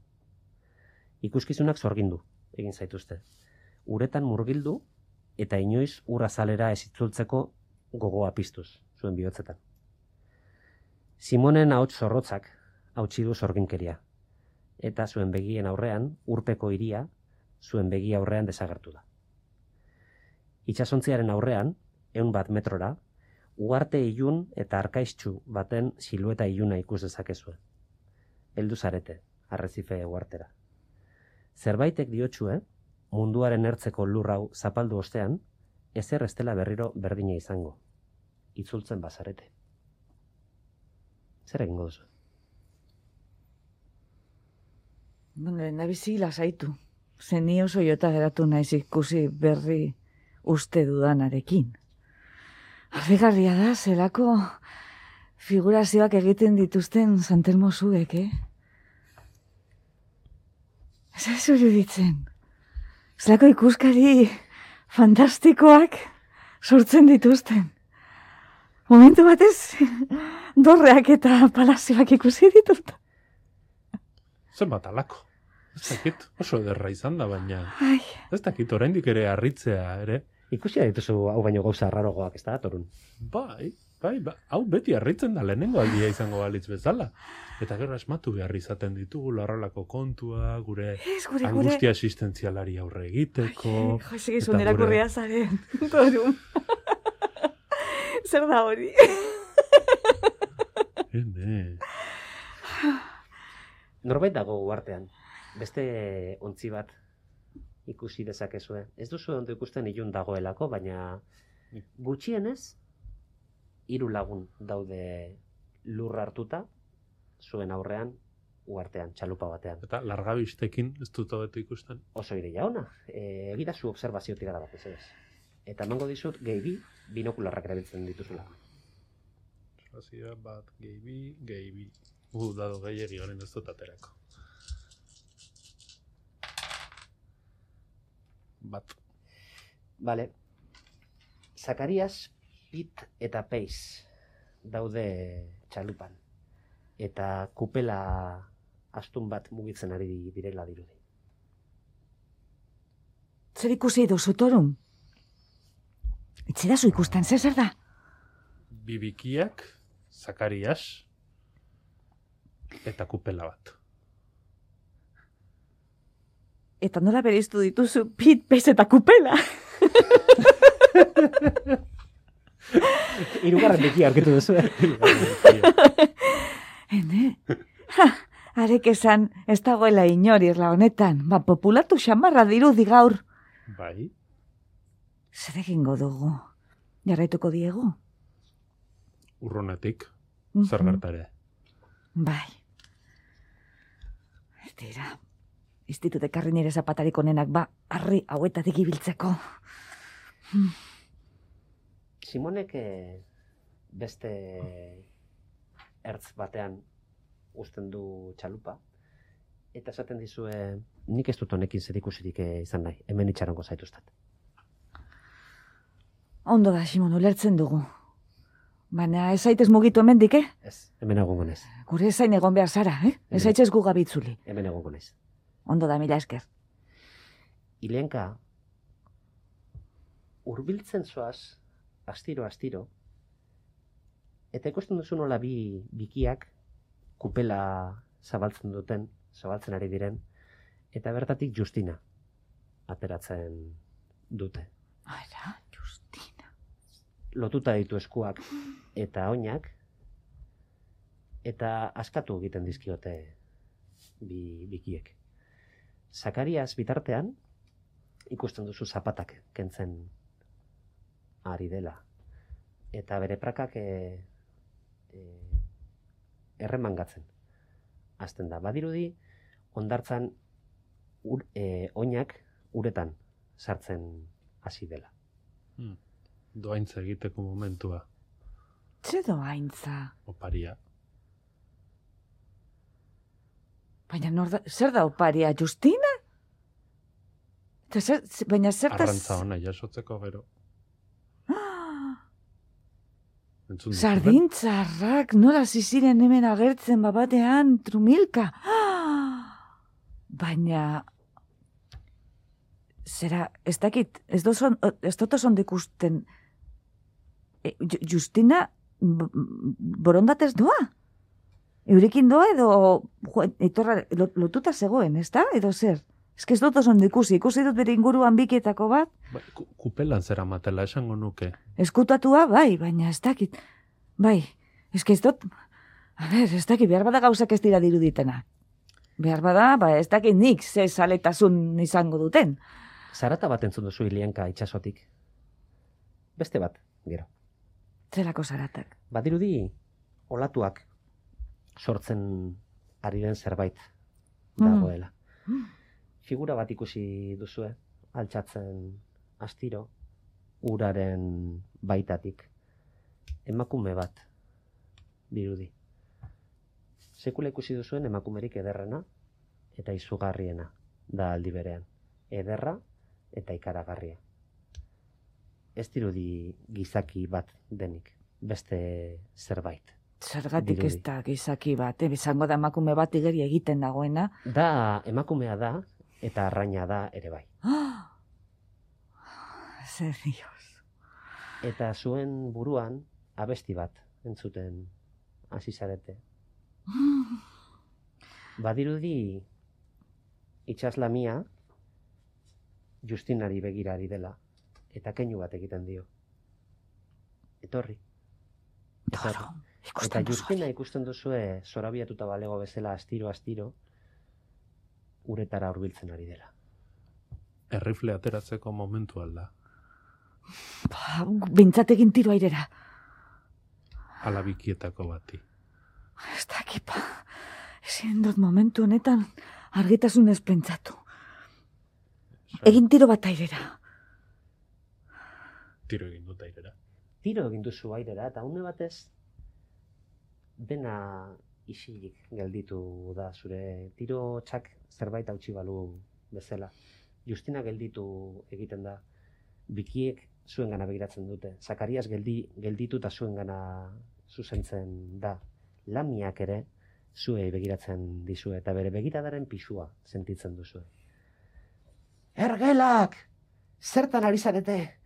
Ikuskizunak zorgindu, egin zaituzte. Uretan murgildu eta inoiz ur azalera ez itzultzeko gogoa piztuz, zuen bihotzetan. Simonen ahots zorrotzak hautsi du zorginkeria, eta zuen begien aurrean, urpeko hiria, zuen begi aurrean desagertu da. Itsasontziaren aurrean, 100 metrora, uharte ilun eta arkaiztsu baten silueta iluna ikus dezakezue. Heldu zarete, arrezife uhartera. Zerbaitek diotsue, munduaren ertzeko lur hau zapaldu ostean, ezer ez dela berriro berdina izango. Itzultzen bazarete. Zer egingo duzu? Nabizi lasaitu. Zen ni oso jota geratu naiz ikusi berri uste dudanarekin. Harrigarria da, zelako figurazioak egiten dituzten Santelmo zuek, Ez iruditzen. Zelako ikuskari fantastikoak sortzen dituzten. Momentu batez, dorreak eta palazioak ikusi ditut. Zenbat alako. Ez dakit, oso ederra izan da, baina Ai. ez dakit, oraindik ere harritzea, ere. Ikusia dituzu hau baino gauza rarogoak, ez da, Torun? Bai, hau beti harritzen da lehenengo aldia izango balitz bezala. Eta gero asmatu behar izaten ditugu horrelako kontua, gure angustia existentzialari aurre egiteko. Jo, segizun erakurria zaren, Torun. Zer da hori? Norbait dago uhartean, beste ontzi bat ikusi dezakezue. Ez duzu ondo ikusten ilun dagoelako, baina gutxienez 3 lagun daude lur hartuta, zuen aurrean, uhartean, txalupa batean. Eta largabistekin ez dut hobeto ikusten. Oso ideia ona, egidazu observazio tirada bat, ez. Eta emango dizut gehi bi, binokularrak erabiltzen dituzula. Observazioa bat, gehi bi. Dado gehiagi garen ez dut aterako. Bat. Vale. Zakarias, Pit eta Peiz daude txalupan. Eta kupela astun bat mugitzen ari direla dirudi. Zer ikusi duzu, Torun? Itzerazu ikusten, zer da? Bibikiak, Zakarias, eta kupela bat. Eta nola bereiztu dituzu Pit, Peiz eta kupela? Hirugarren bekia aurkitu duzu. Arek esan ez dagoela inori irla honetan. Populatu xamarra dirudi gaur. Bai. Zer egingo dugu? Jarraituko diegu? Urrunetik, zer gertare. Bai. Tira, institute karri nire zapatarik onenak harri hauetatik ibiltzeko. Simonek beste ertz batean uzten du txalupa, eta esaten dizue, nik ez dut honekin zerikusirik izan nahi, hemen itxarongo zaituztat. Ondo da, Simon, ulertzen dugu. Baina ez zaitez mugitu hemendik, Ez, hemen egongo naiz. Gure zain egon behar zara, Ez zaitez gu gabitzuli. Hemen egongo naiz. Ondo da, mila esker. Ilenka, hurbiltzen zoaz, astiro, eta ikusten duzu nola bi bikiak kupela zabaltzen ari diren, eta bertatik Justina ateratzen dute. Ara, Justina. Lotuta ditu eskuak eta oinak, eta askatu egiten dizkiote bikiek. Zakarias bitartean, ikusten duzu zapatak kentzen ari dela. Eta bere prakak erremangatzen hasten da. Badirudi, hondartzan oinak uretan sartzen hasi dela. Doaintza egiteko momentua. Ze doaintza? Oparia. Baina zer da oparia, Justina? Baina zertaz... Arrantza ona jasotzeko gero. Sardintzarrak, nola ziziren hemen agertzen batean, trumilka. Baina... Zera, ez dakit, ez dut oso ikusten... Justina, borondatez doa? Eurekin doa edo etorra lotuta zegoen, ez da? Edo zer? Ez dut oso ikusi dut bere inguruan bikietako bat. Kupelan zera matela, esango nuke. Eskutatua, bai, baina ez dakit. Bai, ez dut... A ber, ez dakit, behar bada gauzak ez dira diruditena. Behar bada, ez dakit nik ze saletasun izango duten. Zarata bat entzun duzu Ilianka itxasotik. Beste bat, gero. Zelako zaratak? Badirudi, olatuak sortzen ari den zerbait dagoela. Figura bat ikusi duzue, altxatzen astiro, uraren baitatik. Emakume bat, dirudi. Sekula ikusi duzuen emakumerik ederrena eta izugarriena da aldi berean. Ederra eta ikaragarria. Ez dirudi gizaki bat denik, beste zerbait. Zergatik ez da gizaki bat, izango da emakume bat igeri egiten dagoena. Da, emakumea da, eta arraina da ere bai. Zer dios. Eta zuen buruan, abesti bat entzuten hasi zarete. Badirudi, itxaslamia, Justinari begirari dela, eta keinu bat egiten dio. Etorri. Eta Justina ikusten duzue zorabiatuta balego bezala astiro, uretara hurbiltzen ari dela. Errifle ateratzeko momentu alda. Bintzategin tiro airera. Alabikietako bati. Ez dakipa. Ezin dut momentu honetan argitasunez pentsatu. Egin tiro bat airera. Tiro egin dut airera. Tiro egin duzu airera, eta une batez dena isilik gelditu da zure tiro txak zerbait hautsi balu bezala. Justina gelditu egiten da. Bikiek zuengana begiratzen dute. Zakarias gelditu eta zuengana zuzentzen da. Lamiak ere zuei begiratzen dizue eta bere begiradaren pisua sentitzen duzue. Ergelak! Zertan ari zarete?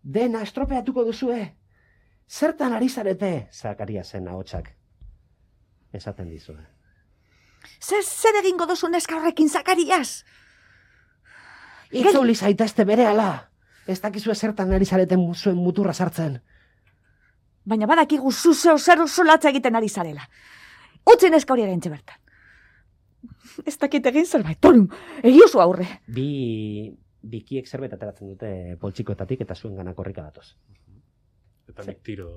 Dena estropeatuko duzue? Zertan ari zarete? Zakariasen ahotsak esaten dizue. Zer egingo duzu neska horrekin, Zakarias? Itzuli zaitezte berehala! Ez dakizue zertan ari zareten zuen muturra sartzen. Baina badakigu zuzeo zer solatza egiten ari zarela. Utzi neska hori egin bertan. Ez dakit egin zerbait, torum, egiozu aurre. Bikiek zerbait ateratzen dute poltsikoetatik eta zuen gana korrika datoz. Eta nik tiro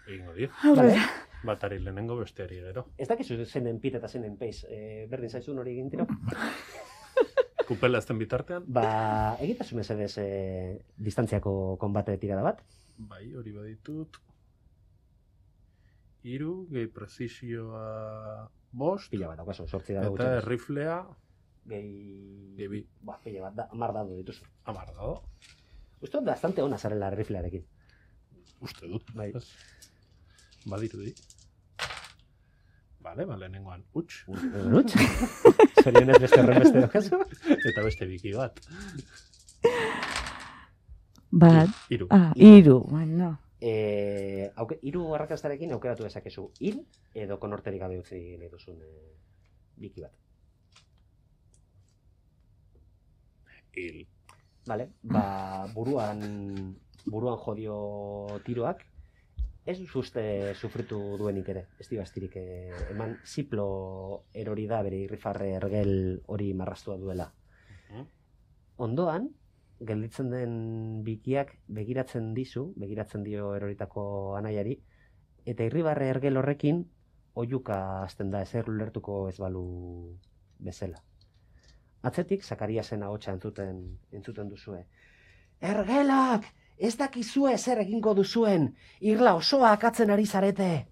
egingo dio. Aurrera. Batari lehenengo besteari gero. Ez dakizu zenen pit eta zenen peiz, berdin zaizun hori egin tiro? Kupela ezten bitartean? Egitazu mesedez distantziako konbate tirada bat? Bai, hori baditut. 3, gehi prezisioa 5. Pila bat, daukazu, 8 da. Eta erriflea... Gehi... Pila bat, 10 dado dituzu. 10 dado. Uste dut bastante ona zarela erriflearekin. Uste dut. Bai. Badirudi. Bale, lehenengoan, huts. Huts? Zorionez beste horren beste daukazu? Eta beste biki bat. Bat. 3. 3, bueno. 3 arrakastarekin aukeratu dezakezu hil edo konorterik gabe utzi nahi duzun biki bat. Hil. Vale, buruan jodio tiroak ez duzu uste sufritu duenik ere, ez dio astirik eman ziplo erori da bere irrifarre ergel hori marrastua duela. Ondoan, gelditzen den bikiak begiratzen dio eroritako anaiari, eta irribarre ergel horrekin oihuka hasten da ezer ulertuko ez balu bezala. Atzetik Zakariasen ahotsa entzuten duzue. Ergelak, ez dakizue zer egingo duzuen, irla osoa akatzen ari zarete.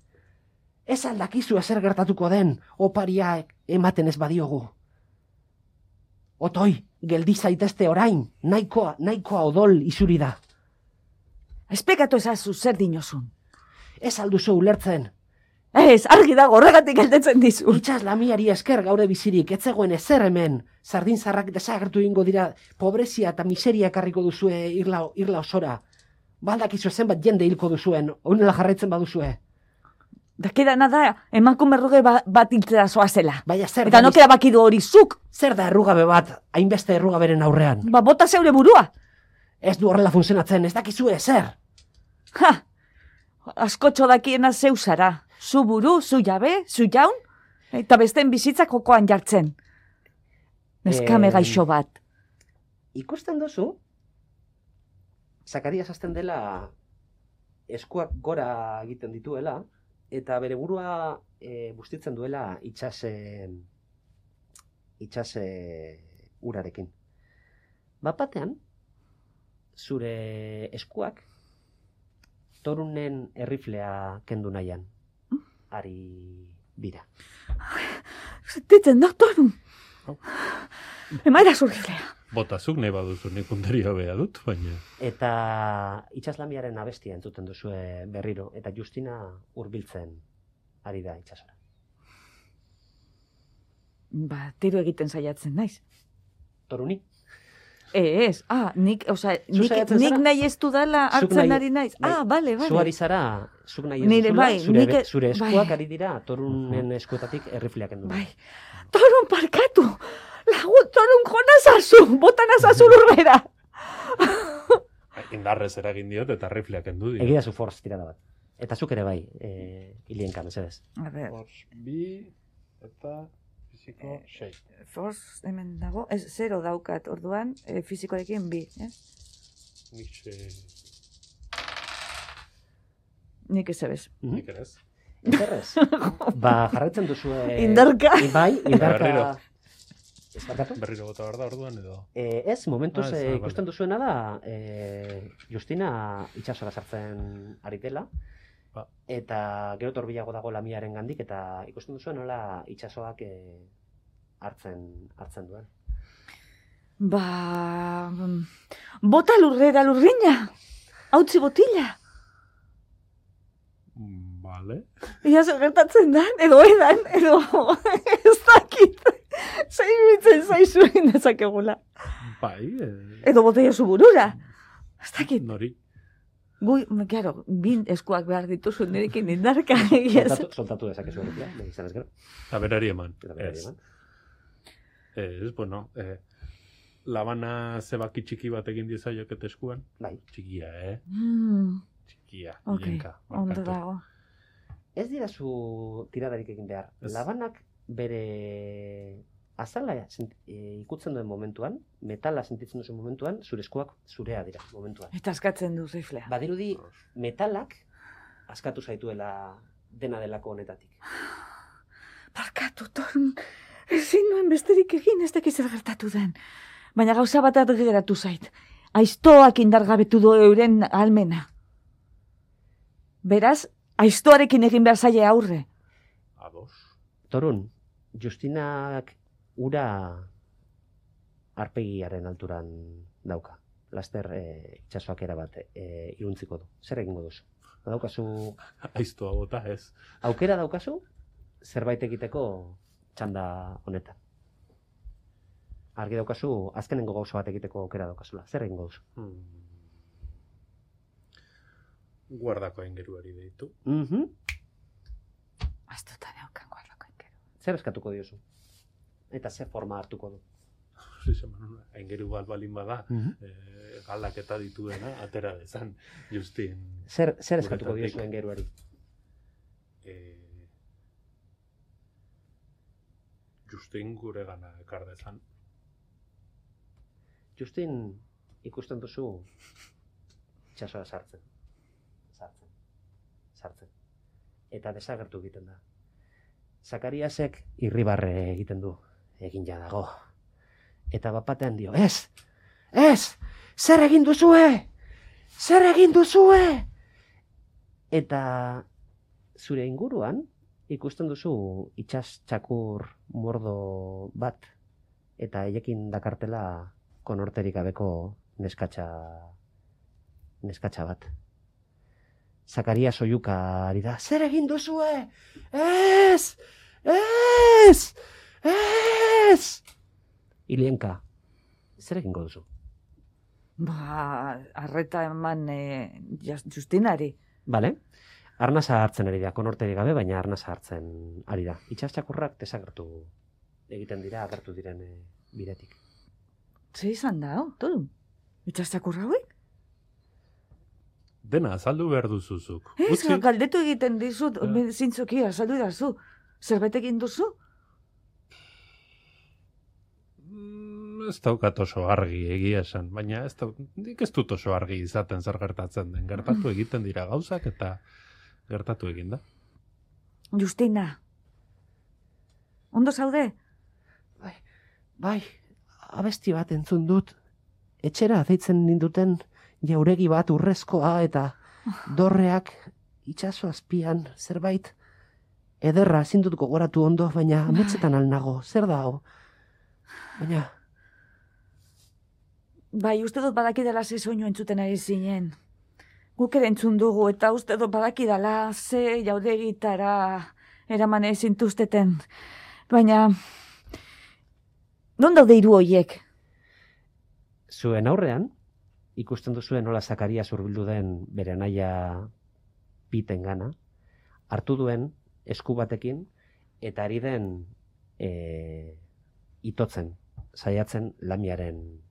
Ez aldakizu ezer gertatuko den, opariak ematen ez badiogu. Otoi, geldi zaitezte orain, nahikoa odol isuri da. Espekatu ezazu zer dinosun. Ez alduzu ulertzen. Ez, argi dago, horregatik geldetzen dizu. Itxas lamiari esker gaude bizirik, ez zegoen ezer hemen. Sardinzarrak desagertu ingo dira, pobrezia eta miseria ekarriko duzue irla osora. Baldakizu zenbat jende hilko duzuen, honela jarraitzen baduzue. Dakidana da, emakume erruge bat hiltzera zoazela. Baina zer Eta nokera bakidu hori zuk. Zer da errugabe bat, hainbeste errugaberen aurrean? Bota zeure burua. Ez du horrela funtzionatzen, ez dakizue zer. Ha! Askotxo dakiena zeu zara. Zu buru, zu jabe, zu jaun, eta besteen bizitzak jokoan jartzen. Neskame gaixo bat. Ikusten duzu, Zakarias hasten dela eskuak gora egiten dituela, eta bere burua bustitzen duela itxase urarekin. Bapatean, zure eskuak Torunen erriflea kendu nahian. Ari bira. Zetitzen da, Torun. Emaira zurriflea. Botazuk nahi baduzu nik punteria bea dut, baina... Eta itxaslamiaren abestia entzuten duzue berriro, eta Justina hurbiltzen ari da itxasora. Tiro egiten saiatzen naiz. Toruni? Ez, nik nahi ez dudala hartzen ari naiz. Bale. Zu ari zara, zuk nahi ez duzula, zure eskuak ari dira Torunen eskuetatik errifleak endu. Bai, Torun parkatu! Lagun, Torun jonazazu! Botan azazu lurbera! Indarrez eragin diot eta errifleak endu dira. Egia zu forz tirada bat. Eta zuk ere bai, Ilienka, mesedez. Forz bi eta... Fisiko 6. Forz hemen dago, ez 0 daukat orduan, fisikoarekin 2, Nik ez ebez. Nik ere ez. Interrez. Jarraitzen duzue... Indarka. Indarka. Ez barkatu? Berriro bota behar da orduan edo? Ez, momentuz ikusten duzuena da, Justina itxasora sartzen ari dela, eta gero torbilago dago lamiaren gandik, eta ikusten duzuen nola itxasoak hartzen duen. Bota lurrera lurrina! Hautzi botila! Vale. Ia zer gertatzen da, edo edan, edo ez dakit. Zairitzen zaizu indezakegula. Bai. Edo botella zu burura. Ez dakit. Nori. Claro, bin eskuak behar dituzu nirekin indarka. Soltatu dezakezu horretia, izan ez gero. Eta berari eman. Ez, bueno, labana zebaki txiki bat egin dizaiok eta eskuan. Bai. Txikia, Txikia, Ilenka. Ondo dago. Ez dira zu tiradarik egin behar. Labanak bere azala ikutzen duen momentuan, metala sentitzen duen momentuan, zure eskuak zurea dira momentuan. Eta askatzen du riflea. Badirudi metalak askatu zaituela dena delako honetatik. Barkatu, Torun, ezin nuen besterik egin ez dakiz zer gertatu den. Baina gauza bat geratu zait. Aiztoak indargabetu du euren almena. Beraz, aiztoarekin egin behar zaie aurre. Ados. Torun, Justinak ura arpegiaren alturan dauka. Laster itxasoak erabat iruntziko du. Zer egingo duzu? Daukazu... Aiztoa bota ez. Aukera daukazu, zerbait egiteko txanda honetan. Argi daukazu, azkenengo gauza bat egiteko aukera daukazula. Zer egingo duzu? Guardako aingeruari deitu. Astuta daukan guardako aingeru. Zer eskatuko diozu? Eta zer forma hartuko du? Aingeru bat balin bada, galak eta dituena, atera dezan, Justin. Zer eskatuko diozu aingeruari? Justin gure gana ekar dezan. Justin ikusten duzu itxasora sartzen. Eta desagertu egiten da. Zakariasek irribarre egiten du, egin ja dago. Eta bapatean dio, ez, zer egin duzue? Zer egin duzue? Eta zure inguruan ikusten duzu itsas txakur mordo bat, eta haiekin dakartela konorterik gabeko neskatxa bat. Zakaria soiluka ari da, zer egin duzue? Ez! Ilienka, zer egingo duzu? Arreta eman Justinari. Bale, arnasa hartzen ari da, konorterik gabe, baina arnasa hartzen ari da. Itsas txakurrak desagertu egiten dira, agertu diren bidetik. Zer izan da, todo? Itsas txakurra hauek? Dena, azaldu behar duzuzuk. Ez, galdetu egiten dizut, zintzoki, azaldu dazu. Zerbait egin duzu? Ez daukat oso argi egia esan, baina nik ez dut oso argi izaten zer gertatzen den. Gertatu egiten dira gauzak eta gertatu egin da. Justina, ondo zaude? Bai, abesti bat entzun dut. Etxera deitzen ninduten jauregi bat urrezkoa eta dorreak itsaso azpian zerbait ederra ezin dut gogoratu ondo, baina ametsetan alnago. Zer da hau? Baina... Bai, uste dut badakidala ze soinu entzuten ari zinen. Guk ere entzun dugu eta uste dut badakidala ze jauregitara eraman ezintuzteten. Baina... Non daude hiru hoiek? Zuen aurrean, ikusten duzuen nola Zakarias hurbildu den bere anaia Piten gana, hartu duen esku batekin eta ari den itotzen, saiatzen lamiaren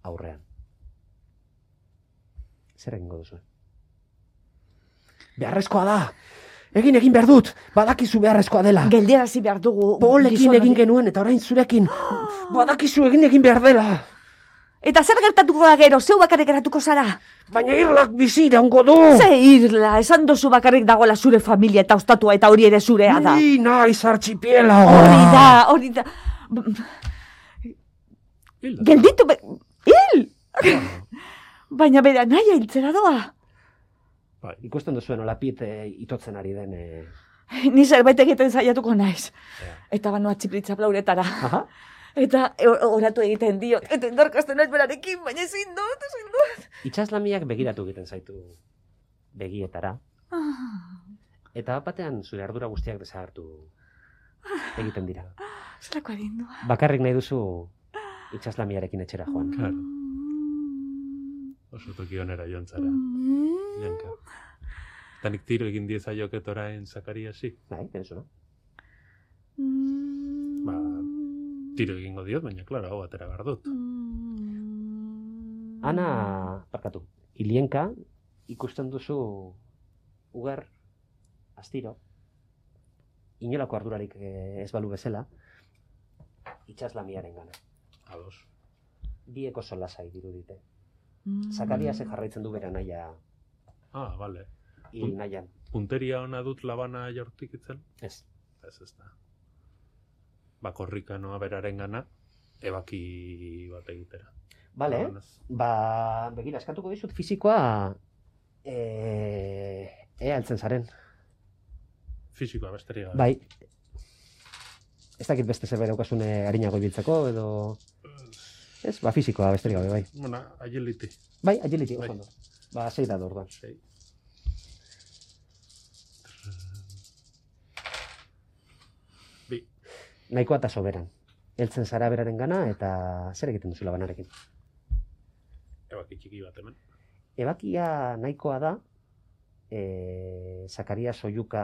aurrean. Zer egingo duzu? Beharrezkoa da! Egin behar dut! Badakizu beharrezkoa dela! Geldiarazi behar dugu... Polekin egin genuen eta orain zurekin! Badakizu egin behar dela! Eta zer gertatuko da gero, zeu bakarrik geratuko zara? Baina irlak bizi iraungo du! Ze irla, esan dozu bakarrik dagoela zure familia eta ostatua eta hori ere zurea da. Ni naiz artxipiela! Hori da... Gelditu... Hil! Baina bera naia hiltzera doa. Ikusten duzuen olapit itotzen ari den... Ni zerbait egiten saiatuko naiz. Eta banoa txiplitza plauretara. Eta oratu egiten dio. Eta endorkasten naiz berarekin, baina ezin dut. Itsaslamiak begiratu egiten zaitu begietara. Eta batean zure ardura guztiak desagertu egiten dira. Zelako adindua. Bakarrik nahi duzu itsaslamiarekin etxera joan. Claro. Oso toki onera joan zara. Janka. Eta nik tiro egin diezaioket orain Zakariasi. Bai, pentsua. Tiro egingo diot, baina, klaro, hau atera behar dut. Ana, barkatu, Ilienka ikusten duzu ugar, astiro, inolako ardurarik ez balu bezala, itsaslamiaren gana. Ados. Biek oso lasai dirudite. Zakariasek jarraitzen du bera naia Bale. hil nahian. Punteria ona dut labana jaurtik itzen? Ez. Ez da. Korrika noa beraren gana, ebaki bat egitera. Bale, begira, eskatuko dizut fizikoa ea altzen zaren. Fizikoa besterik gabe. Bai. Ez dakit beste zerbait daukazune harinago ibiltzeko, edo... Ez, fizikoa besterik gabe, bai. Bona, agility. Bai, agility, oso ondo. 6 da orduan. 6. Nahikoa eta soberan. Heltzen zara beraren gana eta zer egiten duzu labanarekin? Ebaki txiki bat hemen. Ebakia nahikoa da, Zakarias soiluka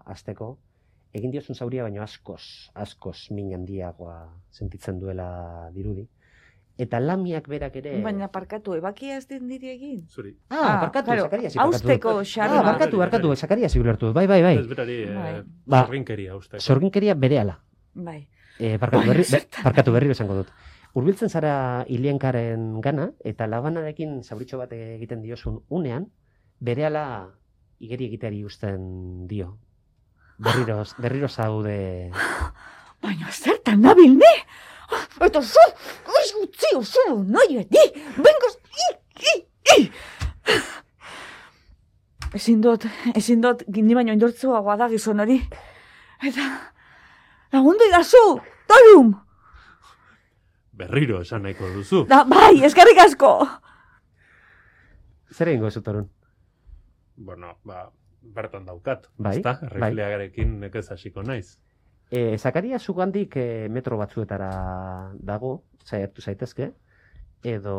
hasteko, egin diozun zauria baino askoz min handiagoa sentitzen duela dirudi. Eta lamiak berak ere... Baina parkatu, ebakia ez den diri egin? Zuri. Parkatu, claro, Zakariasi parkatu. Austeko xarra. Barkatu, Zakariasi ulertu. Bai. Ez berari, zorginkeria usteko. Zorginkeria berehala. Bai. Parkatu berriro esango dut. Hurbiltzen zara Ilienkaren gana, eta labanarekin zauritxo bat egiten diozun unean, berehala igeri egiteari uzten dio. berriro zaude... Baina zertan nabil, ne? Eta zu, utzi oso, nahi beti, bengoz, Ezin dut, gini baino indortzuagoa da gizon hori. Eta, lagundu idazu, Torum! Berriro esan nahiko duzu. Bai, eskerrik asko! Zer egingo zu, Torun? Bueno, bertan daukat, Bai, ezta? Rifleagarekin nekez hasiko naiz. Zakaria zugandik metro batzuetara dago, saiatu zaitezke, edo,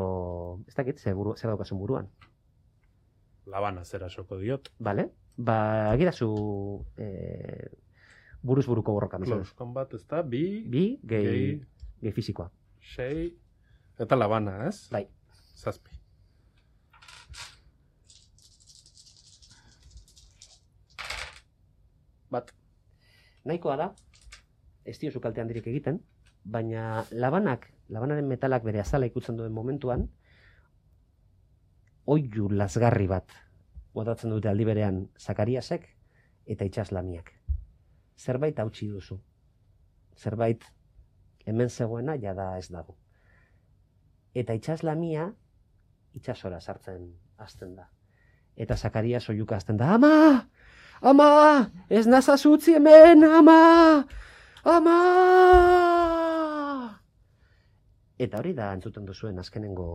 ez dakit, zer daukasun buruan. Labana zera soko diot. Bale? Agirazu buruz buruko borroka. Close combat, ez da? Bi, gehi fizikoa. 6, eta labana, ez? Bai. 7. Bat. Nahikoa da, ez diozu kalte handirik egiten, baina labanaren metalak bere azala ikutzen duen momentuan, oilu lasgarri bat botatzen dute aldi berean Zakariasek eta itsaslamiak. Zerbait hautsi duzu. Zerbait hemen zegoena jada ez dago. Eta itsaslamia itsasora sartzen hasten da. Eta Zakarias oihuka hasten da, ama! Ama! Ez nazazu utzi hemen, ama! Ama! Eta hori da entzuten duzuen azkenengo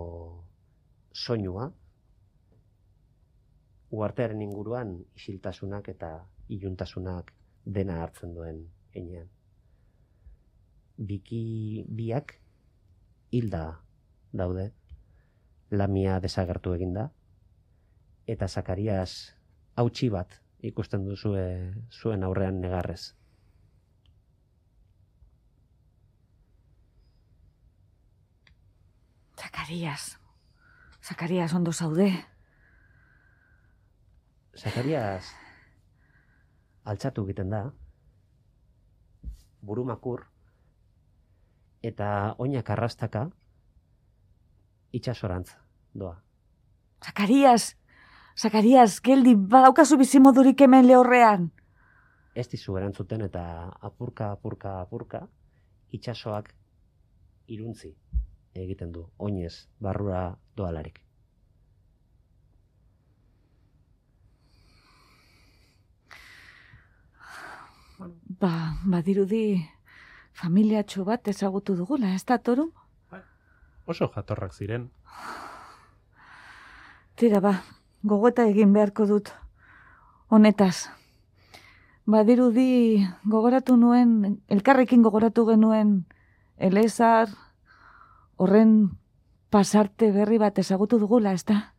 soinua, uhartearen inguruan isiltasunak eta iluntasunak dena hartzen duen heinean. Biak hilda daude, lamia desagertu eginda, eta Zakarias hautsi bat ikusten duzue zuen aurrean negarrez. Zakarias ondo zaude. Zakarias altxatu egiten da, burumakur, eta oinak arrastaka itsasorantz doa. Zakarias, geldi, badaukazu bizimodurik hemen lehorrean. Ez dizu erantzuten eta apurka, itsasoak iruntzi egiten du, oinez barrura doalarik. Badirudi familiatxo bat ezagutu dugula, ez da, Torum? Oso jatorrak ziren. Tira, gogoeta egin beharko dut honetaz. Badirudi elkarrekin gogoratu genuen Elezar horren pasarte berri bat ezagutu dugula, ez da?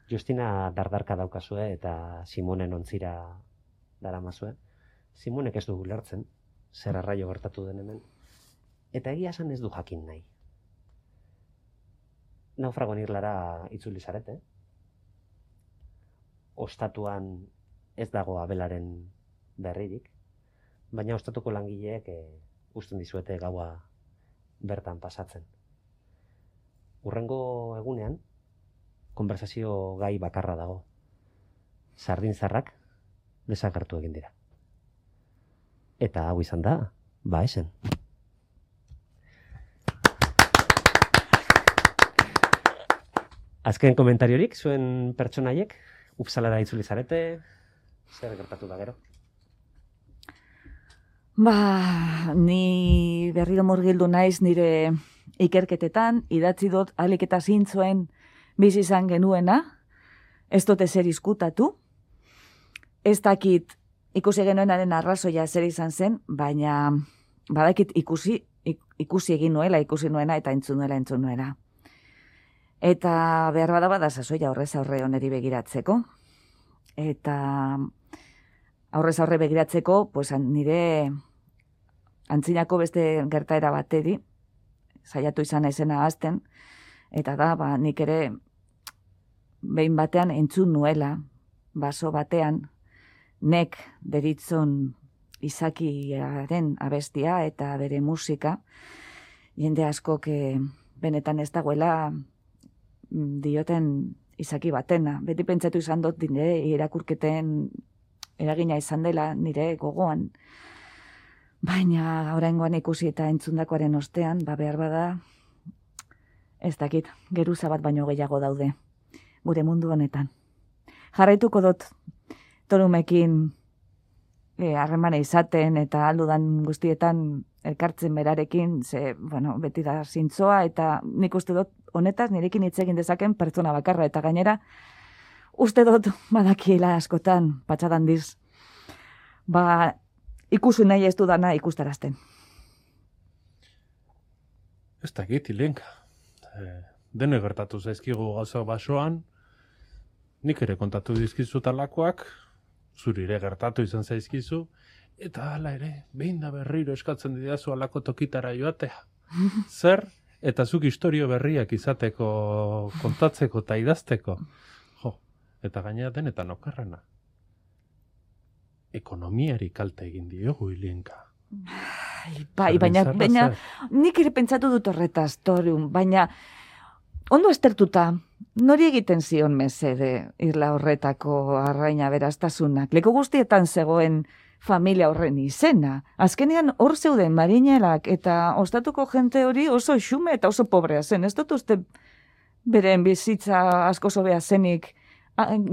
Justina dardarka daukazue eta Simonen ontzira daramazue. Simonek ez du ulertzen, zer arraio gertatu den hemen. Eta egia esan ez du jakin nahi. Naufragoan irlara itzuli zarete. Ostatuan ez dago abelaren berririk, baina ostatuko langileek usten dizuete gaua bertan pasatzen. Hurrengo egunean, konversazio gai bakarra dago. Sardinzarrak desagertu egin dira. Eta hau izan da, esen. Azken komentariorik, zuen pertsonaiek, Upsalara itzuli zarete, zer gertatu da gero? Ni berriro murgildu naiz nire ikerketetan, idatzi dut alik eta zintzoen bizi izan genuena, ez dut ezer izkutatu, ez dakit ikusi genuenaren arrazoia zer izan zen, baina badakit ikusi egin nuela, ikusi nuena eta entzun nuela. Eta behar bada sasoia aurrez aurre oneri begiratzeko. Eta aurrez aurre begiratzeko, pues nire antzinako beste gertaera bateri, saiatu izan naizena azten, eta da, nik ere behin batean entzun nuela, baso batean, nek deritzon izakiaren abestia eta bere musika, jende askok benetan ez dagoela dioten izaki batena. Beti pentsatu izan dut irakurketen eragina izan dela nire gogoan. Baina oraingoan ikusi eta entzundakoaren ostean, behar bada, ez dakit, geruza bat baino gehiago daude, gure mundu honetan. Jarraituko dut Torumekin harremana izaten eta aldudan guztietan elkartzen berarekin, beti da zintzoa, eta nik uste dut honetaz nirekin hitz egin dezaken pertsona bakarra, eta gainera, uste dut badakiela askotan, patxadan diz, ikusi nahi ez dudana ikustarazten. Ez dakit, Ilenka. Dene gertatu zaizkigu gauza basoan, nik ere kontatu dizkizu talakoak, zuri ere gertatu izan zaizkizu, eta hala ere, behin da berriro eskatzen didazu alako tokitara joatea. Zer, eta zuk historio berriak izateko, kontatzeko eta idazteko. Jo, eta gainera denetan okerrena. Ekonomiari kalte egin diogu, Ilenka. Baina nik ere pentsatu dut horretaz, Torun, baina ondo aztertuta, nori egiten zion mesede irla horretako arraina beraztasunak. Leku guztietan zegoen familia horren izena. Azkenean hor zeuden marinelak eta ostatuko jente hori oso xume eta oso pobrea zen. Ez dut uste beren bizitza asko zobea zenik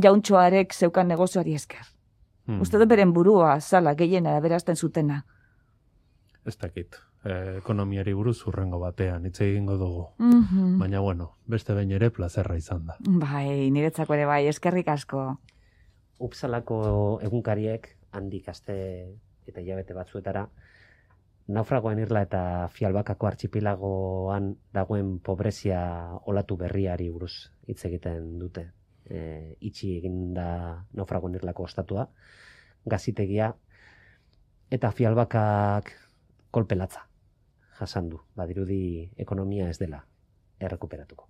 jauntxoarek zeukan negozioari esker. Uste dut beren burua zala gehiena berazten zutena. Ez dakit. Ekonomiari buruz hurrengo batean hitz egingo dugu. Baina beste behin ere plazerra izan da. Bai, niretzako ere bai, eskerrik asko. Upsalako egunkariek handik aste eta hilabete batzuetara naufragoen irla eta Fialbakako artxipilagoan dagoen pobrezia olatu berriari buruz hitz egiten dute. Itxi egin da naufragoen irlako ostatua, gazitegia eta Fialbakak kolpe latza jasan du. Badirudi ekonomia ez dela errekuperatuko.